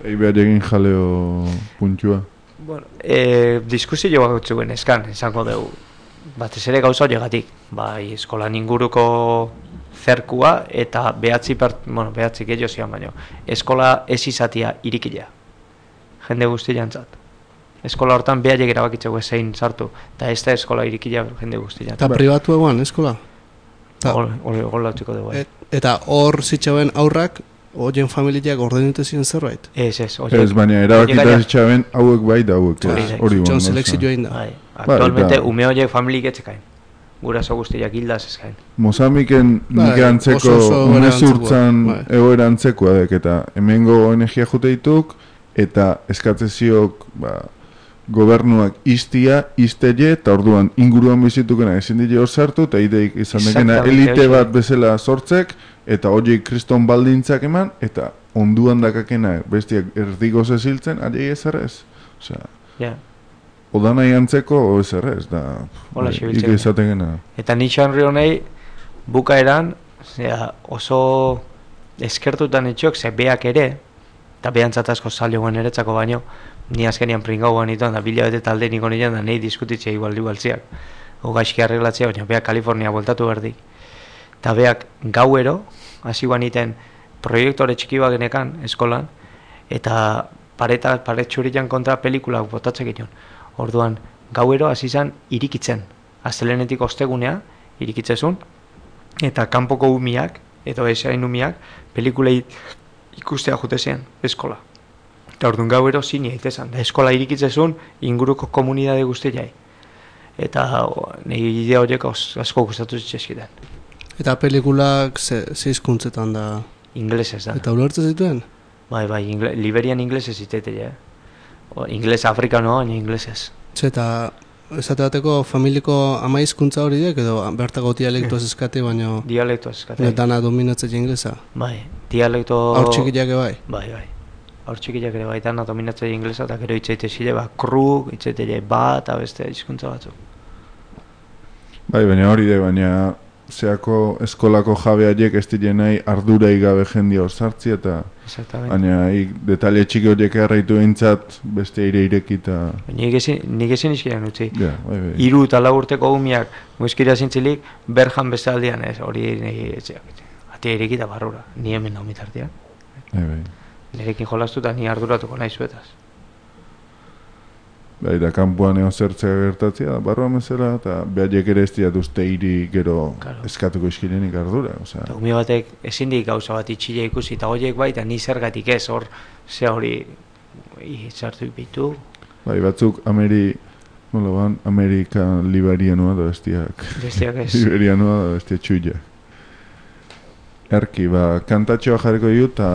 [SPEAKER 2] Egi behar egin jaleo puntua.
[SPEAKER 3] Bueno, e, diskusio bat zuen eskan, esango dugu, batez ere gauza horiegatik, bai eskolan inguruko zerkua eta behatzi, part, bueno, behatzi gehiago zian baino, eskola ez izatia irikila, jende guztiantzat. Eskola hortan behaiek erabakitzeko zein sartu, eta ez da eskola irikila jende guztiantzat.
[SPEAKER 1] Eta pribatu egoan, eskola? Ta-
[SPEAKER 3] Gola txiko dugu.
[SPEAKER 1] Et, eta hor zitzauen aurrak, horien familiak ordenute ziren zerbait?
[SPEAKER 3] Ez, ez.
[SPEAKER 2] Ez, baina erabakita zitxaben hauek bai da hauek.
[SPEAKER 3] Hori
[SPEAKER 2] ez,
[SPEAKER 3] da.
[SPEAKER 2] Hori
[SPEAKER 1] Txon
[SPEAKER 2] bon,
[SPEAKER 1] selekzioa inda.
[SPEAKER 3] Bai, aktualmente
[SPEAKER 2] eta-
[SPEAKER 3] ume horiek familik etzekain. Guraso guztiak hildaz ezkain.
[SPEAKER 2] Mozambiken
[SPEAKER 1] Bai,
[SPEAKER 2] nik antzeko
[SPEAKER 1] oso oso egoera
[SPEAKER 2] umezurtzan
[SPEAKER 1] antzekoa, bai.
[SPEAKER 2] egoera antzekoa dek, eta hemengo energia jute dituk, eta eskatzeziok ba, gobernuak iztia, izteie, eta orduan inguruan bizitukena ezin dile hor sartu, eta ideik izan dekena
[SPEAKER 3] Exactamente,
[SPEAKER 2] elite
[SPEAKER 3] horixe.
[SPEAKER 2] bat bezala sortzek, eta horiek kriston baldintzak eman, eta onduan dakakena bestiak erdigoz eziltzen, ariei ez errez. Osea,
[SPEAKER 3] Ja.
[SPEAKER 2] oda nahi antzeko, o ez errez, da...
[SPEAKER 3] Hola,
[SPEAKER 2] bai,
[SPEAKER 3] xibiltzen.
[SPEAKER 2] ik izategena.
[SPEAKER 3] Eta ni Xanri honei bukaeran, zera, oso eskertutan etxok, ze beak ere, eta behantzat asko zailo guen eretzako baino, ni azkenian pringau guen ituan, da bila bete talde niko nian, da nahi diskutitzea igual igualtziak. O gaizki arreglatzea, baina beak Kalifornia voltatu berdi. Eta beak gauero, hasi guan iten proiektore txiki bat genekan eskolan, eta pareta, paret txuritan kontra pelikulak botatzek inon. Orduan, gauero hasi zan irikitzen. Astelenetik ostegunea, irikitzezun, eta kanpoko umiak, edo esain umiak, pelikulei ikustea jute zian, eskola. Eta orduan gauero zini aitezan, da eskola irikitzezun inguruko komunidade guztiai. Eta o, nire idea horiek os- asko gustatu zitzaizkiten.
[SPEAKER 1] Eta pelikulak ze, ze hizkuntzetan da.
[SPEAKER 3] Inglesez da.
[SPEAKER 1] Eta ulertzen zituen?
[SPEAKER 3] Bai, bai, ingle, Liberian inglesez itetea, eh? O, ingles afrikanoa, baina inglesez.
[SPEAKER 1] Ze eta esate bateko familiko ama hizkuntza hori dek, edo bertako dialektoaz eskate, baina
[SPEAKER 3] Dialekto eskate.
[SPEAKER 1] dana dominatzen inglesa.
[SPEAKER 3] Bai, dialekto...
[SPEAKER 1] Hor txikiak bai.
[SPEAKER 3] Bai, bai. Hor txikiak ere bai, dana dominatzea inglesa, eta gero itzaite zile, ba, kru, itzaite ba, eta beste hizkuntza batzuk.
[SPEAKER 2] Bai, baina hori da, baina zeako eskolako jabeaiek ez diren nahi ardurai gabe jendia osartzi eta baina detaile txiki horiek erraitu eintzat beste ire irekita.
[SPEAKER 3] Nik ezin izkiran utzi.
[SPEAKER 2] Ja, bai, bai.
[SPEAKER 3] Hiru eta lau urteko umiak muizkira zintzilik berjan bezaldian ez, hori atea irekita barrura, ni hemen nau mitartean.
[SPEAKER 2] Bai, bai.
[SPEAKER 3] Nirekin jolastu eta ni arduratuko nahi zuetaz.
[SPEAKER 2] Bai, da kanpoan eo zertzea gertatzea, barroa mesela, eta behaiek ere ez dira duzte hiri gero claro. Eskatuko iskirenik ardura. Eta
[SPEAKER 3] umi batek ezin dik gauza bat itxile ikusi, eta horiek bai, eta ni zergatik ez, hor, ze hori izartu ipitu.
[SPEAKER 2] Bai, batzuk Ameri, nola ban, Amerika liberianoa da bestiak.
[SPEAKER 3] Bestiak ez.
[SPEAKER 2] Liberianoa da bestia txuiak. Erki, ba, kantatxoa jarriko ju, eta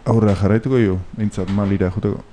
[SPEAKER 2] aurra jarraituko ju, behintzat malira juteko.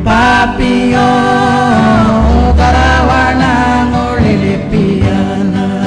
[SPEAKER 5] Papio Karawana ngolili piana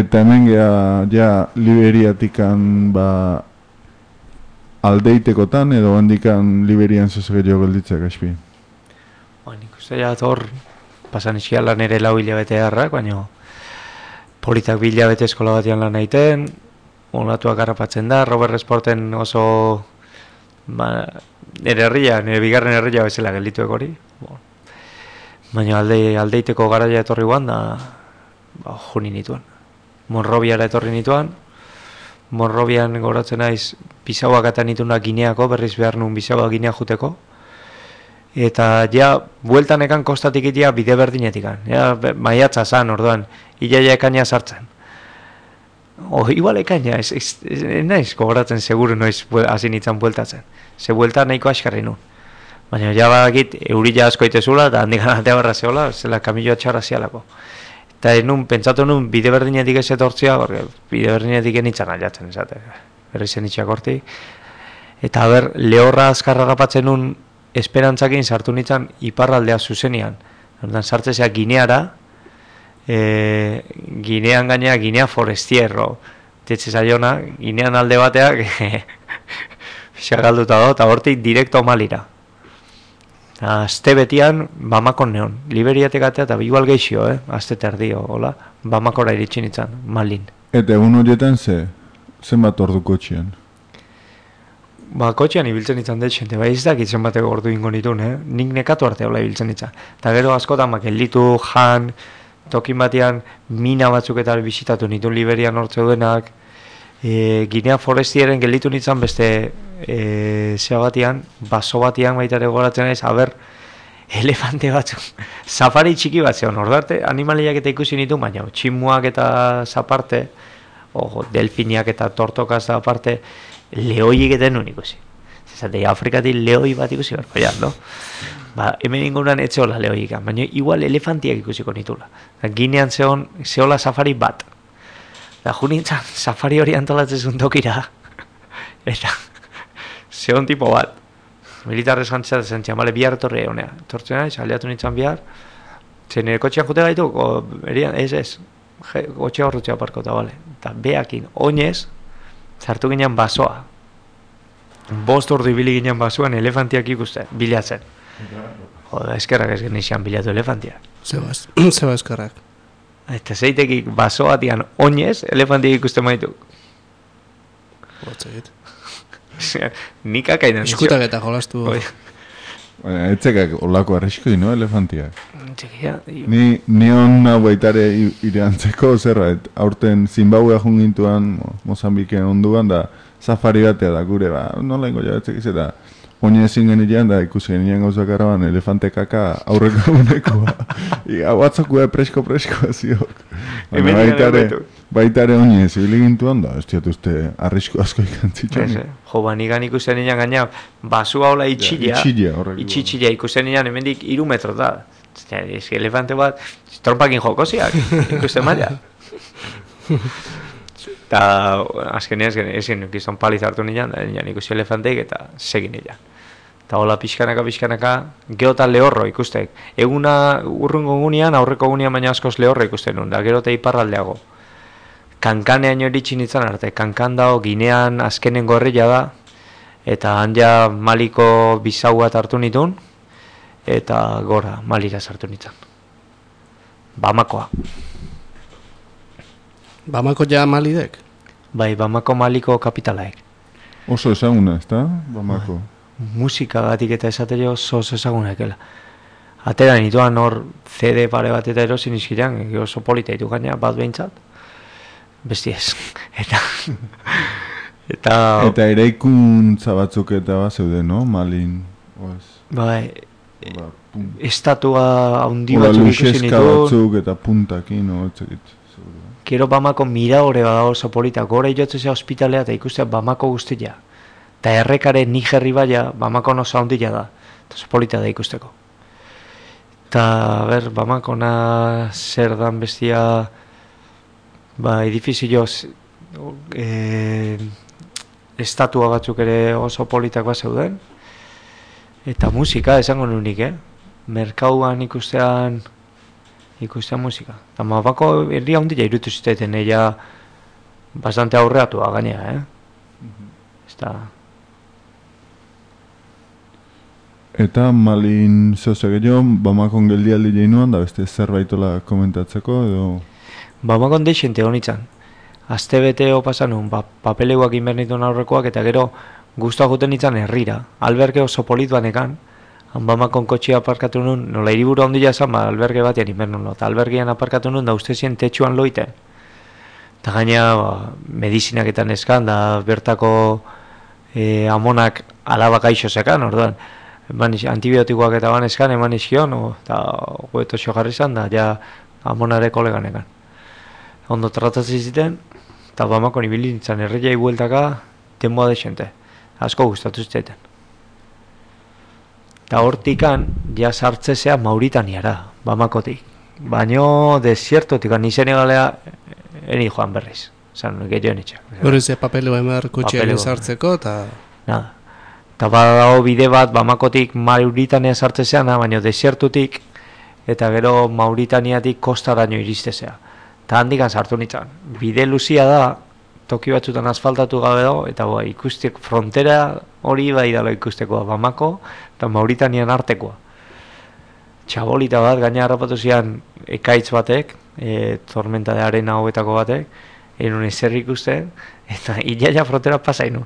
[SPEAKER 2] Eta hemen geha, ja, Liberiatikan, ba, aldeitekotan, edo handikan Liberian zuzege jo gelditzek, aspi.
[SPEAKER 3] Ba, nik uste ja, hor, pasan iskiala nere lau hilabete harrak, baina politak bi hilabete eskola batian lan egiten, olatuak harrapatzen da, Robert Sporten oso, ba, nere herria, nere bigarren herria bezala geldituek hori. Bon. Baina alde, aldeiteko garaia etorri guan da, ba, juni nituen. Monrobiara etorri nituen, Monrobian goratzen naiz Bisauak eta nituna Gineako, berriz behar nun Bisaua Ginea juteko. Eta ja, bueltan ekan kostatik itea bide berdinetikan. Ja, maiatza zan, orduan, ilaia ekaina sartzen. O, igual ekaina, ez, ez, ez, ez naiz gogoratzen seguru noiz hasi nintzen bueltatzen. Ze buelta nahiko askarri nun. Baina ja badakit, eurila asko itezula, eta handik anatea barra zehola, zela kamilloa txarra zialako. Eta nun, pentsatu nun, bide berdinetik ez etortzia, porque bide berdinetik enitzan aliatzen, esate, berri zen itxak horti. Eta ber, lehorra azkarra gapatzen nun, esperantzakin sartu nintzen iparraldea zuzenian. Ordan sartzezea Gineara, e, Ginean gainea, Ginea Forestierro, tetxe zaiona, Ginean alde bateak, xagalduta do, eta hortik direkto Malira. Azte betian, Bamakon neon. Liberiatek atea eta igual geixio, eh? Azte terdio, hola. Bamakora iritsi nintzen, Malin.
[SPEAKER 2] Eta egun horietan ze, zenbat ordu kotxean?
[SPEAKER 3] Ba, kotxean ibiltzen nintzen detxente, bai ez dakit zenbateko ordu ingo nituen, eh? Nik nekatu arte hola ibiltzen nintzen. Eta gero askotan, makelditu, jan, tokin batean, mina batzuk eta bisitatu nituen Liberian hortze duenak, e, Ginea Forestieren gelditu nintzen beste e, zea batean, baso batean baitare goratzen naiz, haber, elefante batzuk, safari txiki bat zeon, ordarte, animaliak eta ikusi nitu, baina tximuak eta zaparte, o, delfiniak eta tortokaz aparte, lehoiek eta nun ikusi. Zezate, Afrikatik lehoi bat ikusi berko, ja, no? Ba, hemen inguruan etxeola lehoiek, baina igual elefantiak ikusiko nitula. Ginean zeon, zeola safari bat. Da, junintzan, safari hori antolatzen zuen tokira. Eta, zeon tipo bat. Militarrez jantzea zen txamale bihar etorri honea. Tortzen naiz, aliatu nintzen bihar. Zer nire kotxean jute gaitu, o, erian, ez ez. Je, kotxea horretxea parkota, bale. Eta behakin, oinez, zartu ginen basoa. Bost ordu ibili ginen basoan elefantiak ikusten, bilatzen. Joda, eskerrak ez genizan bilatu elefantiak.
[SPEAKER 1] Zebaz, zeba eskerrak.
[SPEAKER 3] Eta zeitekik basoatian oinez, elefantiak ikusten maitu.
[SPEAKER 1] Botzegit.
[SPEAKER 3] Nik akainan.
[SPEAKER 1] Iskutak eta jolastu.
[SPEAKER 2] Baina, etzekak olako arriskoi, no, elefantiak?
[SPEAKER 3] Txekia.
[SPEAKER 2] Ni, ni hona baitare ireantzeko, zerra, et, aurten Zimbabwea jungintuan, Mozambiken onduan, da safari batea da gure, ba, nola ingo jabetzek izeta, oine ezin genilean, da ikusi genilean gauzak araban, elefante kaka aurreko unekoa. Ia, batzokua presko-preskoa ziok. Baina baitare, baitare oine ez gintuan, da, ez diatuzte arrisko asko ikantzitxan.
[SPEAKER 3] Jo, ba, nigan ikusten nian gaina, basua hola itxilla,
[SPEAKER 2] itxilla, horreko.
[SPEAKER 3] itxilla ikusten nian, hemendik iru metro da. Ez que elefante bat, trompakin jokoziak, ikusten maila. Eta azkenean ezin gizton paliz hartu nian, da nian ikusi elefanteik eta segin nian. Eta hola pixkanaka, pixkanaka, geota lehorro ikustek. Eguna urrungo gunean, aurreko gunean baina askoz lehorro ikusten nun, da gero eta iparraldeago. Kankanean iritsi nintzen arte, Kankan dago, Ginean azkenengo herria da, eta hanja Maliko Bisaua hartu nituen, eta gora Malira sartu nintzen. Bamakoa.
[SPEAKER 1] Bamako ja Malidek?
[SPEAKER 3] Bai, Bamako Maliko kapitalaek.
[SPEAKER 2] Oso ezaguna, ez da? Bamako.
[SPEAKER 3] Musika gatik eta esatero oso ezaguna ekela. Atera nituan hor C D pare bat eta erosin izkirean, oso polita ditu gaina, bat behintzat. Besti ez. Eta... eta...
[SPEAKER 2] Eta eraikuntza batzuk eta bat zeuden, no? Malin, oaz.
[SPEAKER 3] Bai, estatua handi batzuk ikusi nituen.
[SPEAKER 2] Batzuk eta puntakin, no? Etzekit.
[SPEAKER 3] Gero Bamako miraore bada oso polita, gora jotzea ospitalea eta ikustea Bamako guztia. Eta errekaren Nigerri baia, Bamako oso handia da. Eta oso polita da ikusteko. Eta, ber, Bamakona zer dan bestia... Ba, edifizio e, estatua batzuk ere oso politak bat zeuden. Eta musika, esango nunik, eh? Merkauan ikustean ikustea musika. Eta Bamako herria handia irutu ziteten, ella bastante aurreatua gainea, eh? Ez da...
[SPEAKER 2] Eta Malin zehose gehiago, Bamakon geldialdi jeinuan, da beste zerbaitola komentatzeko, edo...
[SPEAKER 3] Bamakon deixente honitzen. Aste beteo pasanun, ba, papeleuak inbernituen aurrekoak, eta gero guztua juten itzan herrira. Alberge oso polit banekan, Bamakon kotxia aparkatu nun, nola hiriburu handia esan, ba, alberge batean inbernun lo. Eta albergean aparkatu nun, da uste zien tetxuan loiten. Eta gaina, ba, medizinaketan eskan, da bertako e, amonak alaba gaixo zekan, orduan. Eman antibiotikoak eta ban eskan, eman iskion, eta goeto jarri zan, da ja amonare koleganekan. Ondo tratatzen ziten, eta Bamakon ibili nintzen erreiai bueltaka denboa desente. Asko gustatu ziteten. Eta hortikan, ja sartzezea Mauritaniara, Bamakotik. Baino desiertotik, ni Senegalea eni joan berriz. Zan, gehiago nitxak.
[SPEAKER 1] Horrez, papelua emar kotxearen sartzeko, eta...
[SPEAKER 3] Nada. Eta badago bide bat Bamakotik Mauritania sartzezean, baina desiertutik eta gero Mauritaniatik kostaraino iristezea. Eta handikan sartu nintzen. Bide luzia da, toki batzutan asfaltatu gabe dago, eta ba, ikustek frontera hori bai dala ikustekoa Bamako eta Mauritanian artekoa. Txabolita bat, gaina harrapatu zian ekaitz batek, e, tormenta de arena hobetako batek, enun ezer ikusten, eta ilaia frontera pasainun.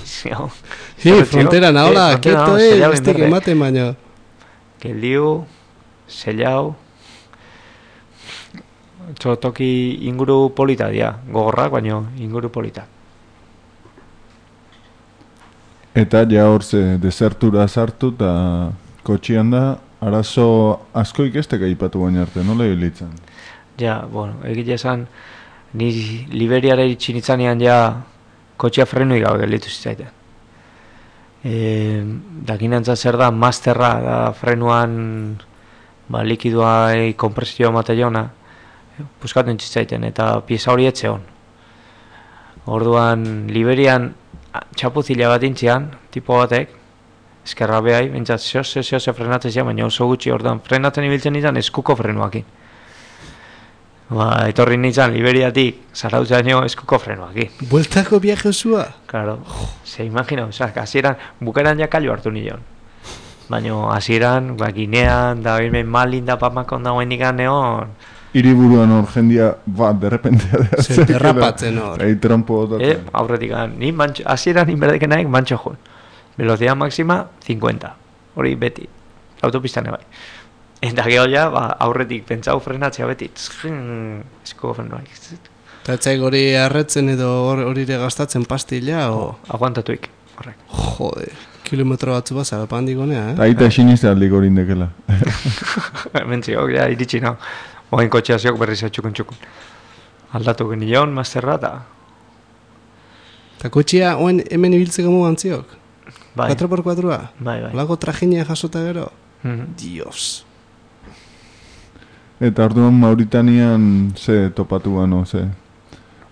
[SPEAKER 1] Sí, frontera nahola, keto eh, bestik ematen baino.
[SPEAKER 3] Geldiu, zellau, toki inguru polita dia, gogorrak, baino inguru polita.
[SPEAKER 2] Eta ja hor ze desertura sartu eta kotxian da, arazo asko ikestek aipatu baina arte, nola hilitzen?
[SPEAKER 3] Ja, bueno, egile esan, ni Liberiara iritsi nitzanean ja kotxea frenui gabe gelditu zitzaiten. E, dakinantza zer da, masterra da frenuan ba, likidua e, kompresioa mataiona, buskaten zitzaiten, eta pieza hori etxe hon. Orduan, Liberian txapuzila bat intzian, tipo batek, eskerra behai, bintzat, zehose, zehose frenatzen zian, baina oso gutxi, orduan, frenatzen ibiltzen izan eskuko frenuakin. Ba, etorri nintzen Liberiatik, zarautzaino eskuko frenuakin.
[SPEAKER 1] Bueltako viaje osua?
[SPEAKER 3] Claro, se imagina, oza, hasieran, bukaeran ja kallo hartu nion. Baina, hasieran, ba, Ginean, da, hemen Malin, da, Bamakon da, guainikan neon.
[SPEAKER 2] Hiriburuan hor jendia, ba, derrepentea da.
[SPEAKER 1] Se derrapatzen hor.
[SPEAKER 2] Ei, trompo dut.
[SPEAKER 3] Eh, aurretik, ni mantxo, hasieran inberdeken naik mantxo joan. Velocidad máxima, cincuenta. Hori beti, autopistan ebai. Eta geho ja, ba, aurretik pentsau frenatzea beti. Esko frenuak.
[SPEAKER 1] Eta etzaik hori arretzen edo hori ere gastatzen pastilla, o...
[SPEAKER 3] Aguantatuik, horrek.
[SPEAKER 1] Jode, kilometro batzu baza, pandikonea, eh?
[SPEAKER 2] Aita esinizte aldik hori indekela.
[SPEAKER 3] Mentziok, ja, iritsi nao. Oain kotxea ziok berriz atxukun txukun. Aldatu genion, masterra, eta...
[SPEAKER 1] Eta kotxea, oen hemen ibiltzeko mugan ziok?
[SPEAKER 3] Bai.
[SPEAKER 1] cuatro por cuatroa?
[SPEAKER 3] Bai, bai.
[SPEAKER 1] Lago trajinia jasota gero?
[SPEAKER 3] Mm-hmm.
[SPEAKER 1] Dios.
[SPEAKER 2] Eta orduan Mauritanian ze topatu gano, ze...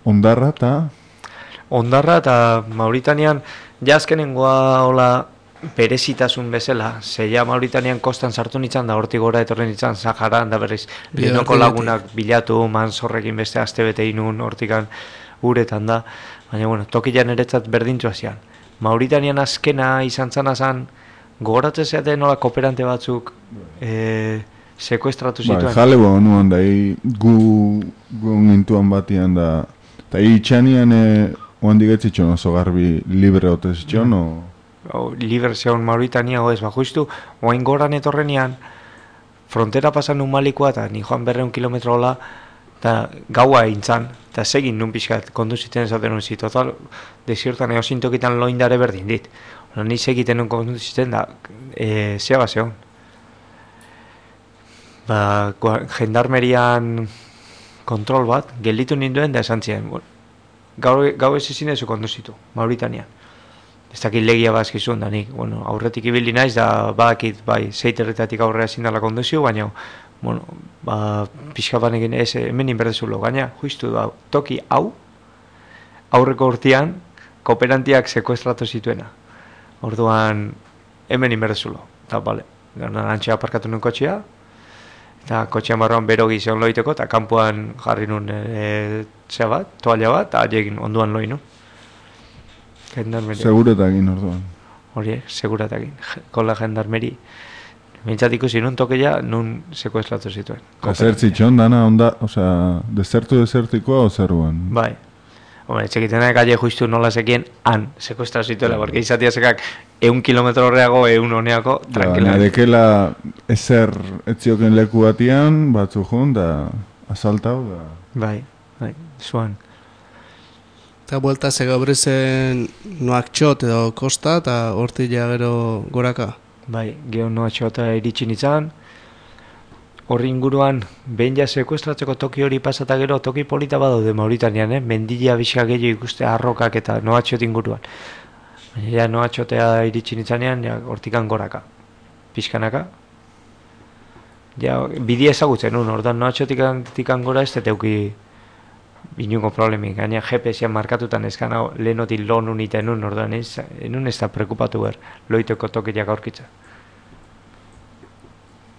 [SPEAKER 2] Ondarra eta...
[SPEAKER 3] Ondarra eta Mauritanian jazkenengoa hola berezitasun bezala, zeia Mauritanian kostan sartu nintzen da hortik gora etorren nintzen Saharan da berriz denoko lagunak bilatu, manzorrekin beste aste bete inun hortikan uretan da, baina bueno, tokian eretzat berdintxoa zian. Mauritanian azkena izan zana zan, gogoratzen zeaten nola kooperante batzuk e, sekuestratu zituen.
[SPEAKER 2] Ba, jale ba honuan da, e, gu, gu nintuan batian da, eta itxanian e, oandik etzitxon oso garbi libre otezitxon, o...
[SPEAKER 3] O, liber zeon Mauritania oez, ba, justu, oain goran etorrenian, frontera pasan nun malikoa, eta ni joan berreun kilometro hola, eta gaua eintzan, eta segin nun pixkat, konduziten esaten nun zi, total, desiertan eosintokitan loindare berdin dit. Ola, ni segiten nun konduziten da, e, zea bat zeon. Ba, jendarmerian kontrol bat, gelditu ninduen da esan ziren, bueno, gau, gau ez ezin ezu konduzitu, Mauritanian. Ez dakit legia bazkizun da nik, bueno, aurretik ibili naiz da badakit bai zeiterretatik aurrera zindala konduzio, baina bueno, ba, pixka banekin ez hemen inberdezulo, gaina justu da toki hau aurreko urtean kooperantiak sekuestratu zituena. Orduan hemen inberdezulo, eta bale, gana antxea aparkatu nuen kotxea, Eta kotxean barruan bero gizion loiteko, eta kanpoan jarri nun e, zea bat, toalla bat, eta haiekin onduan loi nun. Gendarmeria.
[SPEAKER 2] Seguretakin orduan.
[SPEAKER 3] Hori, seguretakin. Kola gendarmeri. Mintzat ikusi nun tokeia, nun sekuestratu zituen.
[SPEAKER 2] Zertzitxon, dana, onda, osea, desertu desertikoa o zeruan?
[SPEAKER 3] Bai. Hombre, txekitenak aile justu nola sekien han sekuestratu zituela, porque izatia sekak eun kilometro horreago, eun honeako, tranquila.
[SPEAKER 2] Nadekela ezer etzioken leku batian, batzu jun, da asaltau, da...
[SPEAKER 3] Bai, bai, zuan.
[SPEAKER 1] Eta buelta zegabrezen Noaktxot edo kosta, eta horti ja gero goraka.
[SPEAKER 3] Bai, geho Noaktxota iritsi nintzen, horri inguruan, behin ja sekuestratzeko toki hori pasata gero, toki polita badaude Mauritanian, eh? Mendila bizka gehiago ikuste arrokak eta Noaktxot inguruan. Baina ja Noaktxotea iritsi nintzanean, ja hortikan goraka, pixkanaka. Ja, bidea ezagutzen nun, ordan Noaktxotikan gora ez deteuki inungo problemik, gaina G P S-an markatutan eskan hau lehenotik lo nun iten nun, ordan ez, nun ez da preokupatu behar, loiteko tokiak aurkitza.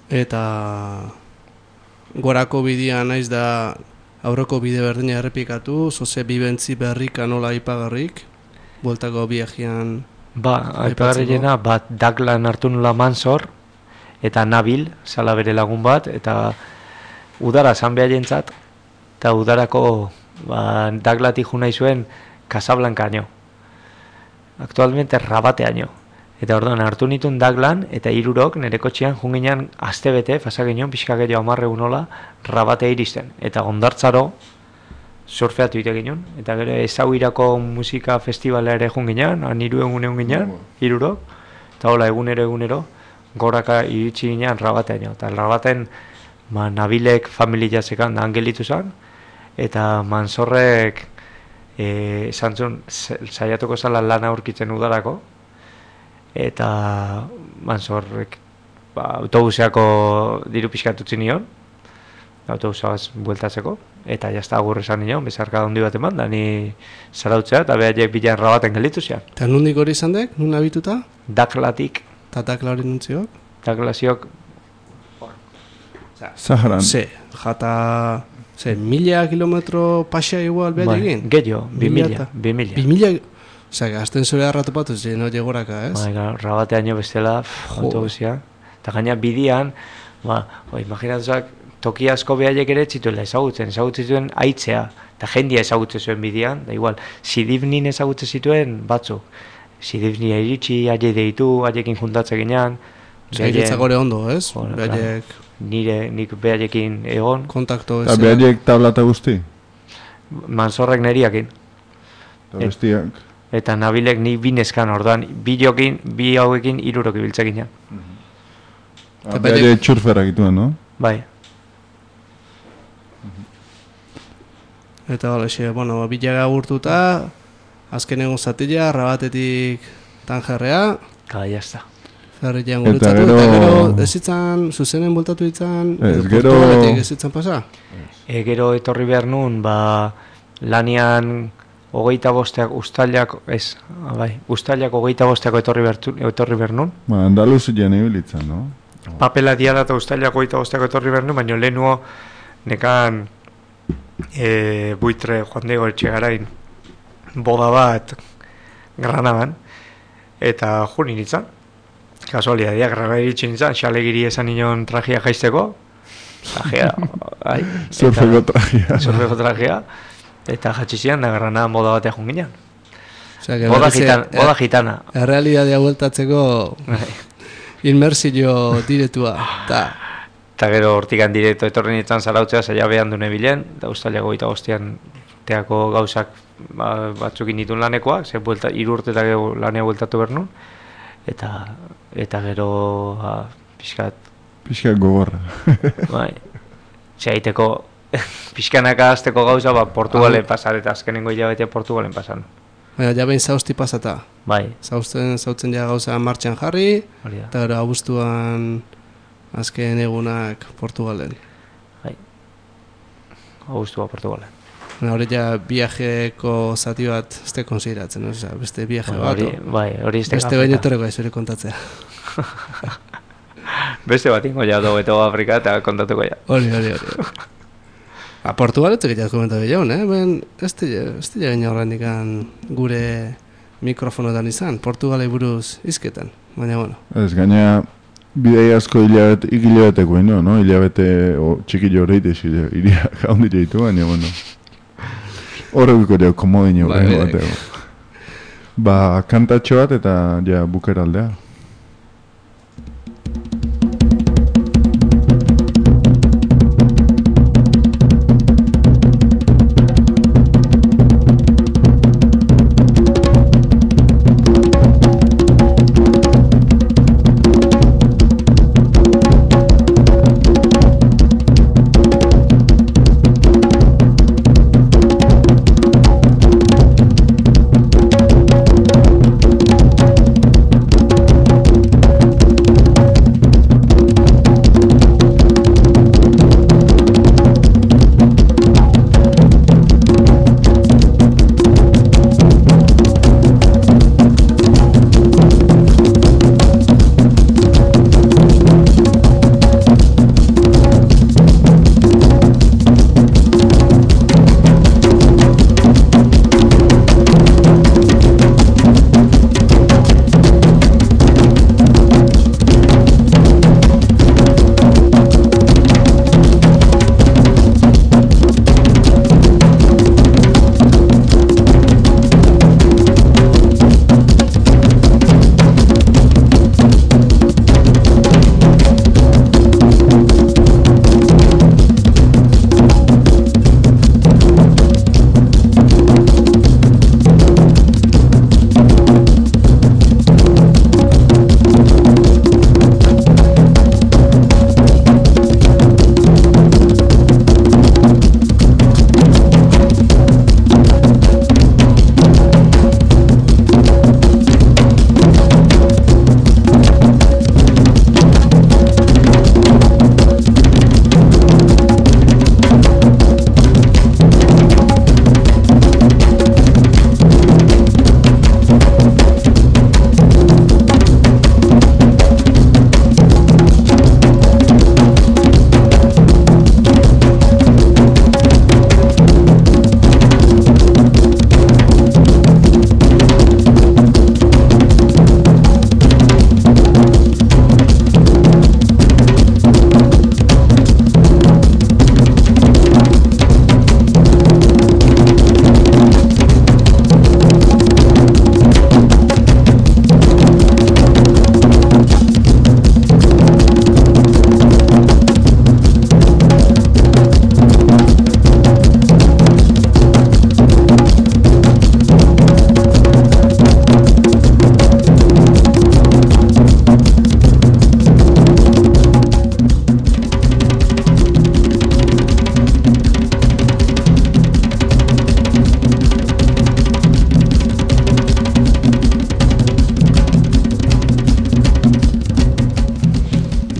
[SPEAKER 1] Eta gorako bidea naiz da aurreko bide berdina errepikatu, zoze bibentzi berrika nola aipagarrik, bueltako biajean...
[SPEAKER 3] Ba, aipagarriena, bat Daklan hartu nula Mansor, eta Nabil, sala bere lagun bat, eta udara zan behaentzat, eta udarako ba, Daklatik jo nahi zuen Casablancaino. Aktualmente Rabateaino. Eta orduan hartu nituen Daklan, eta hirurok nire kotxean junginan astebete, fasagenean pixka gehiago amarre unola, Rabatea iristen. Eta ondartzaro surfeatu ite ginen, eta gero ezauirako musika festivala ere junginan, han hiru egun egun ginen, hirurok, eta hola egunero egunero, goraka iritsi ginen Rabateaino. Eta Rabaten ba, Nabilek familia zekan da angelitu zen, eta Mansorrek e, zantzun saiatuko zala lana aurkitzen udarako, eta Mansorrek ba, autobuseako diru pixkatutzen nion, autobusaz bueltatzeko, eta jazta agur esan nion, bezarka handi bat eman, da ni zarautzea, eta behaiek bilan Rabaten gelitu zean.
[SPEAKER 1] Eta nundik hori izan dek, nun abituta?
[SPEAKER 3] Daklatik.
[SPEAKER 1] Eta Dakla hori nuntziok?
[SPEAKER 3] Daklasiok
[SPEAKER 2] Zaharan.
[SPEAKER 1] Ze, jata... Ze, mila kilometro pasea igual behar egin?
[SPEAKER 3] Gehiago, bi mila. Bi mila.
[SPEAKER 1] Bi mila... Osa, gazten zure harratu patuz, no llegoraka, ez?
[SPEAKER 3] Ba, Rabateaino bestela, autobusia. Eta gaina bidian, ba, o, imaginatuzak, toki asko behaiek ere txituela ezagutzen, ezagutzen zituen aitzea, eta jendia ezagutzen zuen bidian, da igual, Sidibnin ezagutzen zituen batzuk. Sidibnia iritsi, aile deitu, aiekin juntatzen ginean.
[SPEAKER 1] Osa, iretzak gore ondo, ez? Behaiek...
[SPEAKER 3] Nire, nik behaiekin egon.
[SPEAKER 1] Kontakto ez.
[SPEAKER 2] Eta behaiek tablata guzti?
[SPEAKER 3] Mansorrek neriakin.
[SPEAKER 2] Eta bestiak?
[SPEAKER 3] Eta Nabilek ni binezkan, orduan, bi jokin, bi hauekin hirurok ibiltzek ginen.
[SPEAKER 2] Behaiek txurferak ituen, no?
[SPEAKER 3] Bai.
[SPEAKER 1] Eta hola, bueno, bilaga gurtuta, azken egun zatila, Rabatetik Tanjerrea.
[SPEAKER 3] Eta jazta.
[SPEAKER 1] Ferrian gurutzatu, eta gero, eta gero ez zitzan, zuzenen bultatu ditzan,
[SPEAKER 2] ez gero...
[SPEAKER 1] Portugaletik ez zitzan pasa?
[SPEAKER 3] E, gero etorri behar nun, ba, lanian hogeita bosteak, ustailak, ez, bai, ustailak hogeita bosteako etorri behar, etorri behar nun.
[SPEAKER 2] Ba, Andaluzien ibilitzen, no?
[SPEAKER 3] Papela diada eta ustailak hogeita bosteako etorri behar nun, baina lehenuo nekan e, buitre Juan Diego Etxegarain boda bat Granadan, eta juni nintzen. Kasualidadiak, Granada iritsi nintzen, xalegiri esan nion trajea jaisteko. Trajea, bai.
[SPEAKER 2] Surfeko trajea.
[SPEAKER 3] Surfeko trajea. Eta jatxizian da Granada moda batea junginan.
[SPEAKER 1] O sea,
[SPEAKER 3] boda, gitan, er, boda gitana.
[SPEAKER 1] Errealidadea bueltatzeko inmersio diretua.
[SPEAKER 3] Eta gero hortikan direkto etorri nintzen zarautzea zaila behan dune bilen, eta ustailako eta bostean teako gauzak ba, batzukin ditun lanekoak, ze buelta, iru urte eta gero lanea bueltatu behar nun. Eta, eta gero ha, pixkat...
[SPEAKER 2] Pixkat gogorra.
[SPEAKER 3] Bai, zeaiteko pixkanaka azteko gauza, ba, Portugalen pasar, eta azkenengo hilabete Portugalen pasan.
[SPEAKER 1] Baina, ja behin zauzti pasata.
[SPEAKER 3] Bai.
[SPEAKER 1] Zauzten, zautzen ja gauza martxan jarri, eta gero abuztuan azken egunak Portugalen.
[SPEAKER 3] Bai, abuztua Portugalen.
[SPEAKER 1] Hori ja viajeko zati bat ez te konsideratzen, oza, beste viaje bat.
[SPEAKER 3] Bai, hori ez te
[SPEAKER 1] beste baino etorreko ez hori kontatzea.
[SPEAKER 3] Beste bat ingo ja do Beto Afrika eta kontatuko ja.
[SPEAKER 1] Hori, hori, hori. A Portugaletik egiteak komentatu gehiago, eh? Ben, ez dira gaina horrendikan gure mikrofonotan izan, Portugalei buruz izketan, baina bueno.
[SPEAKER 2] Ez, gaina bidei asko hilabete, ikilabeteko ino, no? Hilabete o, txikillo horreite iria jaundit ditu, baina bueno. Horreko deo komodino
[SPEAKER 1] Ba,
[SPEAKER 2] horrengo
[SPEAKER 1] bidek.
[SPEAKER 2] bateo. Ba, kantatxo bat eta ja bukeraldea.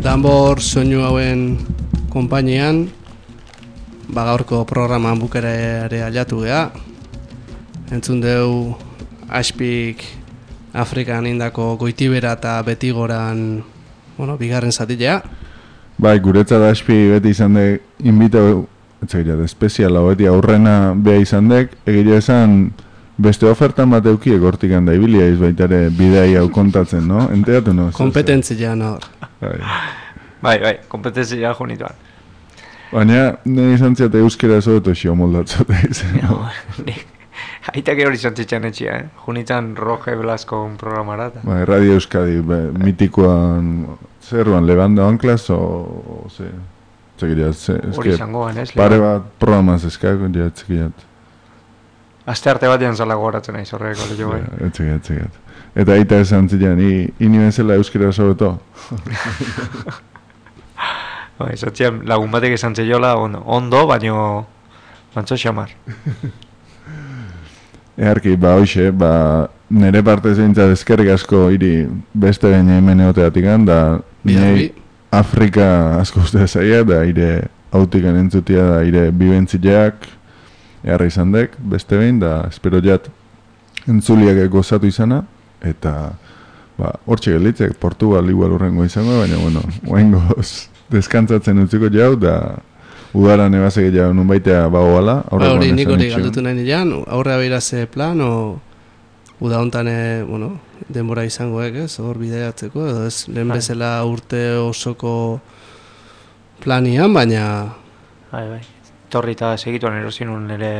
[SPEAKER 1] Danbor soinu hauen konpainian, ba gaurko programan bukera ere aliatu geha. Entzun deu Aspik Afrikan indako Goitibera eta Betigoran, bueno, bigarren zatilea.
[SPEAKER 2] Bai, guretzat Aspi beti izan dek, inbita, etzagira, espeziala, beti aurrena beha izan dek, egia esan beste ofertan bat eukiek hortik handa ibilia izbaitare bidei hau kontatzen, no? Enteatu, no?
[SPEAKER 1] Kompetentzia nor.
[SPEAKER 2] Bai,
[SPEAKER 3] bai, bai, kompetentzia junituan.
[SPEAKER 2] baina, nire izan ziate euskera zo eta xio moldatzota izan.
[SPEAKER 3] No, aitak hori izan zitzen etxia, eh? Junitzen Roge Blasco programara.
[SPEAKER 2] Bai, Radio Euskadi, be, mitikoan, zerruan, Levando Anclas, o, o ze, txekirat, ze,
[SPEAKER 3] Hori izangoan, ez?
[SPEAKER 2] pare bat programaz eskako, ja, txekirat.
[SPEAKER 3] Aste arte batean zala gogoratzen aiz horreko lehio bai.
[SPEAKER 2] Ja, txekirat, txekirat. Eta aita esan zilean, ini bezala euskera sobeto.
[SPEAKER 3] Bai, zatzian lagun batek esan zeiola ondo, ondo baino mantzo xamar.
[SPEAKER 2] Eharki, ba, hoxe, ba, nire parte zeintzat eskerrik asko hiri beste behin hemen egoteatikan, da nire Afrika asko uste zaia, da ire autikan entzutia, da ire bibentzileak, eharra izan dek, beste behin, da espero jat entzuliak gozatu izana, eta ba, hortxe gelitzek, Portugal igual urrengo izango, baina, bueno, oaingoz deskantzatzen utziko jau, da udaran ebazek jau nun baitea bagoala.
[SPEAKER 1] Ba, hori nik hori galdutu nahi nirean, aurrea behiraze plan, o uda hontan, bueno, denbora izangoek, ez, hor bideatzeko, edo ez, lehen bezala urte osoko planian, baina...
[SPEAKER 3] Bai, bai, torri eta segituan erosin un nire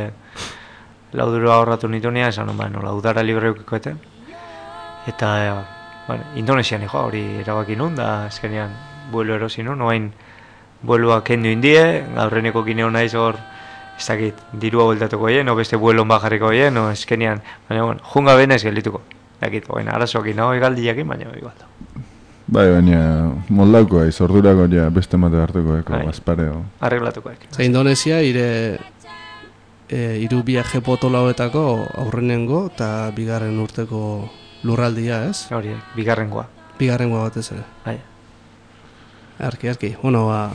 [SPEAKER 3] lauduro ahorratu nitunia, esan non, ba, nola, udara libre eukikoeten, eta, bueno, Indonesian joa, hori erabaki nun, da, eskenean, buelo erosin nun, oain, bueloa kendu indie, gaurreneko kineo naiz hor, ez dakit, dirua bueltatuko hien, o beste buelon bajarriko hien, o eskenean, baina, bueno, junga benez geldituko. Dakit, oain, arazoak nago egaldiakin, baina, igual da.
[SPEAKER 2] Bai, baina, moldauko aiz, ordurako ja beste mate hartuko eko, bazpareo.
[SPEAKER 3] Arreglatuko eko.
[SPEAKER 1] Zer, Indonesia, ire, e, iru viaje potolauetako aurrenengo, eta bigarren urteko lurraldia, ez?
[SPEAKER 3] Hori, bigarrengoa.
[SPEAKER 1] Bigarrengoa batez ere.
[SPEAKER 3] Bai.
[SPEAKER 1] Arki, arki, bueno, ba...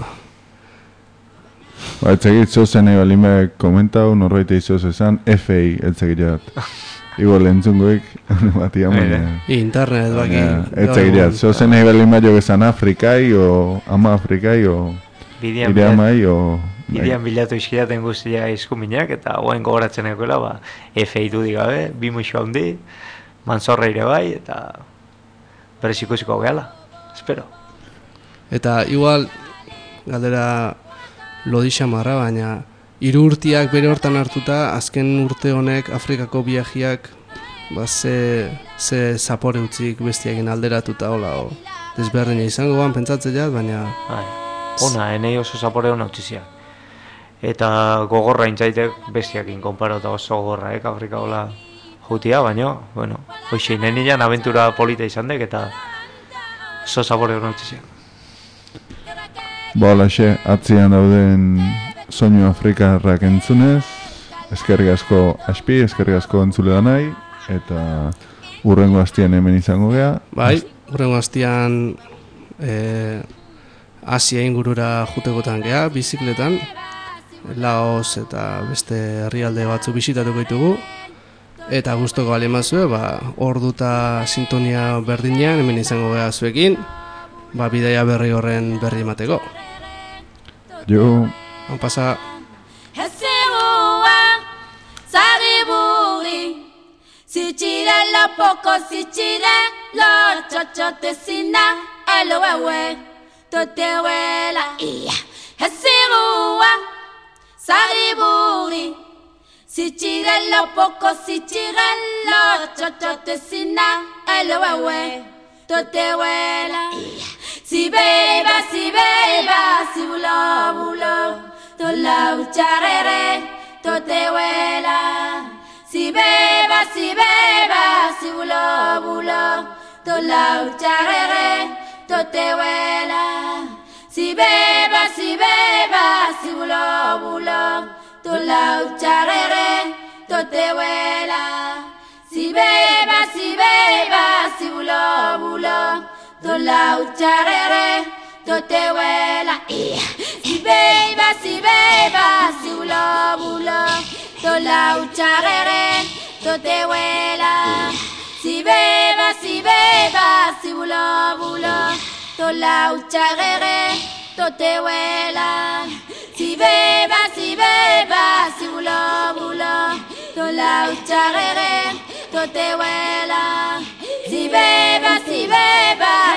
[SPEAKER 2] Ba, etzegit zozen nahi balime komentau, norbait eizoz esan, F I etzegit jat. Igual entzungoik, bati amai.
[SPEAKER 1] Internet, baki.
[SPEAKER 2] Etzegit jat, zozen nahi balime jo esan Afrikai, o ama Afrikai, o ire amai, o...
[SPEAKER 3] Idean bilatu izkidaten guztia izkuminak, eta guain gogoratzen ekoela, ba, F I dudik gabe, bi muixo handi, manzorra ire bai, eta berez ikusiko gehala, espero.
[SPEAKER 1] Eta igual, galdera lodisa marra, baina hiru urtiak bere hortan hartuta, azken urte honek Afrikako biajiak ba, ze, ze zapore utzik bestiakin alderatuta, hola, o, desberdina izango ban, pentsatzen jat, baina...
[SPEAKER 3] Bai, ona, enei oso zapore hona utziziak. Eta gogorra intzaitek bestiakin konparota oso gogorra, eh, Afrika hola jutia, baina, bueno, hoxe, nenian aventura polita izan dek, eta oso zapore hona utziziak.
[SPEAKER 2] Ba, holaxe, atzian dauden soinu afrikarrak entzunez, eskerrik asko aspi, eskerrik asko entzule da nahi, eta urrengo hastian hemen izango gea.
[SPEAKER 1] Bai, urrengo hastian e, Asia ingurura jutekotan gea, bizikletan, Laos eta beste herrialde batzu bisitatuko ditugu, eta gustoko bali mazue, ba, ordu eta sintonia berdinean hemen izango gea zuekin, ba, bidaia berri horren berri emateko.
[SPEAKER 2] Jo.
[SPEAKER 1] Han pasa.
[SPEAKER 5] Si chira lo poco, si chira lo chocho te sina, el wewe, to te wela, iya. Hesirua, sariburi. Si chira lo poco, si chira lo chocho te sina, el wewe, to te wela, iya. Si beba, si beba, si bulo, bulo, to la ucharere, to te wela. Si beba, si beba, si bulo, bulo, to la ucharere, to te wela. Si beba, si beba, si bulo, bulo, to la ucharere, to te wela. Si beba, si beba, si bulo, bulo, to la ucharere, to te wela. Si beba, si beba, si bulo, bulo, to la ucharere, to te wela. Si beba, si beba, si bulo, bulo, to la ucharere, to te wela. Si beba, si beba, si bulo, bulo, to la ucharere, to te wela. Si beba, si beba,